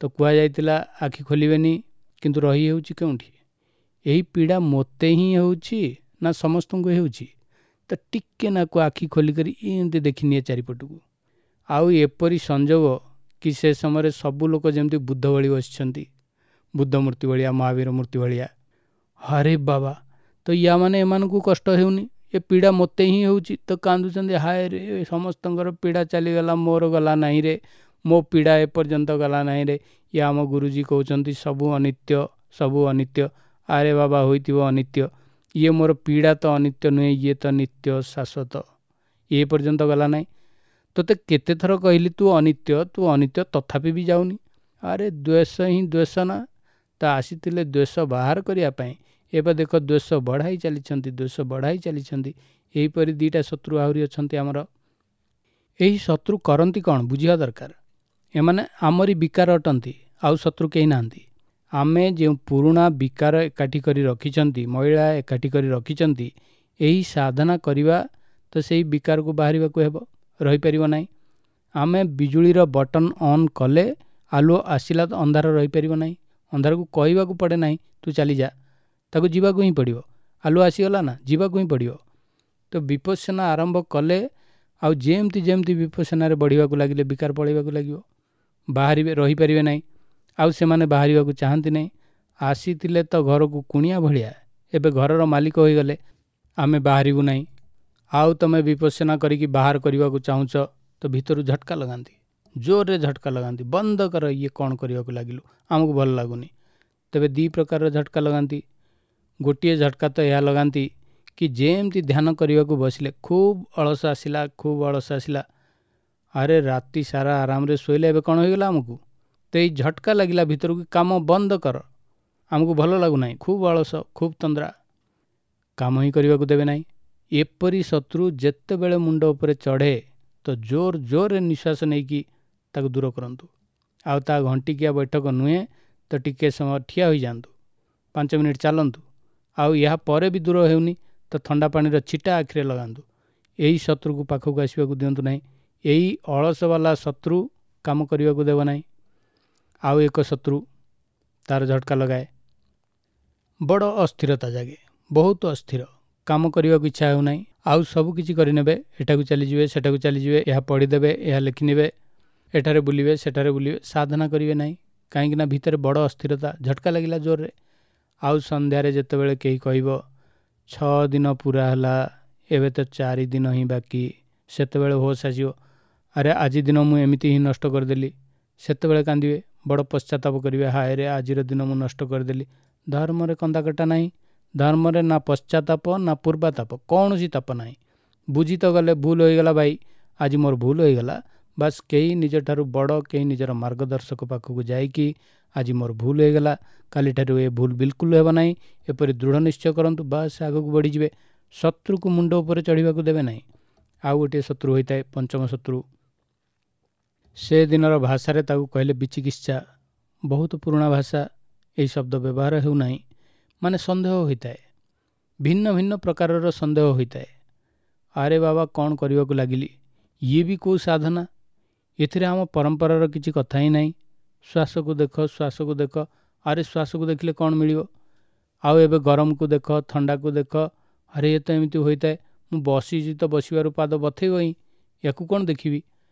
ତ କୁହାଯାଇଥିଲା ଆଖି ଖୋଲିବେନି, କିନ୍ତୁ ରହି ହେଉଛି କେଉଁଠି? ଏହି ପୀଡ଼ା ମୋତେ ହିଁ ହେଉଛି ନା ସମସ୍ତଙ୍କୁ ହେଉଛି? ତ ଟିକେ ନାକୁ ଆଖି ଖୋଲିକରି ଏମିତି ଦେଖିନିଏ ଚାରିପଟକୁ। ଆଉ ଏପରି ସଂଯୋଗ କି ସେ ସମୟରେ ସବୁ ଲୋକ ଯେମିତି ବୁଦ୍ଧ ଭଳି ବସିଛନ୍ତି, ବୁଦ୍ଧ ମୂର୍ତ୍ତି ଭଳିଆ, ମହାବୀର ମୂର୍ତ୍ତି ଭଳିଆ। ଆରେ ବାବା, ତ ୟା ମାନେ ଏମାନଙ୍କୁ କଷ୍ଟ ହେଉନି, ଏ ପୀଡ଼ା ମୋତେ ହିଁ ହେଉଛି। ତ କାନ୍ଦୁଛନ୍ତି, ହାୟ ରେ, ସମସ୍ତଙ୍କର ପୀଡ଼ା ଚାଲିଗଲା, ମୋର ଗଲା ନାହିଁ ରେ, ମୋ ପୀଡ଼ା ଏପର୍ଯ୍ୟନ୍ତ ଗଲା ନାହିଁ ରେ। ୟା ଆମ ଗୁରୁଜୀ କହୁଛନ୍ତି ସବୁ ଅନିତ୍ୟ, ସବୁ ଅନିତ୍ୟ। ଆରେ ବାବା, ହୋଇଥିବ ଅନିତ୍ୟ, ଇଏ ମୋର ପୀଡ଼ା ତ ଅନିତ୍ୟ ନୁହେଁ, ଇଏ ତ ନିତ୍ୟ ଶାଶ୍ୱତ, ଏ ପର୍ଯ୍ୟନ୍ତ ଗଲା ନାହିଁ। ତୋତେ କେତେଥର କହିଲି ତୁ ଅନିତ୍ୟ, ତୁ ଅନିତ୍ୟ, ତଥାପି ବି ଯାଉନି। ଆରେ ଦ୍ୱେଷ ହିଁ ଦ୍ୱେଷ ନା, ତ ଆସିଥିଲେ ଦ୍ୱେଷ ବାହାର କରିବା ପାଇଁ, ଏବେ ଦେଖ ଦ୍ୱେଷ ବଢ଼ାଇ ଚାଲିଛନ୍ତି, ଦ୍ୱେଷ ବଢ଼ାଇ ଚାଲିଛନ୍ତି। ଏହିପରି 2ଟା ଶତ୍ରୁ ଆହୁରି ଅଛନ୍ତି ଆମର। ଏହି ଶତ୍ରୁ କରନ୍ତି କ'ଣ ବୁଝିବା ଦରକାର। ଏମାନେ ଆମରି ବିକାର ଅଟନ୍ତି, ଆଉ ଶତ୍ରୁ କେହି ନାହାନ୍ତି। ଆମେ ଯେଉଁ ପୁରୁଣା ବିକାର ଏକାଠି କରି ରଖିଛନ୍ତି, ମଇଳା ଏକାଠି କରି ରଖିଛନ୍ତି, ଏହି ସାଧନା କରିବା ତ ସେଇ ବିକାରକୁ ବାହାରିବାକୁ ହେବ, ରହିପାରିବ ନାହିଁ। ଆମେ ବିଜୁଳିର ବଟନ୍ ଅନ୍ କଲେ ଆଲୁଅ ଆସିଲା ତ ଅନ୍ଧାର ରହିପାରିବ ନାହିଁ। ଅନ୍ଧାରକୁ କହିବାକୁ ପଡ଼େ ନାହିଁ ତୁ ଚାଲିଯା, ତାକୁ ଯିବାକୁ ହିଁ ପଡ଼ିବ। ଆଲୁଅ ଆସିଗଲା ନା, ଯିବାକୁ ହିଁ ପଡ଼ିବ। ତ ବିପස්සନା ଆରମ୍ଭ କଲେ ଆଉ ଯେମିତି ଯେମିତି ବିପස්සନାରେ ବଢ଼ିବାକୁ ଲାଗିଲେ ବିକାର ପଳେଇବାକୁ ଲାଗିବ, ବାହାରିବେ, ରହିପାରିବେ ନାହିଁ। ଆଉ ସେମାନେ ବାହାରିବାକୁ ଚାହାନ୍ତି ନାହିଁ। ଆସିଥିଲେ ତ ଘରକୁ କୁଣିଆ ଭଳିଆ, ଏବେ ଘରର ମାଲିକ ହୋଇଗଲେ, ଆମେ ବାହାରିବୁ ନାହିଁ। ଆଉ ତୁମେ ବିପස්සନା କରିକି ବାହାର କରିବାକୁ ଚାହୁଁଛ ତ ଭିତରୁ ଝଟକା ଲଗାନ୍ତି, ଜୋରରେ ଝଟକା ଲଗାନ୍ତି, ବନ୍ଦ କର, ଇଏ କ'ଣ କରିବାକୁ ଲାଗିଲୁ, ଆମକୁ ଭଲ ଲାଗୁନି। ତେବେ 2 ପ୍ରକାରର ଝଟକା ଲଗାନ୍ତି। ଗୋଟିଏ ଝଟକା ତ ଏହା ଲଗାନ୍ତି କି ଯେମିତି ଧ୍ୟାନ କରିବାକୁ ବସିଲେ ଖୁବ୍ ଅଳସ ଆସିଲା, ଖୁବ୍ ଅଳସ ଆସିଲା, ଆରେ ରାତି ସାରା ଆରାମରେ ଶୋଇଲେ, ଏବେ କ'ଣ ହୋଇଗଲା ଆମକୁ? ତ ଏଇ ଝଟକା ଲାଗିଲା ଭିତରକୁ, କାମ ବନ୍ଦ କର, ଆମକୁ ଭଲ ଲାଗୁନାହିଁ, ଖୁବ୍ ଅଳସ, ଖୁବ୍ ତନ୍ଦ୍ରା, କାମ ହିଁ କରିବାକୁ ଦେବେ ନାହିଁ। ଏପରି ଶତ୍ରୁ ଯେତେବେଳେ ମୁଣ୍ଡ ଉପରେ ଚଢ଼େ ତ ଜୋର ଜୋରରେ ନିଶ୍ୱାସ ନେଇକି ତାକୁ ଦୂର କରନ୍ତୁ। ଆଉ ତା ଘଣ୍ଟିକିଆ ବୈଠକ ନୁହେଁ ତ ଟିକେ ସମୟ ଠିଆ ହୋଇଯାଆନ୍ତୁ, 5 ମିନିଟ୍ ଚାଲନ୍ତୁ। ଆଉ ଏହା ପରେ ବି ଦୂର ହେଉନି ତ ଥଣ୍ଡା ପାଣିର ଛିଟା ଆଖିରେ ଲଗାନ୍ତୁ। ଏହି ଶତ୍ରୁକୁ ପାଖକୁ ଆସିବାକୁ ଦିଅନ୍ତୁ ନାହିଁ। ଏଇ ଅଳସବାଲା ଶତ୍ରୁ କାମ କରିବାକୁ ଦେବ ନାହିଁ। ଆଉ ଏକ ଶତ୍ରୁ ତାର ଝଟକା ଲଗାଏ, ବଡ଼ ଅସ୍ଥିରତା ଜାଗେ, ବହୁତ ଅସ୍ଥିର, କାମ କରିବାକୁ ଇଚ୍ଛା ହେଉନାହିଁ। ଆଉ ସବୁ କିଛି କରିନେବେ, ଏଠାକୁ ଚାଲିଯିବେ, ସେଠାକୁ ଚାଲିଯିବେ, ଏହା ପଢ଼ିଦେବେ, ଏହା ଲେଖିନେବେ, ଏଠାରେ ବୁଲିବେ, ସେଠାରେ ବୁଲିବେ, ସାଧନା କରିବେ ନାହିଁ। କାହିଁକିନା ଭିତରେ ବଡ଼ ଅସ୍ଥିରତା, ଝଟକା ଲାଗିଲା ଜୋରରେ। ଆଉ ସନ୍ଧ୍ୟାରେ ଯେତେବେଳେ କେହି କହିବ 6 ଦିନ ପୁରା ହେଲା, ଏବେ ତ 4 ଦିନ ହିଁ ବାକି, ସେତେବେଳେ ହୋସ୍ ଆସିବ, ଆରେ ଆଜି ଦିନ ମୁଁ ଏମିତି ହିଁ ନଷ୍ଟ କରିଦେଲି। ସେତେବେଳେ କାନ୍ଦିବେ, ବଡ଼ ପଶ୍ଚାତାପ କରିବେ, ହାୟରେ ଆଜିର ଦିନ ମୁଁ ନଷ୍ଟ କରିଦେଲି। ଧର୍ମରେ କନ୍ଦାକଟା ନାହିଁ, ଧର୍ମରେ ନା ପଶ୍ଚାତାପ ନା ପୂର୍ବାତାପ, କୌଣସି ତାପ ନାହିଁ। ବୁଝି ତ ଗଲେ ଭୁଲ ହୋଇଗଲା ଭାଇ, ଆଜି ମୋର ଭୁଲ ହୋଇଗଲା, ବାସ୍ କେହି ନିଜଠାରୁ ବଡ଼, କେହି ନିଜର ମାର୍ଗଦର୍ଶକ ପାଖକୁ ଯାଇକି ଆଜି ମୋର ଭୁଲ ହୋଇଗଲା, କାଲିଠାରୁ ଏ ଭୁଲ ବିଲକୁଲ ହେବ ନାହିଁ, ଏପରି ଦୃଢ଼ ନିଶ୍ଚୟ କରନ୍ତୁ, ବାସ୍ ଆଗକୁ ବଢ଼ିଯିବେ। ଶତ୍ରୁକୁ ମୁଣ୍ଡ ଉପରେ ଚଢ଼ିବାକୁ ଦେବେ ନାହିଁ। ଆଉ ଗୋଟିଏ ଶତ୍ରୁ ହୋଇଥାଏ ପଞ୍ଚମ ଶତ୍ରୁ। ସେ ଦିନର ଭାଷାରେ ତାକୁ କହିଲେ ବିଚିକିତ୍ସା। ବହୁତ ପୁରୁଣା ଭାଷା, ଏହି ଶବ୍ଦ ବ୍ୟବହାର ହେଉନାହିଁ। ମାନେ ସନ୍ଦେହ ହୋଇଥାଏ, ଭିନ୍ନ ଭିନ୍ନ ପ୍ରକାରର ସନ୍ଦେହ ହୋଇଥାଏ। ଆରେ ବାବା କ'ଣ କରିବାକୁ ଲାଗିଲି, ଇଏ ବି କେଉଁ ସାଧନା, ଏଥିରେ ଆମ ପରମ୍ପରାର କିଛି କଥା ହିଁ ନାହିଁ। ଶ୍ୱାସକୁ ଦେଖ, ଶ୍ୱାସକୁ ଦେଖ, ଆରେ ଶ୍ୱାସକୁ ଦେଖିଲେ କ'ଣ ମିଳିବ? ଆଉ ଏବେ ଗରମକୁ ଦେଖ, ଥଣ୍ଡାକୁ ଦେଖ, ଆରେ ଏ ତ ଏମିତି ହୋଇଥାଏ, ମୁଁ ବସିଛି ତ ବସିବାରୁ ପାଦ ବଥେଇବ ହିଁ, ୟାକୁ କ'ଣ ଦେଖିବି?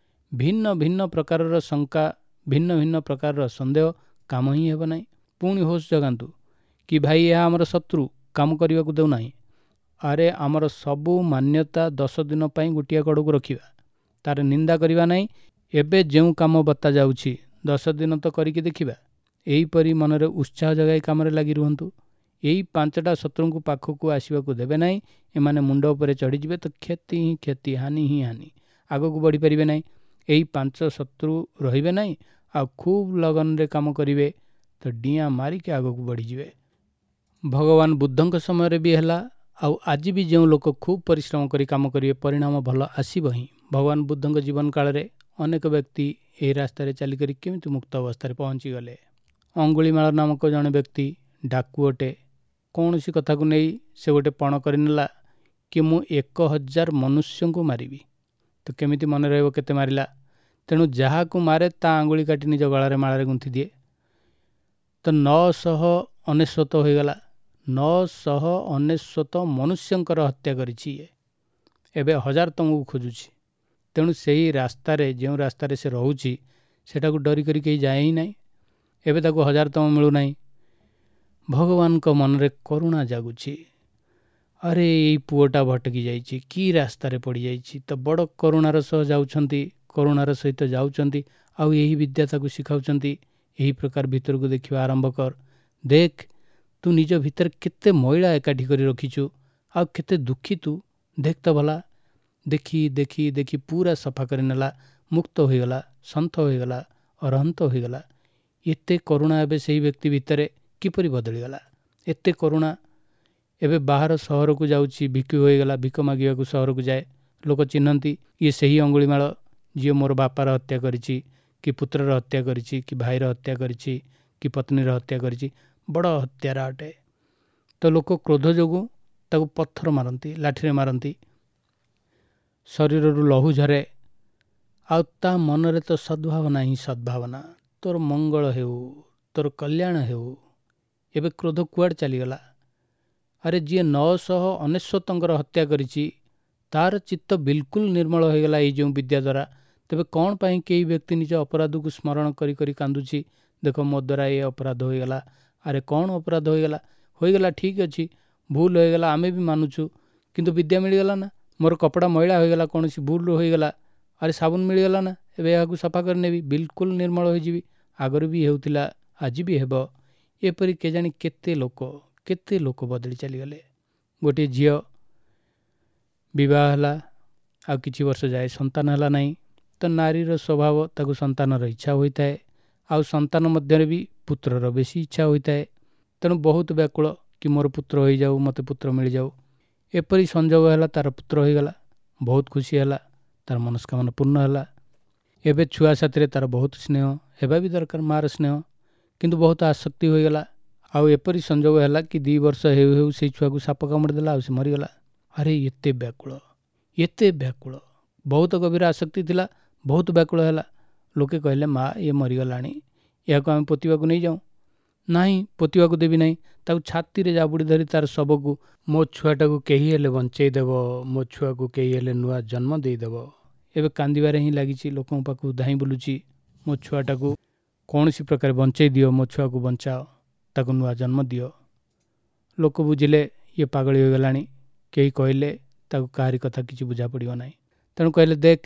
ଭିନ୍ନ ଭିନ୍ନ ପ୍ରକାରର ଶଙ୍କା, ଭିନ୍ନ ଭିନ୍ନ ପ୍ରକାରର ସନ୍ଦେହ, କାମ ହିଁ ହେବ ନାହିଁ। ପୁଣି ହୋସ୍ ଜଗାନ୍ତୁ କି ଭାଇ ଏହା ଆମର ଶତ୍ରୁ, କାମ କରିବାକୁ ଦେଉନାହିଁ। ଆରେ ଆମର ସବୁ ମାନ୍ୟତା 10 ଦିନ ପାଇଁ ଗୋଟିଏ କଡ଼କୁ ରଖିବା, ତାର ନିନ୍ଦା କରିବା ନାହିଁ। ଏବେ ଯେଉଁ କାମ ବତା ଯାଉଛି 10 ଦିନ ତ କରିକି ଦେଖିବା। ଏହିପରି ମନରେ ଉତ୍ସାହ ଜଗାଇ କାମରେ ଲାଗି ରୁହନ୍ତୁ। ଏଇ 5ଟା ଶତ୍ରୁଙ୍କୁ ପାଖକୁ ଆସିବାକୁ ଦେବେ ନାହିଁ। ଏମାନେ ମୁଣ୍ଡ ଉପରେ ଚଢ଼ିଯିବେ ତ କ୍ଷତି ହିଁ କ୍ଷତି, ହାନି ହିଁ ହାନି, ଆଗକୁ ବଢ଼ିପାରିବେ ନାହିଁ। ଏଇ 5 ଶତ୍ରୁ ରହିବେ ନାହିଁ। ଆଉ ଖୁବ୍ ଲଗନରେ କାମ କରିବେ ତ ଡିଆଁ ମାରିକି ଆଗକୁ ବଢ଼ିଯିବେ। ଭଗବାନ ବୁଦ୍ଧଙ୍କ ସମୟରେ ବି ହେଲା, ଆଉ ଆଜି ବି ଯେଉଁ ଲୋକ ଖୁବ୍ ପରିଶ୍ରମ କରି କାମ କରିବେ ପରିଣାମ ଭଲ ଆସିବ ହିଁ। ଭଗବାନ ବୁଦ୍ଧଙ୍କ ଜୀବନ କାଳରେ ଅନେକ ବ୍ୟକ୍ତି ଏହି ରାସ୍ତାରେ ଚାଲିକରି କେମିତି ମୁକ୍ତ ଅବସ୍ଥାରେ ପହଞ୍ଚିଗଲେ। ଅଙ୍ଗୁଳିମାଳ ନାମକ ଜଣେ ବ୍ୟକ୍ତି ଡାକୁ ଅଟେ। କୌଣସି କଥାକୁ ନେଇ ସେ ଗୋଟେ ପଣ କରିନେଲା କି ମୁଁ 1000 ମନୁଷ୍ୟଙ୍କୁ ମାରିବି। ତ କେମିତି ମନେ ରହିବ କେତେ ମାରିଲା? ତେଣୁ ଯାହାକୁ ମାରେ ତା ଆଙ୍ଗୁଳି କାଟି ନିଜ ଗଳାରେ ମାଳରେ ଗୁନ୍ଥି ଦିଏ। ତ 999 ହୋଇଗଲା। 999 ମନୁଷ୍ୟଙ୍କର ହତ୍ୟା କରିଛି ଇଏ। ଏବେ 1000 ତମକୁ ଖୋଜୁଛି। ତେଣୁ ସେଇ ରାସ୍ତାରେ, ଯେଉଁ ରାସ୍ତାରେ ସେ ରହୁଛି ସେଟାକୁ ଡରିକରି କେହି ଯାଏ ହିଁ ନାହିଁ। ଏବେ ତାକୁ 1000 ତମ ମିଳୁନାହିଁ। ଭଗବାନଙ୍କ ମନରେ କରୁଣା ଜାଗୁଛି, ଆରେ ଏଇ ପୁଅଟା ଭଟକି ଯାଇଛି, କି ରାସ୍ତାରେ ପଡ଼ିଯାଇଛି। ତ ବଡ଼ କରୁଣାର ସହ ଯାଉଛନ୍ତି, କରୁଣାର ସହିତ ଯାଉଛନ୍ତି, ଆଉ ଏହି ବିଦ୍ୟା ତାକୁ ଶିଖାଉଛନ୍ତି। ଏହି ପ୍ରକାର ଭିତରକୁ ଦେଖିବା ଆରମ୍ଭ କର, ଦେଖ ତୁ ନିଜ ଭିତରେ କେତେ ମଇଳା ଏକାଠି କରି ରଖିଛୁ, ଆଉ କେତେ ଦୁଃଖୀ ତୁ, ଦେଖ ତ ଭଲା। ଦେଖି ଦେଖି ଦେଖି ପୁରା ସଫା କରିନେଲା, ମୁକ୍ତ ହୋଇଗଲା, ସନ୍ଥ ହୋଇଗଲା, ଅରହନ୍ତ ହୋଇଗଲା। ଏତେ କରୁଣା ଏବେ ସେହି ବ୍ୟକ୍ତି ଭିତରେ କିପରି ବଦଳିଗଲା? ଏତେ କରୁଣା। ଏବେ ବାହାର ସହରକୁ ଯାଉଛି, ଭିକ୍ଷୁ ହୋଇଗଲା, ଭିକ ମାଗିବାକୁ ସହରକୁ ଯାଏ। ଲୋକ ଚିହ୍ନନ୍ତି ଇଏ ସେହି ଅଙ୍ଗୁଳିମାଳ ଯିଏ ମୋର ବାପାର ହତ୍ୟା କରିଛି, କି ପୁତ୍ରର ହତ୍ୟା କରିଛି, କି ଭାଇର ହତ୍ୟା କରିଛି, କି ପତ୍ନୀର ହତ୍ୟା କରିଛି, ବଡ଼ ହତ୍ୟାରା ଅଟେ। ତ ଲୋକ କ୍ରୋଧ ଯୋଗୁଁ ତାକୁ ପଥର ମାରନ୍ତି, ଲାଠିରେ ମାରନ୍ତି, ଶରୀରରୁ ଲହୁ ଝରେ। ଆଉ ତା ମନରେ ତ ସଦ୍ଭାବନା ହିଁ ସଦ୍ଭାବନା, ତୋର ମଙ୍ଗଳ ହେଉ, ତୋର କଲ୍ୟାଣ ହେଉ। ଏବେ କ୍ରୋଧ କୁଆଡ଼େ ଚାଲିଗଲା? ଆରେ ଯିଏ 999ଙ୍କର ହତ୍ୟା କରିଛି ତାର ଚିତ୍ତ ବିଲକୁଲ ନିର୍ମଳ ହୋଇଗଲା ଏଇ ଯେଉଁ ବିଦ୍ୟା ଦ୍ୱାରା। ତେବେ କ'ଣ ପାଇଁ କେହି ବ୍ୟକ୍ତି ନିଜ ଅପରାଧକୁ ସ୍ମରଣ କରି କରି କାନ୍ଦୁଛି? ଦେଖ ମୋ ଦ୍ୱାରା ଏ ଅପରାଧ ହୋଇଗଲା। ଆରେ କ'ଣ ଅପରାଧ ହୋଇଗଲା? ହୋଇଗଲା ଠିକ୍ ଅଛି, ଭୁଲ ହୋଇଗଲା, ଆମେ ବି ମାନୁଛୁ, କିନ୍ତୁ ବିଦ୍ୟା ମିଳିଗଲା ନା? ମୋର କପଡ଼ା ମଇଳା ହୋଇଗଲା, କୌଣସି ଭୁଲ ହୋଇଗଲା, ଆରେ ସାବୁନ ମିଳିଗଲା ନା? ଏବେ ଏହାକୁ ସଫା କରିନେବି, ବିଲକୁଲ ନିର୍ମଳ ହୋଇଯିବି। ଆଗରୁ ବି ହେଉଥିଲା, ଆଜି ବି ହେବ। ଏପରି କେଜାଣି କେତେ ଲୋକ, କେତେ ଲୋକ ବଦଳି ଚାଲିଗଲେ। ଗୋଟିଏ ଝିଅ ବିବାହ ହେଲା, ଆଉ କିଛି ବର୍ଷ ଯାଏ ସନ୍ତାନ ହେଲା ନାହିଁ। ତ ନାରୀର ସ୍ୱଭାବ, ତାକୁ ସନ୍ତାନର ଇଚ୍ଛା ହୋଇଥାଏ, ଆଉ ସନ୍ତାନ ମଧ୍ୟରେ ବି ପୁତ୍ରର ବେଶୀ ଇଚ୍ଛା ହୋଇଥାଏ। ତେଣୁ ବହୁତ ବ୍ୟାକୁଳ କି ମୋର ପୁତ୍ର ହୋଇଯାଉ, ମୋତେ ପୁତ୍ର ମିଳିଯାଉ। ଏପରି ସଂଯୋଗ ହେଲା, ତା'ର ପୁତ୍ର ହୋଇଗଲା, ବହୁତ ଖୁସି ହେଲା, ତା'ର ମନସ୍କାମନା ପୂର୍ଣ୍ଣ ହେଲା। ଏବେ ଛୁଆ ସାଥିରେ ତା'ର ବହୁତ ସ୍ନେହ ହେବା ବି ଦରକାର, ମାଆର ସ୍ନେହ, କିନ୍ତୁ ବହୁତ ଆସକ୍ତି ହୋଇଗଲା। ଆଉ ଏପରି ସଂଯୋଗ ହେଲା କି 2 ବର୍ଷ ହେଉ ହେଉ ସେଇ ଛୁଆକୁ ସାପ କାମୁଡ଼ି ଦେଲା, ଆଉ ସେ ମରିଗଲା। ଆରେ ଏତେ ବ୍ୟାକୁଳ, ଏତେ ବ୍ୟାକୁଳ, ବହୁତ ଗଭୀର ଆସକ୍ତି ଥିଲା, ବହୁତ ବ୍ୟାକୁଳ ହେଲା। ଲୋକେ କହିଲେ, ମା ଇଏ ମରିଗଲାଣି, ଏହାକୁ ଆମେ ପୋତିବାକୁ ନେଇଯାଉଁ। ନାହିଁ, ପୋତିବାକୁ ଦେବି ନାହିଁ। ତାକୁ ଛାତିରେ ଜାବୁଡ଼ି ଧରି ତାର ଶବକୁ, ମୋ ଛୁଆଟାକୁ କେହି ହେଲେ ବଞ୍ଚେଇ ଦେବ, ମୋ ଛୁଆକୁ କେହି ହେଲେ ନୂଆ ଜନ୍ମ ଦେଇଦେବ। ଏବେ କାନ୍ଦିବାରେ ହିଁ ଲାଗିଛି, ଲୋକଙ୍କ ପାଖକୁ ଧାଇଁ ବୁଲୁଛି, ମୋ ଛୁଆଟାକୁ କୌଣସି ପ୍ରକାର ବଞ୍ଚେଇ ଦିଅ, ମୋ ଛୁଆକୁ ବଞ୍ଚାଅ, ତାକୁ ନୂଆ ଜନ୍ମ ଦିଅ। ଲୋକ ବୁଝିଲେ ଇଏ ପାଗଳି ହୋଇଗଲାଣି। କେହି କହିଲେ ତାକୁ କାହାରି କଥା କିଛି ବୁଝା ପଡ଼ିବ ନାହିଁ। ତେଣୁ କହିଲେ, ଦେଖ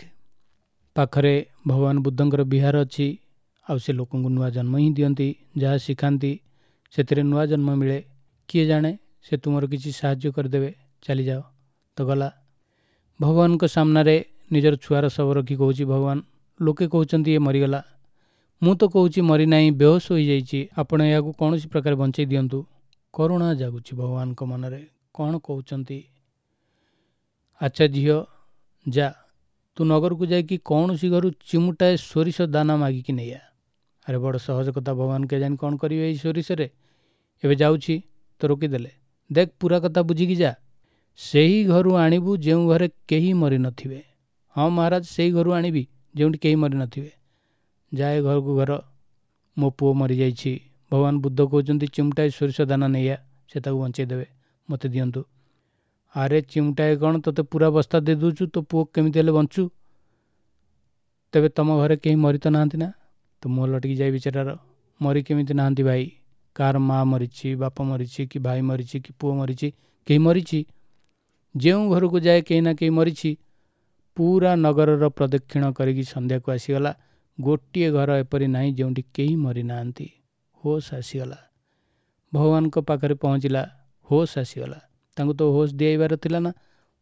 ପାଖରେ ଭଗବାନ ବୁଦ୍ଧଙ୍କର ବିହାର ଅଛି, ଆଉ ସେ ଲୋକଙ୍କୁ ନୂଆ ଜନ୍ମ ହିଁ ଦିଅନ୍ତି, ଯାହା ଶିଖାନ୍ତି ସେଥିରେ ନୂଆ ଜନ୍ମ ମିଳେ। କିଏ ଜାଣେ ସେ ତୁମର କିଛି ସାହାଯ୍ୟ କରିଦେବେ, ଚାଲିଯାଅ। ତ ଗଲା, ଭଗବାନଙ୍କ ସାମ୍ନାରେ ନିଜର ଛୁଆର ଶବ ରଖି କହୁଛି, ଭଗବାନ ଲୋକେ କହୁଛନ୍ତି ଇଏ ମରିଗଲା, ମୁଁ ତ କହୁଛି ମରିନାହିଁ, ବେହୋସ ହୋଇଯାଇଛି, ଆପଣ ଏହାକୁ କୌଣସି ପ୍ରକାର ବଞ୍ଚେଇ ଦିଅନ୍ତୁ। କରୁଣା ଜାଗୁଛି ଭଗବାନଙ୍କ ମନରେ, କ'ଣ କହୁଛନ୍ତି। ଆଚ୍ଛା ଝିଅ ଯା, ତୁ ନଗରକୁ ଯାଇକି କୌଣସି ଘରୁ ଚିମୁଟାଏ ସୋରିଷ ଦାନା ମାଗିକି ନେଇଆ। ଆରେ ବଡ଼ ସହଜ କଥା, ଭଗବାନ କେଜାଣି କ'ଣ କରିବେ ଏଇ ସୋରିଷରେ। ଏବେ ଯାଉଛି ତ ରୋକିଦେଲେ, ଦେଖ ପୁରା କଥା ବୁଝିକି ଯା, ସେହି ଘରୁ ଆଣିବୁ ଯେଉଁ ଘରେ କେହି ମରିନଥିବେ। ହଁ ମହାରାଜ, ସେଇ ଘରୁ ଆଣିବି ଯେଉଁଠି କେହି ମରିନଥିବେ। ଯାଏ ଘରକୁ ଘର, ମୋ ପୁଅ ମରିଯାଇଛି, ଭଗବାନ ବୁଦ୍ଧ କହୁଛନ୍ତି ଚିମୁଟାଏ ସୋରିଷ ଦାନା ନେଇଆ, ସେ ତାକୁ ବଞ୍ଚେଇ ଦେବେ, ମୋତେ ଦିଅନ୍ତୁ। ଆରେ ଚିମୁଟାଏ କ'ଣ, ତୋତେ ପୁରା ବସ୍ତା ଦେଇ ଦେଉଛୁ, ତୋ ପୁଅ କେମିତି ହେଲେ ବଞ୍ଚୁ। ତେବେ ତୁମ ଘରେ କେହି ମରି ତ ନାହାନ୍ତି ନା? ତ ମୁହଁ ଲଟିକି ଯାଇ ବିଚାରାର, ମରି କେମିତି ନାହାନ୍ତି ଭାଇ, କାହାର ମା ମରିଛି, ବାପ ମରିଛି, କି ଭାଇ ମରିଛି, କି ପୁଅ ମରିଛି, କେହି ମରିଛି। ଯେଉଁ ଘରକୁ ଯାଏ କେହି ନା କେହି ମରିଛି। ପୁରା ନଗରର ପ୍ରଦକ୍ଷିଣ କରିକି ସନ୍ଧ୍ୟାକୁ ଆସିଗଲା, ଗୋଟିଏ ଘର ଏପରି ନାହିଁ ଯେଉଁଠି କେହି ମରିନାହାନ୍ତି। ହୋସ୍ ଆସିଗଲା, ଭଗବାନଙ୍କ ପାଖରେ ପହଞ୍ଚିଲା, ହୋସ୍ ଆସିଗଲା। ତାଙ୍କୁ ତ ହୋସ୍ ଦିଆଇବାର ଥିଲା ନା,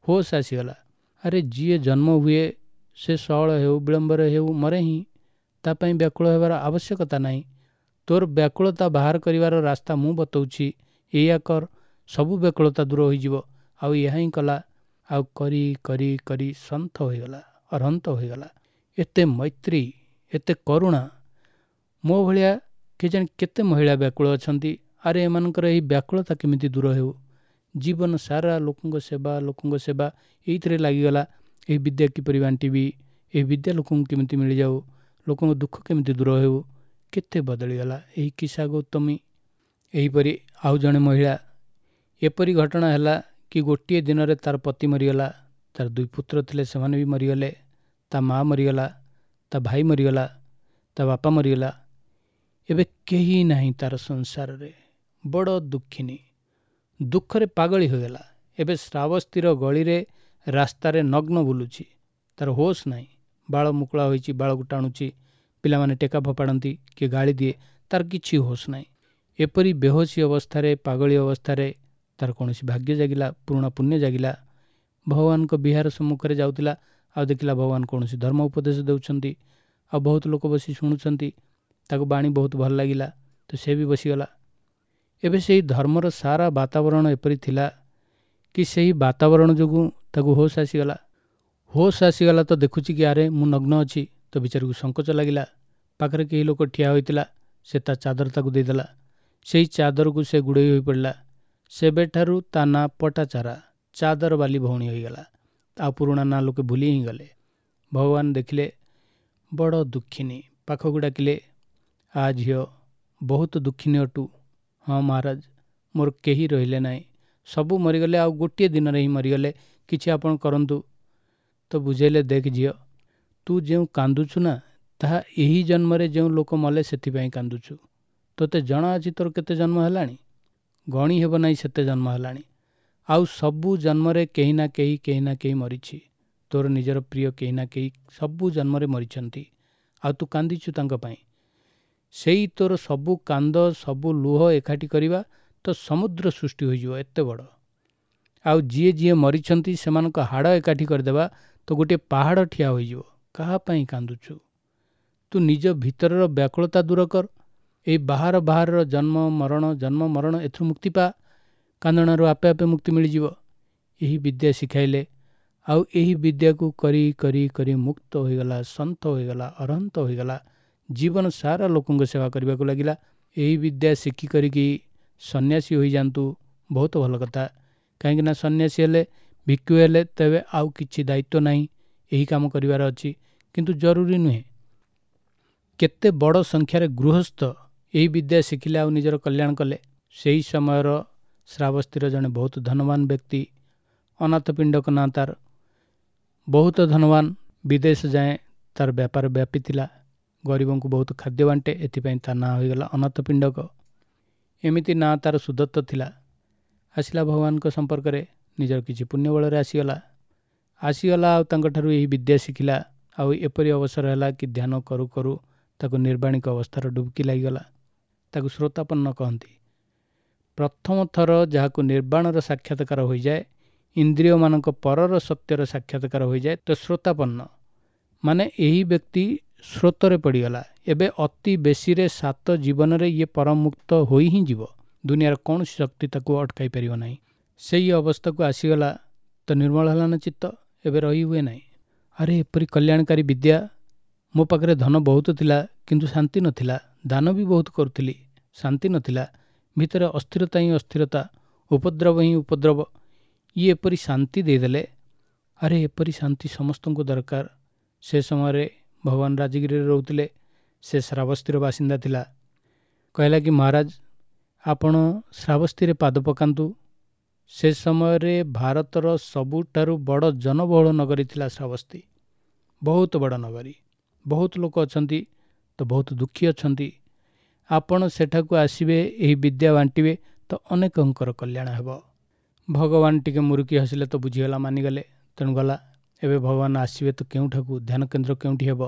ହୋସ୍ ଆସିଗଲା। ଆରେ ଯିଏ ଜନ୍ମ ହୁଏ ସେ ସଅଳ ହେଉ ବିଳମ୍ବରେ ହେଉ ମରେ ହିଁ, ତା ପାଇଁ ବ୍ୟାକୁଳ ହେବାର ଆବଶ୍ୟକତା ନାହିଁ। ତୋର ବ୍ୟାକୁଳତା ବାହାର କରିବାର ରାସ୍ତା ମୁଁ ବତାଉଛି, ଏଇଆ କର, ସବୁ ବ୍ୟାକୁଳତା ଦୂର ହୋଇଯିବ। ଆଉ ଏହା ହିଁ କଲା, ଆଉ କରି କରି କରି ସନ୍ଥ ହୋଇଗଲା, ଅରହନ୍ତ ହୋଇଗଲା। ଏତେ ମୈତ୍ରୀ, ଏତେ କରୁଣା, ମୋ ଭଳିଆ କେଜାଣି କେତେ ମହିଳା ବ୍ୟାକୁଳ ଅଛନ୍ତି। ଆରେ ଏମାନଙ୍କର ଏହି ବ୍ୟାକୁଳତା କେମିତି ଦୂର ହେଉ? ଜୀବନ ସାରା ଲୋକଙ୍କ ସେବା, ଲୋକଙ୍କ ସେବା ଏଇଥିରେ ଲାଗିଗଲା। ଏହି ବିଦ୍ୟା କିପରି ବାଣ୍ଟିବି, ଏହି ବିଦ୍ୟା ଲୋକଙ୍କୁ କେମିତି ମିଳିଯାଉ, ଲୋକଙ୍କ ଦୁଃଖ କେମିତି ଦୂର ହେଉ, କେତେ ବଦଳିଗଲା ଏହି କିସା ଗୌତମୀ। ଏହିପରି ଆଉ ଜଣେ ମହିଳା, ଏପରି ଘଟଣା ହେଲା କି ଗୋଟିଏ ଦିନରେ ତାର ପତି ମରିଗଲା, ତାର 2 ପୁତ୍ର ଥିଲେ ସେମାନେ ବି ମରିଗଲେ, ତା ମା ମରିଗଲା, ତା ଭାଇ ମରିଗଲା, ତା ବାପା ମରିଗଲା। ଏବେ କେହି ନାହିଁ ତାର ସଂସାରରେ। ବଡ଼ ଦୁଃଖିନୀ, ଦୁଃଖରେ ପାଗଳି ହୋଇଗଲା। ଏବେ ଶ୍ରାବସ୍ତୀର ଗଳିରେ ରାସ୍ତାରେ ନଗ୍ନ ବୁଲୁଛି, ତାର ହୋସ୍ ନାହିଁ। ବାଳ ମୁକୁଳା ହୋଇଛି, ବାଳକୁ ଟାଣୁଛି, ପିଲାମାନେ ଟେକା ଫୋପାଡ଼ନ୍ତି, କିଏ ଗାଳି ଦିଏ, ତାର କିଛି ହୋସ୍ ନାହିଁ। ଏପରି ବେହୋସି ଅବସ୍ଥାରେ, ପାଗଳି ଅବସ୍ଥାରେ ତାର କୌଣସି ଭାଗ୍ୟ ଜାଗିଲା, ପୁରୁଣା ପୁଣ୍ୟ ଜାଗିଲା। ଭଗବାନଙ୍କ ବିହାର ସମ୍ମୁଖରେ ଯାଉଥିଲା, ଆଉ ଦେଖିଲା ଭଗବାନ କୌଣସି ଧର୍ମ ଉପଦେଶ ଦେଉଛନ୍ତି, ଆଉ ବହୁତ ଲୋକ ବସି ଶୁଣୁଛନ୍ତି। ତାକୁ ବାଣୀ ବହୁତ ଭଲ ଲାଗିଲା, ତ ସେ ବି ବସିଗଲା। ଏବେ ସେହି ଧର୍ମର ସାରା ବାତାବରଣ ଏପରି ଥିଲା କି ସେହି ବାତାବରଣ ଯୋଗୁଁ ତାକୁ ହୋସ୍ ଆସିଗଲା। ହୋସ୍ ଆସିଗଲା ତ ଦେଖୁଛି କି ଆରେ ମୁଁ ନଗ୍ନ ଅଛି। ତ ବିଚାରକୁ ସଙ୍କୋଚ ଲାଗିଲା। ପାଖରେ କେହି ଲୋକ ଠିଆ ହୋଇଥିଲା, ସେ ତା ଚାଦର ତାକୁ ଦେଇଦେଲା। ସେହି ଚାଦରକୁ ସେ ଗୁଡ଼େଇ ହୋଇପଡ଼ିଲା। ସେବେଠାରୁ ତା ନାଁ ପଟାଚାରା, ଚାଦର ବାଲି ଭଉଣୀ ହୋଇଗଲା। ଆଉ ପୁରୁଣା ନାଁ ଲୋକେ ଭୁଲି ହିଁ ଗଲେ। ଭଗବାନ ଦେଖିଲେ ବଡ଼ ଦୁଃଖିନୀ, ପାଖକୁ ଡାକିଲେ, ଆ ଝିଅ ବହୁତ ଦୁଃଖିନୀ ଅଟୁ। ହଁ ମହାରାଜ, ମୋର କେହି ରହିଲେ ନାହିଁ, ସବୁ ମରିଗଲେ, ଆଉ ଗୋଟିଏ ଦିନରେ ହିଁ ମରିଗଲେ, କିଛି ଆପଣ କରନ୍ତୁ। ତ ବୁଝେଇଲେ, ଦେଖ ଝିଅ, ତୁ ଯେଉଁ କାନ୍ଦୁଛୁ ନା, ତାହା ଏହି ଜନ୍ମରେ ଯେଉଁ ଲୋକ ମଲେ ସେଥିପାଇଁ କାନ୍ଦୁଛୁ। ତୋତେ ଜଣା ଅଛି ତୋର କେତେ ଜନ୍ମ ହେଲାଣି? ଗଣି ହେବ ନାହିଁ ସେତେ ଜନ୍ମ ହେଲାଣି। ଆଉ ସବୁ ଜନ୍ମରେ କେହି ନା କେହି, କେହି ନା କେହି ମରିଛି। ତୋର ନିଜର ପ୍ରିୟ କେହି ନା କେହି ସବୁ ଜନ୍ମରେ ମରିଛନ୍ତି, ଆଉ ତୁ କାନ୍ଦିଛୁ ତାଙ୍କ ପାଇଁ। ସେଇ ତୋର ସବୁ କାନ୍ଦ, ସବୁ ଲୁହ ଏକାଠି କରିବା, ତ ସମୁଦ୍ର ସୃଷ୍ଟି ହୋଇଯିବ ଏତେ ବଡ଼। ଆଉ ଯିଏ ଯିଏ ମରିଛନ୍ତି ସେମାନଙ୍କ ହାଡ଼ ଏକାଠି କରିଦେବା ତ ଗୋଟିଏ ପାହାଡ଼ ଠିଆ ହୋଇଯିବ। କାହା ପାଇଁ କାନ୍ଦୁଛୁ? ତୁ ନିଜ ଭିତରର ବ୍ୟାକୁଳତା ଦୂର କର। ଏଇ ବାହାର ବାହାରର ଜନ୍ମ ମରଣ ଜନ୍ମ ମରଣ ଏଥିରୁ ମୁକ୍ତି ପା, କାନ୍ଦଣାରୁ ଆପେ ଆପେ ମୁକ୍ତି ମିଳିଯିବ। ଏହି ବିଦ୍ୟା ଶିଖାଇଲେ। ଆଉ ଏହି ବିଦ୍ୟାକୁ କରି କରି କରି ମୁକ୍ତ ହୋଇଗଲା, ସନ୍ଥ ହୋଇଗଲା, ଅରହନ୍ତ ହୋଇଗଲା। ଜୀବନ ସାରା ଲୋକଙ୍କ ସେବା କରିବାକୁ ଲାଗିଲା। ଏହି ବିଦ୍ୟା ଶିଖି କରିକି ସନ୍ନ୍ୟାସୀ ହୋଇଯାଆନ୍ତୁ, ବହୁତ ଭଲ କଥା। କାହିଁକିନା ସନ୍ନ୍ୟାସୀ ହେଲେ, ଭିକ୍ଷୁ ହେଲେ ତେବେ ଆଉ କିଛି ଦାୟିତ୍ୱ ନାହିଁ, ଏହି କାମ କରିବାର ଅଛି, କିନ୍ତୁ ଜରୁରୀ ନୁହେଁ। କେତେ ବଡ଼ ସଂଖ୍ୟାରେ ଗୃହସ୍ଥ ଏହି ବିଦ୍ୟା ଶିଖିଲେ ଆଉ ନିଜର କଲ୍ୟାଣ କଲେ। ସେହି ସମୟର ଶ୍ରାବସ୍ତୀର ଜଣେ ବହୁତ ଧନବାନ ବ୍ୟକ୍ତି, ଅନାଥ ପିଣ୍ଡକ ନାଁ ତାର, ବହୁତ ଧନବାନ, ବିଦେଶ ଯାଏଁ ତାର ବ୍ୟାପାର ବ୍ୟାପିଥିଲା, ଗରିବଙ୍କୁ ବହୁତ ଖାଦ୍ୟ ବାଣ୍ଟେ, ଏଥିପାଇଁ ତା ନାଁ ହୋଇଗଲା ଅନାଥ ପିଣ୍ଡକ। ଏମିତି ନାଁ ତାର ସୁଦତ୍ତ ଥିଲା। ଆସିଲା ଭଗବାନଙ୍କ ସମ୍ପର୍କରେ, ନିଜର କିଛି ପୁଣ୍ୟ ବଳରେ ଆସିଗଲା ଆସିଗଲା ଆଉ ତାଙ୍କଠାରୁ ଏହି ବିଦ୍ୟା ଶିଖିଲା। ଆଉ ଏପରି ଅବସର ହେଲା କି ଧ୍ୟାନ କରୁ କରୁ ତାକୁ ନିର୍ବାଣିକ ଅବସ୍ଥାର ଡୁବକି ଲାଗିଗଲା। ତାକୁ ଶ୍ରୋତାପନ୍ନ କହନ୍ତି। ପ୍ରଥମ ଥର ଯାହାକୁ ନିର୍ବାଣର ସାକ୍ଷାତକାର ହୋଇଯାଏ, ଇନ୍ଦ୍ରିୟମାନଙ୍କ ପରର ସତ୍ୟର ସାକ୍ଷାତକାର ହୋଇଯାଏ, ତ ଶ୍ରୋତାପନ୍ନ ମାନେ ଏହି ବ୍ୟକ୍ତି ସ୍ରୋତରେ ପଡ଼ିଗଲା। ଏବେ ଅତି ବେଶୀରେ 7 ଜୀବନରେ ଇଏ ପରମୁକ୍ତ ହୋଇ ହିଁ ଯିବ। ଦୁନିଆର କୌଣସି ଶକ୍ତି ତାକୁ ଅଟକାଇ ପାରିବ ନାହିଁ। ସେଇ ଅବସ୍ଥାକୁ ଆସିଗଲା ତ ନିର୍ମଳ ହେଲା ନା ଚିତ୍ତ, ଏବେ ରହି ହୁଏ ନାହିଁ। ଆରେ ଏପରି କଲ୍ୟାଣକାରୀ ବିଦ୍ୟା, ମୋ ପାଖରେ ଧନ ବହୁତ ଥିଲା କିନ୍ତୁ ଶାନ୍ତି ନଥିଲା, ଦାନ ବି ବହୁତ କରୁଥିଲି, ଶାନ୍ତି ନଥିଲା, ଭିତରେ ଅସ୍ଥିରତା ହିଁ ଅସ୍ଥିରତା, ଉପଦ୍ରବ ହିଁ ଉପଦ୍ରବ। ଇଏ ଏପରି ଶାନ୍ତି ଦେଇଦେଲେ। ଆରେ ଏପରି ଶାନ୍ତି ସମସ୍ତଙ୍କୁ ଦରକାର। ସେ ସମୟରେ ଭଗବାନ ରାଜଗିରିରେ ରହୁଥିଲେ, ସେ ଶ୍ରାବସ୍ତୀର ବାସିନ୍ଦା ଥିଲା। କହିଲା କି ମହାରାଜ, ଆପଣ ଶ୍ରାବସ୍ତୀରେ ପାଦ ପକାନ୍ତୁ। ସେ ସମୟରେ ଭାରତର ସବୁଠାରୁ ବଡ଼ ଜନବହୁଳ ନଗରୀ ଥିଲା ଶ୍ରାବସ୍ତୀ, ବହୁତ ବଡ଼ ନଗରୀ, ବହୁତ ଲୋକ ଅଛନ୍ତି ତ ବହୁତ ଦୁଃଖୀ ଅଛନ୍ତି। ଆପଣ ସେଠାକୁ ଆସିବେ, ଏହି ବିଦ୍ୟା ବାଣ୍ଟିବେ ତ ଅନେକଙ୍କର କଲ୍ୟାଣ ହେବ। ଭଗବାନ ଟିକେ ମୁରୁକି ହସିଲେ ତ ବୁଝିଗଲା, ମାନିଗଲେ, ତେଣୁ ଗଲା। ଏବେ ଭଗବାନ ଆସିବେ ତ କେଉଁଠାକୁ, ଧ୍ୟାନ କେନ୍ଦ୍ର କେଉଁଠି ହେବ?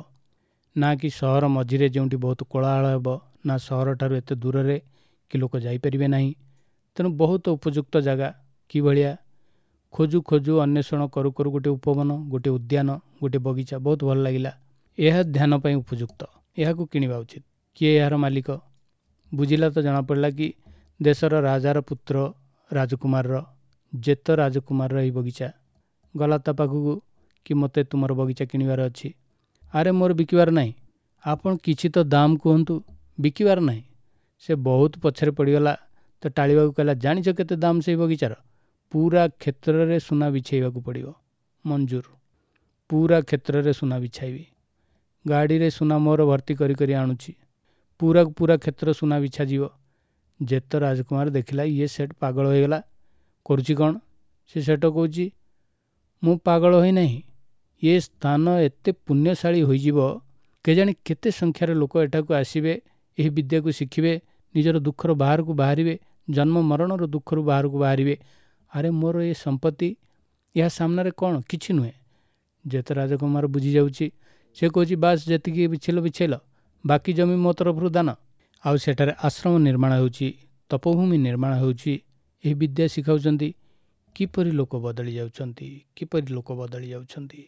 ନା କି ସହର ମଝିରେ ଯେଉଁଠି ବହୁତ କୋଳାହଳ ହେବ, ନା ସହରଠାରୁ ଏତେ ଦୂରରେ କି ଲୋକ ଯାଇପାରିବେ ନାହିଁ। ତେଣୁ ବହୁତ ଉପଯୁକ୍ତ ଜାଗା କିଭଳିଆ ଖୋଜୁ ଖୋଜୁ ଅନ୍ୱେଷଣ କରୁ କରୁ ଗୋଟେ ଉପବନ, ଗୋଟେ ଉଦ୍ୟାନ, ଗୋଟେ ବଗିଚା ବହୁତ ଭଲ ଲାଗିଲା। ଏହା ଧ୍ୟାନ ପାଇଁ ଉପଯୁକ୍ତ, ଏହାକୁ କିଣିବା ଉଚିତ। କିଏ ଏହାର ମାଲିକ ବୁଝିଲା ତ ଜଣାପଡ଼ିଲା କି ଦେଶର ରାଜାର ପୁତ୍ର ରାଜକୁମାରର, ଯେତ ରାଜକୁମାରର ଏହି ବଗିଚା। ଗଲା ତା ପାଖକୁ କି ମୋତେ ତୁମର ବଗିଚା କିଣିବାର ଅଛି। ଆରେ ମୋର ବିକିବାର ନାହିଁ, ଆପଣ କିଛି ତ ଦାମ କୁହନ୍ତୁ, ବିକିବାର ନାହିଁ। ସେ ବହୁତ ପଛରେ ପଡ଼ିଗଲା ତ ଟାଳିବାକୁ କହିଲା, ଜାଣିଛ କେତେ ଦାମ ସେଇ ବଗିଚାର? ପୁରା କ୍ଷେତ୍ରରେ ସୁନା ବିଛାଇବାକୁ ପଡ଼ିବ। ମଞ୍ଜୁର, ପୁରା କ୍ଷେତ୍ରରେ ସୁନା ବିଛାଇବି, ଗାଡ଼ିରେ ସୁନା ମୋର ଭର୍ତ୍ତି କରି କରି ଆଣୁଛି, ପୁରା ପୁରା କ୍ଷେତ୍ର ସୁନା ବିଛାଯିବ। ଯେତ ରାଜକୁମାର ଦେଖିଲା ଇଏ ସେଠ ପାଗଳ ହୋଇଗଲା, କରୁଛି କ'ଣ? ସେ ସେଠ କହୁଛି, ମୁଁ ପାଗଳ ହୋଇନାହିଁ, ଏ ସ୍ଥାନ ଏତେ ପୁଣ୍ୟଶାଳୀ ହୋଇଯିବ, କେଜାଣି କେତେ ସଂଖ୍ୟାରେ ଲୋକ ଏଠାକୁ ଆସିବେ, ଏହି ବିଦ୍ୟାକୁ ଶିଖିବେ, ନିଜର ଦୁଃଖର ବାହାରକୁ ବାହାରିବେ, ଜନ୍ମ ମରଣର ଦୁଃଖରୁ ବାହାରକୁ ବାହାରିବେ। ଆରେ ମୋର ଏ ସମ୍ପତ୍ତି ଏହା ସାମ୍ନାରେ କ'ଣ? କିଛି ନୁହେଁ। ଯେତେ ରାଜକୁମାର ବୁଝିଯାଉଛି, ସେ କହୁଛି ବାସ୍ ଯେତିକି ବିଛେଇଲ ବିଛେଇଲ, ବାକି ଜମି ମୋ ତରଫରୁ ଦାନ। ଆଉ ସେଠାରେ ଆଶ୍ରମ ନିର୍ମାଣ ହେଉଛି, ତପଭୂମି ନିର୍ମାଣ ହେଉଛି, ଏହି ବିଦ୍ୟା ଶିଖାଉଛନ୍ତି। କିପରି ଲୋକ ବଦଳି ଯାଉଛନ୍ତି, କିପରି ଲୋକ ବଦଳି ଯାଉଛନ୍ତି।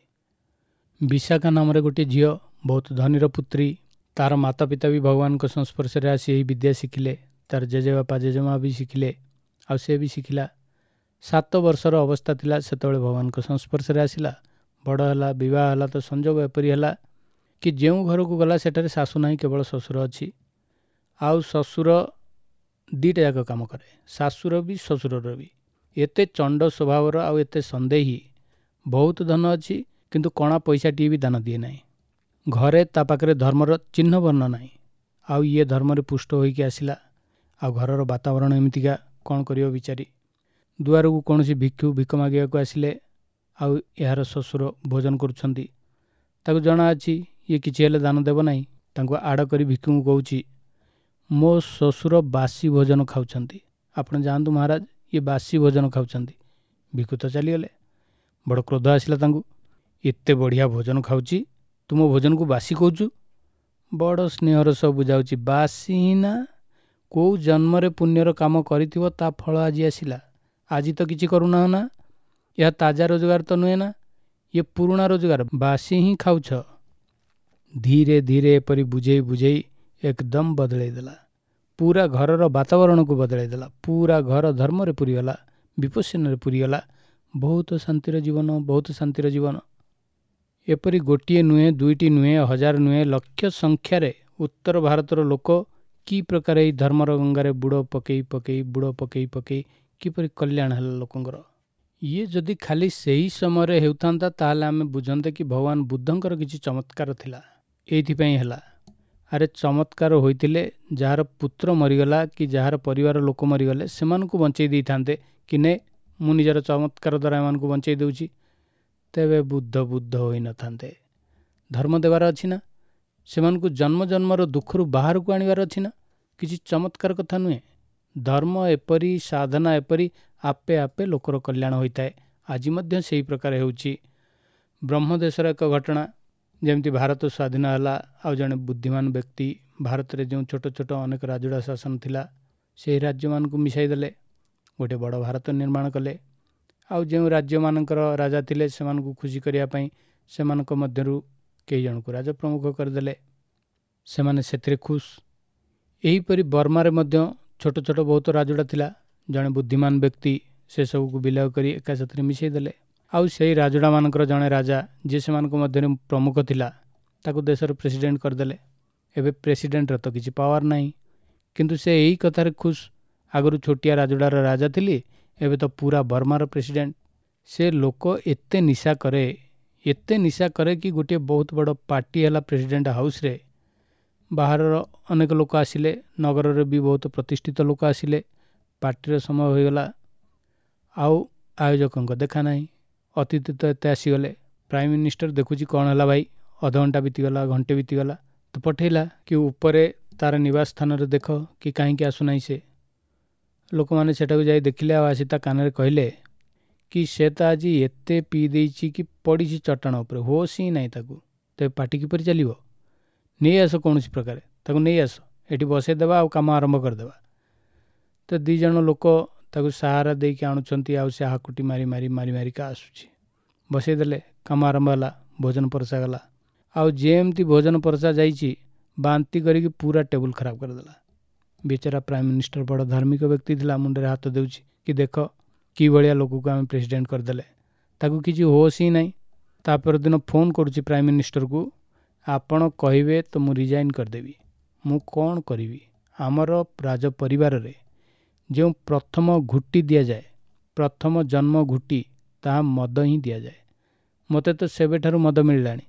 ବିଶାଖା ନାମରେ ଗୋଟିଏ ଝିଅ, ବହୁତ ଧନୀର ପୁତ୍ରୀ, ତାର ମାତା ପିତା ବି ଭଗବାନଙ୍କ ସଂସ୍ପର୍ଶରେ ଆସି ଏହି ବିଦ୍ୟା ଶିଖିଲେ, ତାର ଜେଜେବାପା ଜେଜେମା ବି ଶିଖିଲେ, ଆଉ ସେ ବି ଶିଖିଲା। 7 ବର୍ଷର ଅବସ୍ଥା ଥିଲା ସେତେବେଳେ ଭଗବାନଙ୍କ ସଂସ୍ପର୍ଶରେ ଆସିଲା। ବଡ଼ ହେଲା, ବିବାହ ହେଲା ତ ସଂଯୋଗ ଏପରି ହେଲା କି ଯେଉଁ ଘରକୁ ଗଲା ସେଠାରେ ଶାଶୁ ନାହିଁ, କେବଳ ଶ୍ୱଶୁର ଅଛି। ଆଉ ଶ୍ୱଶୁର 2ଟା ଯାକ କାମ କରେ, ଶାଶୁର ବି ଶ୍ୱଶୁରର ବି। ଏତେ ଚଣ୍ଡ ସ୍ୱଭାବର ଆଉ ଏତେ ସନ୍ଦେହୀ, ବହୁତ ଧନ ଅଛି କିନ୍ତୁ କଣା ପଇସାଟିଏ ବି ଦାନ ଦିଏ ନାହିଁ। ଘରେ ତା ପାଖରେ ଧର୍ମର ଚିହ୍ନ ବର୍ଣ୍ଣ ନାହିଁ। ଆଉ ଇଏ ଧର୍ମରେ ପୁଷ୍ଟ ହୋଇକି ଆସିଲା, ଆଉ ଘରର ବାତାବରଣ ଏମିତିକା, କ'ଣ କରିବ ବିଚାରି। ଦୁଆରକୁ କୌଣସି ଭିକ୍ଷୁ ଭିକ ମାଗିବାକୁ ଆସିଲେ, ଆଉ ଏହାର ଶ୍ୱଶୁର ଭୋଜନ କରୁଛନ୍ତି। ତାକୁ ଜଣାଅଛି ଇଏ କିଛି ହେଲେ ଦାନ ଦେବ ନାହିଁ। ତାଙ୍କୁ ଆଡ଼ କରି ଭିକ୍ଷୁଙ୍କୁ କହୁଛି, ମୋ ଶ୍ୱଶୁର ବାସି ଭୋଜନ ଖାଉଛନ୍ତି, ଆପଣ ଯାଆନ୍ତୁ ମହାରାଜ, ଇଏ ବାସି ଭୋଜନ ଖାଉଛନ୍ତି। ଭିକ୍ଷୁ ତ ଚାଲିଗଲେ। ବଡ଼ କ୍ରୋଧ ଆସିଲା ତାଙ୍କୁ, ଏତେ ବଢ଼ିଆ ଭୋଜନ ଖାଉଛି, ତୁମ ଭୋଜନକୁ ବାସି କହୁଛୁ? ବଡ଼ ସ୍ନେହର ସହ ବୁଝାଉଛି, ବାସି ହିଁ ନା, କେଉଁ ଜନ୍ମରେ ପୁଣ୍ୟର କାମ କରିଥିବ ତା ଫଳ ଆଜି ଆସିଲା। ଆଜି ତ କିଛି କରୁନାହ ନା, ଏହା ତାଜା ରୋଜଗାର ତ ନୁହେଁ ନା, ଇଏ ପୁରୁଣା ରୋଜଗାର, ବାସି ହିଁ ଖାଉଛ। ଧୀରେ ଧୀରେ ଏପରି ବୁଝେଇ ବୁଝେଇ ଏକଦମ ବଦଳେଇ ଦେଲା, ପୁରା ଘରର ବାତାବରଣକୁ ବଦଳାଇ ଦେଲା। ପୁରା ଘର ଧର୍ମରେ ପୁରିଗଲା, ବିପଶ୍ୟନାରେ ପୁରିଗଲା। ବହୁତ ଶାନ୍ତିର ଜୀବନ, ବହୁତ ଶାନ୍ତିର ଜୀବନ। ଏପରି ଗୋଟିଏ ନୁହେଁ, ଦୁଇଟି ନୁହେଁ, ହଜାର ନୁହେଁ, ଲକ୍ଷ ସଂଖ୍ୟାରେ ଉତ୍ତର ଭାରତର ଲୋକ କି ପ୍ରକାର ଏଇ ଧର୍ମର ଗଙ୍ଗାରେ ବୁଡ଼ ପକେଇ ପକେଇ, ବୁଡ଼ ପକେଇ ପକେଇ କିପରି କଲ୍ୟାଣ ହେଲା ଲୋକଙ୍କର। ଇଏ ଯଦି ଖାଲି ସେହି ସମୟରେ ହେଉଥାନ୍ତା ତାହେଲେ ଆମେ ବୁଝନ୍ତେ କି ଭଗବାନ ବୁଦ୍ଧଙ୍କର କିଛି ଚମତ୍କାର ଥିଲା, ଏଇଥିପାଇଁ ହେଲା। ଆରେ ଚମତ୍କାର ହୋଇଥିଲେ ଯାହାର ପୁତ୍ର ମରିଗଲା କି ଯାହାର ପରିବାର ଲୋକ ମରିଗଲେ ସେମାନଙ୍କୁ ବଞ୍ଚେଇ ଦେଇଥାନ୍ତେ କି ନେ ମୁଁ ନିଜର ଚମତ୍କାର ଦ୍ୱାରା ଏମାନଙ୍କୁ ବଞ୍ଚେଇ ଦେଉଛି, ତେବେ ବୁଦ୍ଧ ବୁଦ୍ଧ ହୋଇନଥାନ୍ତେ। ଧର୍ମ ଦେବାର ଅଛି ନା, ସେମାନଙ୍କୁ ଜନ୍ମ ଜନ୍ମର ଦୁଃଖରୁ ବାହାରକୁ ଆଣିବାର ଅଛି ନା, କିଛି ଚମତ୍କାର କଥା ନୁହେଁ। ଧର୍ମ ଏପରି, ସାଧନା ଏପରି, ଆପେ ଆପେ ଲୋକର କଲ୍ୟାଣ ହୋଇଥାଏ। ଆଜି ମଧ୍ୟ ସେହି ପ୍ରକାର ହେଉଛି। ବ୍ରହ୍ମଦେଶର ଏକ ଘଟଣା, ଯେମିତି ଭାରତ ସ୍ୱାଧୀନ ହେଲା, ଆଉ ଜଣେ ବୁଦ୍ଧିମାନ ବ୍ୟକ୍ତି ଭାରତରେ ଯେଉଁ ଛୋଟ ଛୋଟ ଅନେକ ରାଜୁଡ଼ା ଶାସନ ଥିଲା ସେହି ରାଜ୍ୟମାନଙ୍କୁ ମିଶାଇ ଦେଲେ, ଗୋଟେ ବଡ଼ ଭାରତ ନିର୍ମାଣ କଲେ। ଆଉ ଯେଉଁ ରାଜ୍ୟମାନଙ୍କର ରାଜା ଥିଲେ ସେମାନଙ୍କୁ ଖୁସି କରିବା ପାଇଁ ସେମାନଙ୍କ ମଧ୍ୟରୁ କେଇ ଜଣଙ୍କୁ ରାଜପ୍ରମୁଖ କରିଦେଲେ, ସେମାନେ ସେଥିରେ ଖୁସ୍। ଏହିପରି ବର୍ମାରେ ମଧ୍ୟ ଛୋଟ ଛୋଟ ବହୁତ ରାଜୁଡ଼ା ଥିଲା, ଜଣେ ବୁଦ୍ଧିମାନ ବ୍ୟକ୍ତି ସେସବୁକୁ ବିଲୟ କରି ଏକା ସାଥିରେ ମିଶାଇ ଦେଲେ। ଆଉ ସେଇ ରାଜୁଡ଼ାମାନଙ୍କର ଜଣେ ରାଜା ଯିଏ ସେମାନଙ୍କ ମଧ୍ୟରେ ପ୍ରମୁଖ ଥିଲା ତାକୁ ଦେଶର ପ୍ରେସିଡେଣ୍ଟ କରିଦେଲେ। ଏବେ ପ୍ରେସିଡେଣ୍ଟର ତ କିଛି ପାୱାର ନାହିଁ, କିନ୍ତୁ ସେ ଏଇ କଥାରେ ଖୁସ୍, ଆଗରୁ ଛୋଟିଆ ରାଜୁଡ଼ାର ରାଜା ଥିଲି, ଏବେ ତ ପୁରା ବର୍ମାର ପ୍ରେସିଡେଣ୍ଟ। ସେ ଲୋକ ଏତେ ନିଶା କରେ, ଏତେ ନିଶା କରେ କି ଗୋଟିଏ ବହୁତ ବଡ଼ ପାର୍ଟି ହେଲା ପ୍ରେସିଡେଣ୍ଟ ହାଉସ୍ରେ। ବାହାରର ଅନେକ ଲୋକ ଆସିଲେ, ନଗରରେ ବି ବହୁତ ପ୍ରତିଷ୍ଠିତ ଲୋକ ଆସିଲେ। ପାର୍ଟିର ସମୟ ହୋଇଗଲା, ଆଉ ଆୟୋଜକଙ୍କ ଦେଖା ନାହିଁ, ଅତିଥି ତ ଏତେ ଆସିଗଲେ। ପ୍ରାଇମ୍ ମିନିଷ୍ଟର ଦେଖୁଛି କ'ଣ ହେଲା ଭାଇ, ଅଧଘଣ୍ଟା ବିତିଗଲା, ଘଣ୍ଟେ ବିତିଗଲା, ତ ପଠେଇଲା କି ଉପରେ ତାର ନିବାସ ସ୍ଥାନରେ ଦେଖ କି କାହିଁକି ଆସୁନାହିଁ ସେ। ଲୋକମାନେ ସେଠାକୁ ଯାଇ ଦେଖିଲେ ଆଉ ଆସି ତା କାନରେ କହିଲେ କି ସେ ତ ଆଜି ଏତେ ପିଇ ଦେଇଛି କି ପଡ଼ିଛି ଚଟାଣ ଉପରେ, ହୋସ୍ ହିଁ ନାହିଁ ତାକୁ, ତେବେ ପାର୍ଟି କିପରି ଚାଲିବ? ନେଇ ଆସ କୌଣସି ପ୍ରକାରେ, ତାକୁ ନେଇ ଆସ, ଏଠି ବସେଇଦେବା ଆଉ କାମ ଆରମ୍ଭ କରିଦେବା। ତ ଦୁଇ ଜଣ ଲୋକ ତାକୁ ସାହାରା ଦେଇକି ଆଣୁଛନ୍ତି, ଆଉ ସେ ହାକୁଟି ମାରି ମାରି ମାରି ମାରିକା ଆସୁଛି। ବସେଇଦେଲେ, କାମ ଆରମ୍ଭ ହେଲା, ଭୋଜନ ପରସା ଗଲା। ଆଉ ଯେମିତି ଭୋଜନ ପରସା ଯାଇଛି, ବାନ୍ତି କରିକି ପୁରା ଟେବୁଲ୍ ଖରାପ କରିଦେଲା। ବିଚାରା ପ୍ରାଇମ୍ ମିନିଷ୍ଟର ବଡ଼ ଧାର୍ମିକ ବ୍ୟକ୍ତି ଥିଲା, ମୁଣ୍ଡରେ ହାତ ଦେଉଛି କି ଦେଖ କି ଭଳିଆ ଲୋକକୁ ଆମେ ପ୍ରେସିଡେଣ୍ଟ କରିଦେଲେ, ତାକୁ କିଛି ହୋସ୍ ହିଁ ନାହିଁ। ତା ପରଦିନ ଫୋନ୍ କରୁଛି ପ୍ରାଇମ୍ ମିନିଷ୍ଟରକୁ, ଆପଣ କହିବେ ତ ମୁଁ ରିଜାଇନ୍ କରିଦେବି, ମୁଁ କ'ଣ କରିବି? ଆମର ରାଜ ପରିବାରରେ ଯେଉଁ ପ୍ରଥମ ଘୁଟି ଦିଆଯାଏ, ପ୍ରଥମ ଜନ୍ମ ଘୁଟି, ତାହା ମଦ ହିଁ ଦିଆଯାଏ। ମୋତେ ତ ସେବେଠାରୁ ମଦ ମିଳିଲାଣି,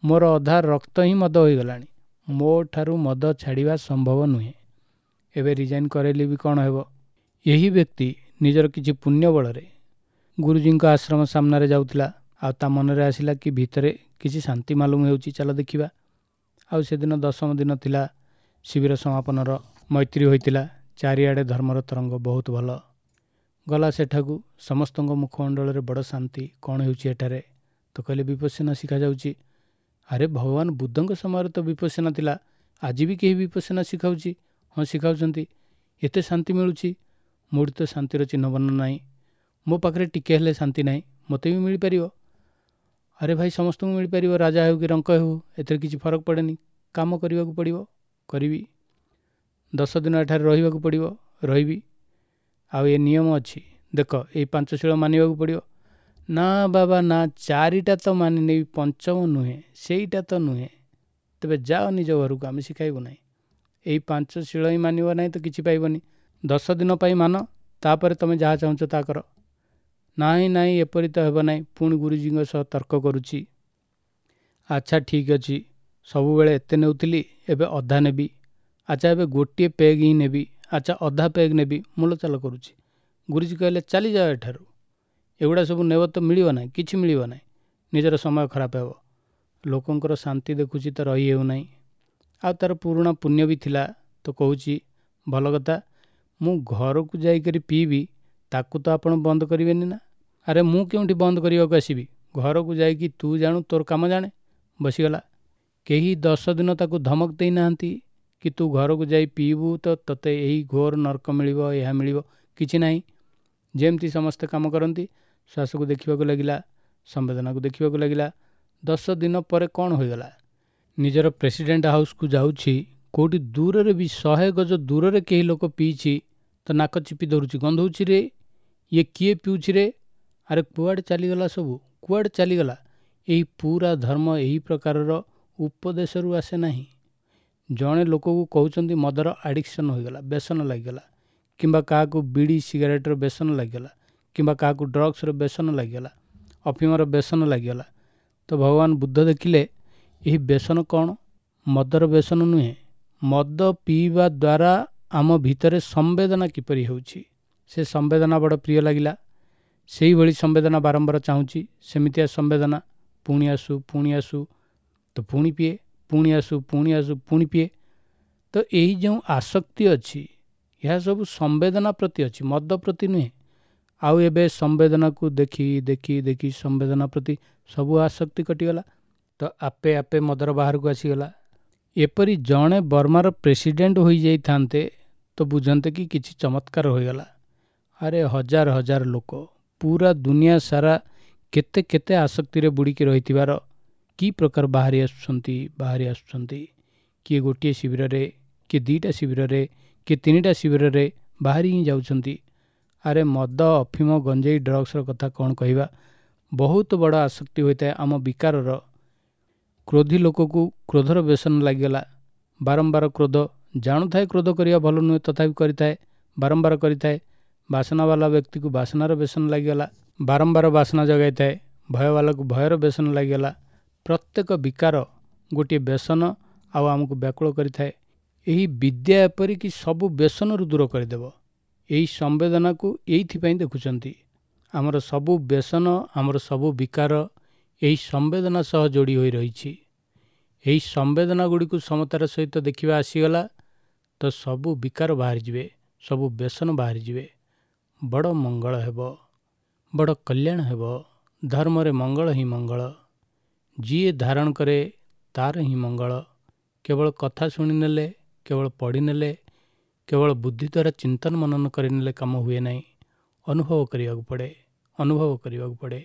ମୋର ଅଧା ରକ୍ତ ହିଁ ମଦ ହୋଇଗଲାଣି, ମୋ ଠାରୁ ମଦ ଛାଡ଼ିବା ସମ୍ଭବ ନୁହେଁ। ଏବେ ରିଜାଇନ୍ କରାଇଲେ ବି କ'ଣ ହେବ? ଏହି ବ୍ୟକ୍ତି ନିଜର କିଛି ପୁଣ୍ୟ ବଳରେ ଗୁରୁଜୀଙ୍କ ଆଶ୍ରମ ସାମ୍ନାରେ ଯାଉଥିଲା, ଆଉ ତା ମନରେ ଆସିଲା କି ଭିତରେ କିଛି ଶାନ୍ତି ମାଲୁମ ହେଉଛି, ଚାଲ ଦେଖିବା। ଆଉ ସେଦିନ ଦଶମ ଦିନ ଥିଲା ଶିବିର ସମାପନର, ମୈତ୍ରୀ ହୋଇଥିଲା, ଚାରିଆଡ଼େ ଧର୍ମର ତରଙ୍ଗ ବହୁତ ଭଲ। ଗଲା ସେଠାକୁ, ସମସ୍ତଙ୍କ ମୁଖମଣ୍ଡଳରେ ବଡ଼ ଶାନ୍ତି, କ'ଣ ହେଉଛି ଏଠାରେ? ତ କହିଲେ ବିପଶ୍ୟନା ଶିଖାଯାଉଛି। ଆରେ ଭଗବାନ ବୁଦ୍ଧଙ୍କ ସମୟରେ ତ ବିପଶ୍ୟନା ଥିଲା, ଆଜି ବି କେହି ବିପଶ୍ୟନା ଶିଖାଉଛି? ହଁ ଶିଖାଉଛନ୍ତି। ଏତେ ଶାନ୍ତି ମିଳୁଛି, ମୋଠି ତ ଶାନ୍ତିର ଚିହ୍ନବର୍ଣ୍ଣ ନାହିଁ, ମୋ ପାଖରେ ଟିକେ ହେଲେ ଶାନ୍ତି ନାହିଁ, ମୋତେ ବି ମିଳିପାରିବ? ଆରେ ଭାଇ ସମସ୍ତଙ୍କୁ ମିଳିପାରିବ, ରାଜା ହେଉ କି ରଙ୍କ ହେଉ, ଏଥିରେ କିଛି ଫରକ ପଡ଼େନି। କାମ କରିବାକୁ ପଡ଼ିବ, କରିବି। 10 ଦିନ ଏଠାରେ ରହିବାକୁ ପଡ଼ିବ, ରହିବି। ଆଉ ଏ ନିୟମ ଅଛି, ଦେଖ ଏଇ 5 ଶୀଳ ମାନିବାକୁ ପଡ଼ିବ। ନା ବାବା ନା, 4ଟା ତ ମାନିନେବି, ପଞ୍ଚମ ନୁହେଁ, ସେଇଟା ତ ନୁହେଁ। ତେବେ ଯାଅ ନିଜ ଘରକୁ, ଆମେ ଶିଖାଇବୁ ନାହିଁ। ଏଇ 5 ଶୀଳ ହିଁ ମାନିବ ନାହିଁ ତ କିଛି ପାଇବନି। 10 ଦିନ ପାଇଁ ମାନ, ତାପରେ ତୁମେ ଯାହା ଚାହୁଁଛ ତା କର। ନାଇଁ ନାଇଁ ଏପରି ତ ହେବ ନାହିଁ। ପୁଣି ଗୁରୁଜୀଙ୍କ ସହ ତର୍କ କରୁଛି। ଆଚ୍ଛା ଠିକ୍ ଅଛି, ସବୁବେଳେ ଏତେ ନେଉଥିଲି, ଏବେ ଅଧା ନେବି। ଆଚ୍ଛା ଏବେ ଗୋଟିଏ ପେଗ୍ ହିଁ ନେବି, ଆଚ୍ଛା ଅଧା ପେଗ୍ ନେବି, ମୂଲଚାଲ କରୁଛି। ଗୁରୁଜୀ କହିଲେ ଚାଲିଯାଅ ଏଠାରୁ, ଏଗୁଡ଼ା ସବୁ ନେବ ତ ମିଳିବ ନାହିଁ, କିଛି ମିଳିବ ନାହିଁ, ନିଜର ସମୟ ଖରାପ ହେବ। ଲୋକଙ୍କର ଶାନ୍ତି ଦେଖୁଛି ତ ରହି ହେଉନାହିଁ। ଆଉ ତା'ର ପୁରୁଣା ପୁଣ୍ୟ ବି ଥିଲା, ତ କହୁଛି ଭଲ କଥା, ମୁଁ ଘରକୁ ଯାଇକରି ପିଇବି, ତାକୁ ତ ଆପଣ ବନ୍ଦ କରିବେନି ନା? ଆରେ ମୁଁ କେଉଁଠି ବନ୍ଦ କରିବାକୁ ଆସିବି, ଘରକୁ ଯାଇକି ତୁ ଜାଣୁ ତୋର କାମ ଜାଣେ। ବସିଗଲା। କେହି 10 ଦିନ ତାକୁ ଧମକ ଦେଇନାହାନ୍ତି, କି ତୁ ଘରକୁ ଯାଇ ପିଇବୁ ତ ତୋତେ ଏହି ଘୋର ନର୍କ ମିଳିବ, ଏହା ମିଳିବ, କିଛି ନାହିଁ। ଯେମିତି ସମସ୍ତେ କାମ କରନ୍ତି, ଶ୍ୱାସକୁ ଦେଖିବାକୁ ଲାଗିଲା, ସମ୍ବେଦନାକୁ ଦେଖିବାକୁ ଲାଗିଲା। 10 ଦିନ ପରେ କ'ଣ ହୋଇଗଲା? ନିଜର ପ୍ରେସିଡେଣ୍ଟ ହାଉସ୍କୁ ଯାଉଛି, କେଉଁଠି ଦୂରରେ ବି 100 ଗଜ ଦୂରରେ କେହି ଲୋକ ପିଇଛି ତ ନାକ ଚିପି ଧରୁଛି, ଗନ୍ଧଉଛି ରେ, ଇଏ କିଏ ପିଉଛି ରେ, ଆରେ କୁଆଡ଼େ ଚାଲିଗଲା ସବୁ, କୁଆଡ଼େ ଚାଲିଗଲା। ଏହି ପୁରା ଧର୍ମ ଏହି ପ୍ରକାରର ଉପଦେଶରୁ ଆସେ ନାହିଁ। ଜଣେ ଲୋକକୁ କହୁଛନ୍ତି ମଦର ଆଡ଼ିକ୍ସନ୍ ହୋଇଗଲା, ବ୍ୟସନ ଲାଗିଗଲା, କିମ୍ବା କାହାକୁ ବିଡ଼ି ସିଗାରେଟ୍ର ବ୍ୟସନ ଲାଗିଗଲା, କିମ୍ବା କାହାକୁ ଡ୍ରଗ୍ସର ବ୍ୟସନ ଲାଗିଗଲା, ଅଫିମର ବ୍ୟସନ ଲାଗିଗଲା। ତ ଭଗବାନ ବୁଦ୍ଧ ଦେଖିଲେ ଏହି ବ୍ୟସନ କ'ଣ? ମଦର ବ୍ୟସନ ନୁହେଁ। ମଦ ପିଇବା ଦ୍ୱାରା ଆମ ଭିତରେ ସମ୍ବେଦନା କିପରି ହେଉଛି, ସେ ସମ୍ବେଦନା ବଡ଼ ପ୍ରିୟ ଲାଗିଲା। ସେଇଭଳି ସମ୍ବେଦନା ବାରମ୍ବାର ଚାହୁଁଛି, ସେମିତିଆ ସମ୍ବେଦନା ପୁଣି ଆସୁ, ପୁଣି ଆସୁ, ତ ପୁଣି ପିଏ, ପୁଣି ଆସୁ, ପୁଣି ଆସୁ, ପୁଣି ପିଏ। ତ ଏହି ଯେଉଁ ଆସକ୍ତି ଅଛି, ଏହା ସବୁ ସମ୍ବେଦନା ପ୍ରତି ଅଛି, ମଦ ପ୍ରତି ନୁହେଁ। ଆଉ ଏବେ ସମ୍ବେଦନାକୁ ଦେଖି ଦେଖି ଦେଖି ସମ୍ବେଦନା ପ୍ରତି ସବୁ ଆସକ୍ତି କଟିଗଲା, ତ ଆପେ ଆପେ ମଦର ବାହାରକୁ ଆସିଗଲା। ଏପରି ଜଣେ ବର୍ମାର ପ୍ରେସିଡେଣ୍ଟ ହୋଇଯାଇଥାନ୍ତେ ତ ବୁଝନ୍ତେ କି କିଛି ଚମତ୍କାର ହୋଇଗଲା। ଆରେ ହଜାର ହଜାର ଲୋକ ପୁରା ଦୁନିଆ ସାରା କେତେ କେତେ ଆସକ୍ତିରେ ବୁଡ଼ିକି ରହିଥିବାର କି ପ୍ରକାର ବାହାରି ଆସୁଛନ୍ତି, ବାହାରି ଆସୁଛନ୍ତି। କିଏ ଗୋଟିଏ ଶିବିରରେ, କିଏ 2ଟା ଶିବିରରେ, କିଏ 3ଟା ଶିବିରରେ ବାହାରି ହିଁ ଯାଉଛନ୍ତି। ଆରେ ମଦ, ଅଫିମ, ଗଞ୍ଜେଇ, ଡ୍ରଗ୍ସର କଥା କ'ଣ କହିବା, ବହୁତ ବଡ଼ ଆସକ୍ତି ହୋଇଥାଏ ଆମ ବିକାରର। କ୍ରୋଧୀ ଲୋକକୁ କ୍ରୋଧର ବ୍ୟସନ ଲାଗିଗଲା, ବାରମ୍ବାର କ୍ରୋଧ, ଜାଣୁଥାଏ କ୍ରୋଧ କରିବା ଭଲ ନୁହେଁ ତଥାପି କରିଥାଏ, ବାରମ୍ବାର କରିଥାଏ। ବାସନାବାଲା ବ୍ୟକ୍ତିକୁ ବାସନାର ବ୍ୟସନ ଲାଗିଗଲା, ବାରମ୍ବାର ବାସନା ଜଗାଇଥାଏ। ଭୟବାଲାକୁ ଭୟର ବ୍ୟସନ ଲାଗିଗଲା। ପ୍ରତ୍ୟେକ ବିକାର ଗୋଟିଏ ବ୍ୟସନ ଆଉ ଆମକୁ ବ୍ୟାକୁଳ କରିଥାଏ। ଏହି ବିଦ୍ୟା ଏପରିକି ସବୁ ବ୍ୟସନରୁ ଦୂର କରିଦେବ। ଏହି ସମ୍ବେଦନାକୁ ଏଇଥିପାଇଁ ଦେଖୁଛନ୍ତି। ଆମର ସବୁ ବ୍ୟସନ, ଆମର ସବୁ ବିକାର ଏହି ସମ୍ବେଦନା ସହ ଯୋଡ଼ି ହୋଇ ରହିଛି। ଏହି ସମ୍ବେଦନା ଗୁଡ଼ିକୁ ସମତାର ସହିତ ଦେଖିବା ଆସିଗଲା ତ ସବୁ ବିକାର ବାହାରିଯିବେ, ସବୁ ବ୍ୟସନ ବାହାରିଯିବେ। ବଡ଼ ମଙ୍ଗଳ ହେବ, ବଡ଼ କଲ୍ୟାଣ ହେବ। ଧର୍ମରେ ମଙ୍ଗଳ ହିଁ ମଙ୍ଗଳ। ଯିଏ ଧାରଣ କରେ ତାର ହିଁ ମଙ୍ଗଳ। କେବଳ କଥା ଶୁଣିନେଲେ, କେବଳ ପଢ଼ିନେଲେ, କେବଳ ବୁଦ୍ଧି ଦ୍ୱାରା ଚିନ୍ତନ ମନନ କରିନେଲେ କାମ ହୁଏ ନାହିଁ। ଅନୁଭବ କରିବାକୁ ପଡ଼େ, ଅନୁଭବ କରିବାକୁ ପଡ଼େ।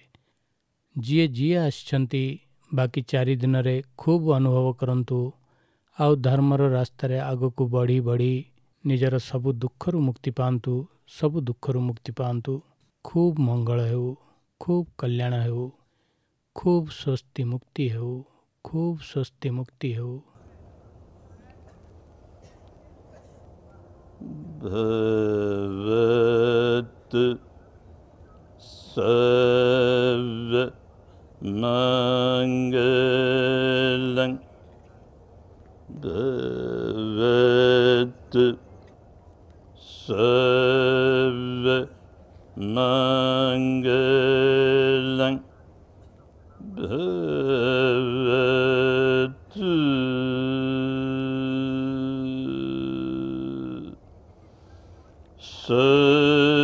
ଯିଏ ଯିଏ ଆସିଛନ୍ତି ବାକି 4 ଦିନରେ ଖୁବ୍ ଅନୁଭବ କରନ୍ତୁ ଆଉ ଧର୍ମର ରାସ୍ତାରେ ଆଗକୁ ବଢ଼ି ବଢ଼ି ନିଜର ସବୁ ଦୁଃଖରୁ ମୁକ୍ତି ପାଆନ୍ତୁ, ସବୁ ଦୁଃଖରୁ ମୁକ୍ତି ପାଆନ୍ତୁ। ଖୁବ୍ ମଙ୍ଗଳ ହେଉ, ଖୁବ୍ କଲ୍ୟାଣ ହେଉ, ଖୁବ୍ ସ୍ୱସ୍ତି ମୁକ୍ତି ହେଉ, ଖୁବ୍ ସ୍ୱସ୍ତି ମୁକ୍ତି ହେଉ। ଭବତୁ ସବ୍ବ ମଙ୍ଗଳଂ, ଭବତୁ ସବ୍ବ ମଙ୍ଗଳଂ, ଭବତୁ ସବ୍ବ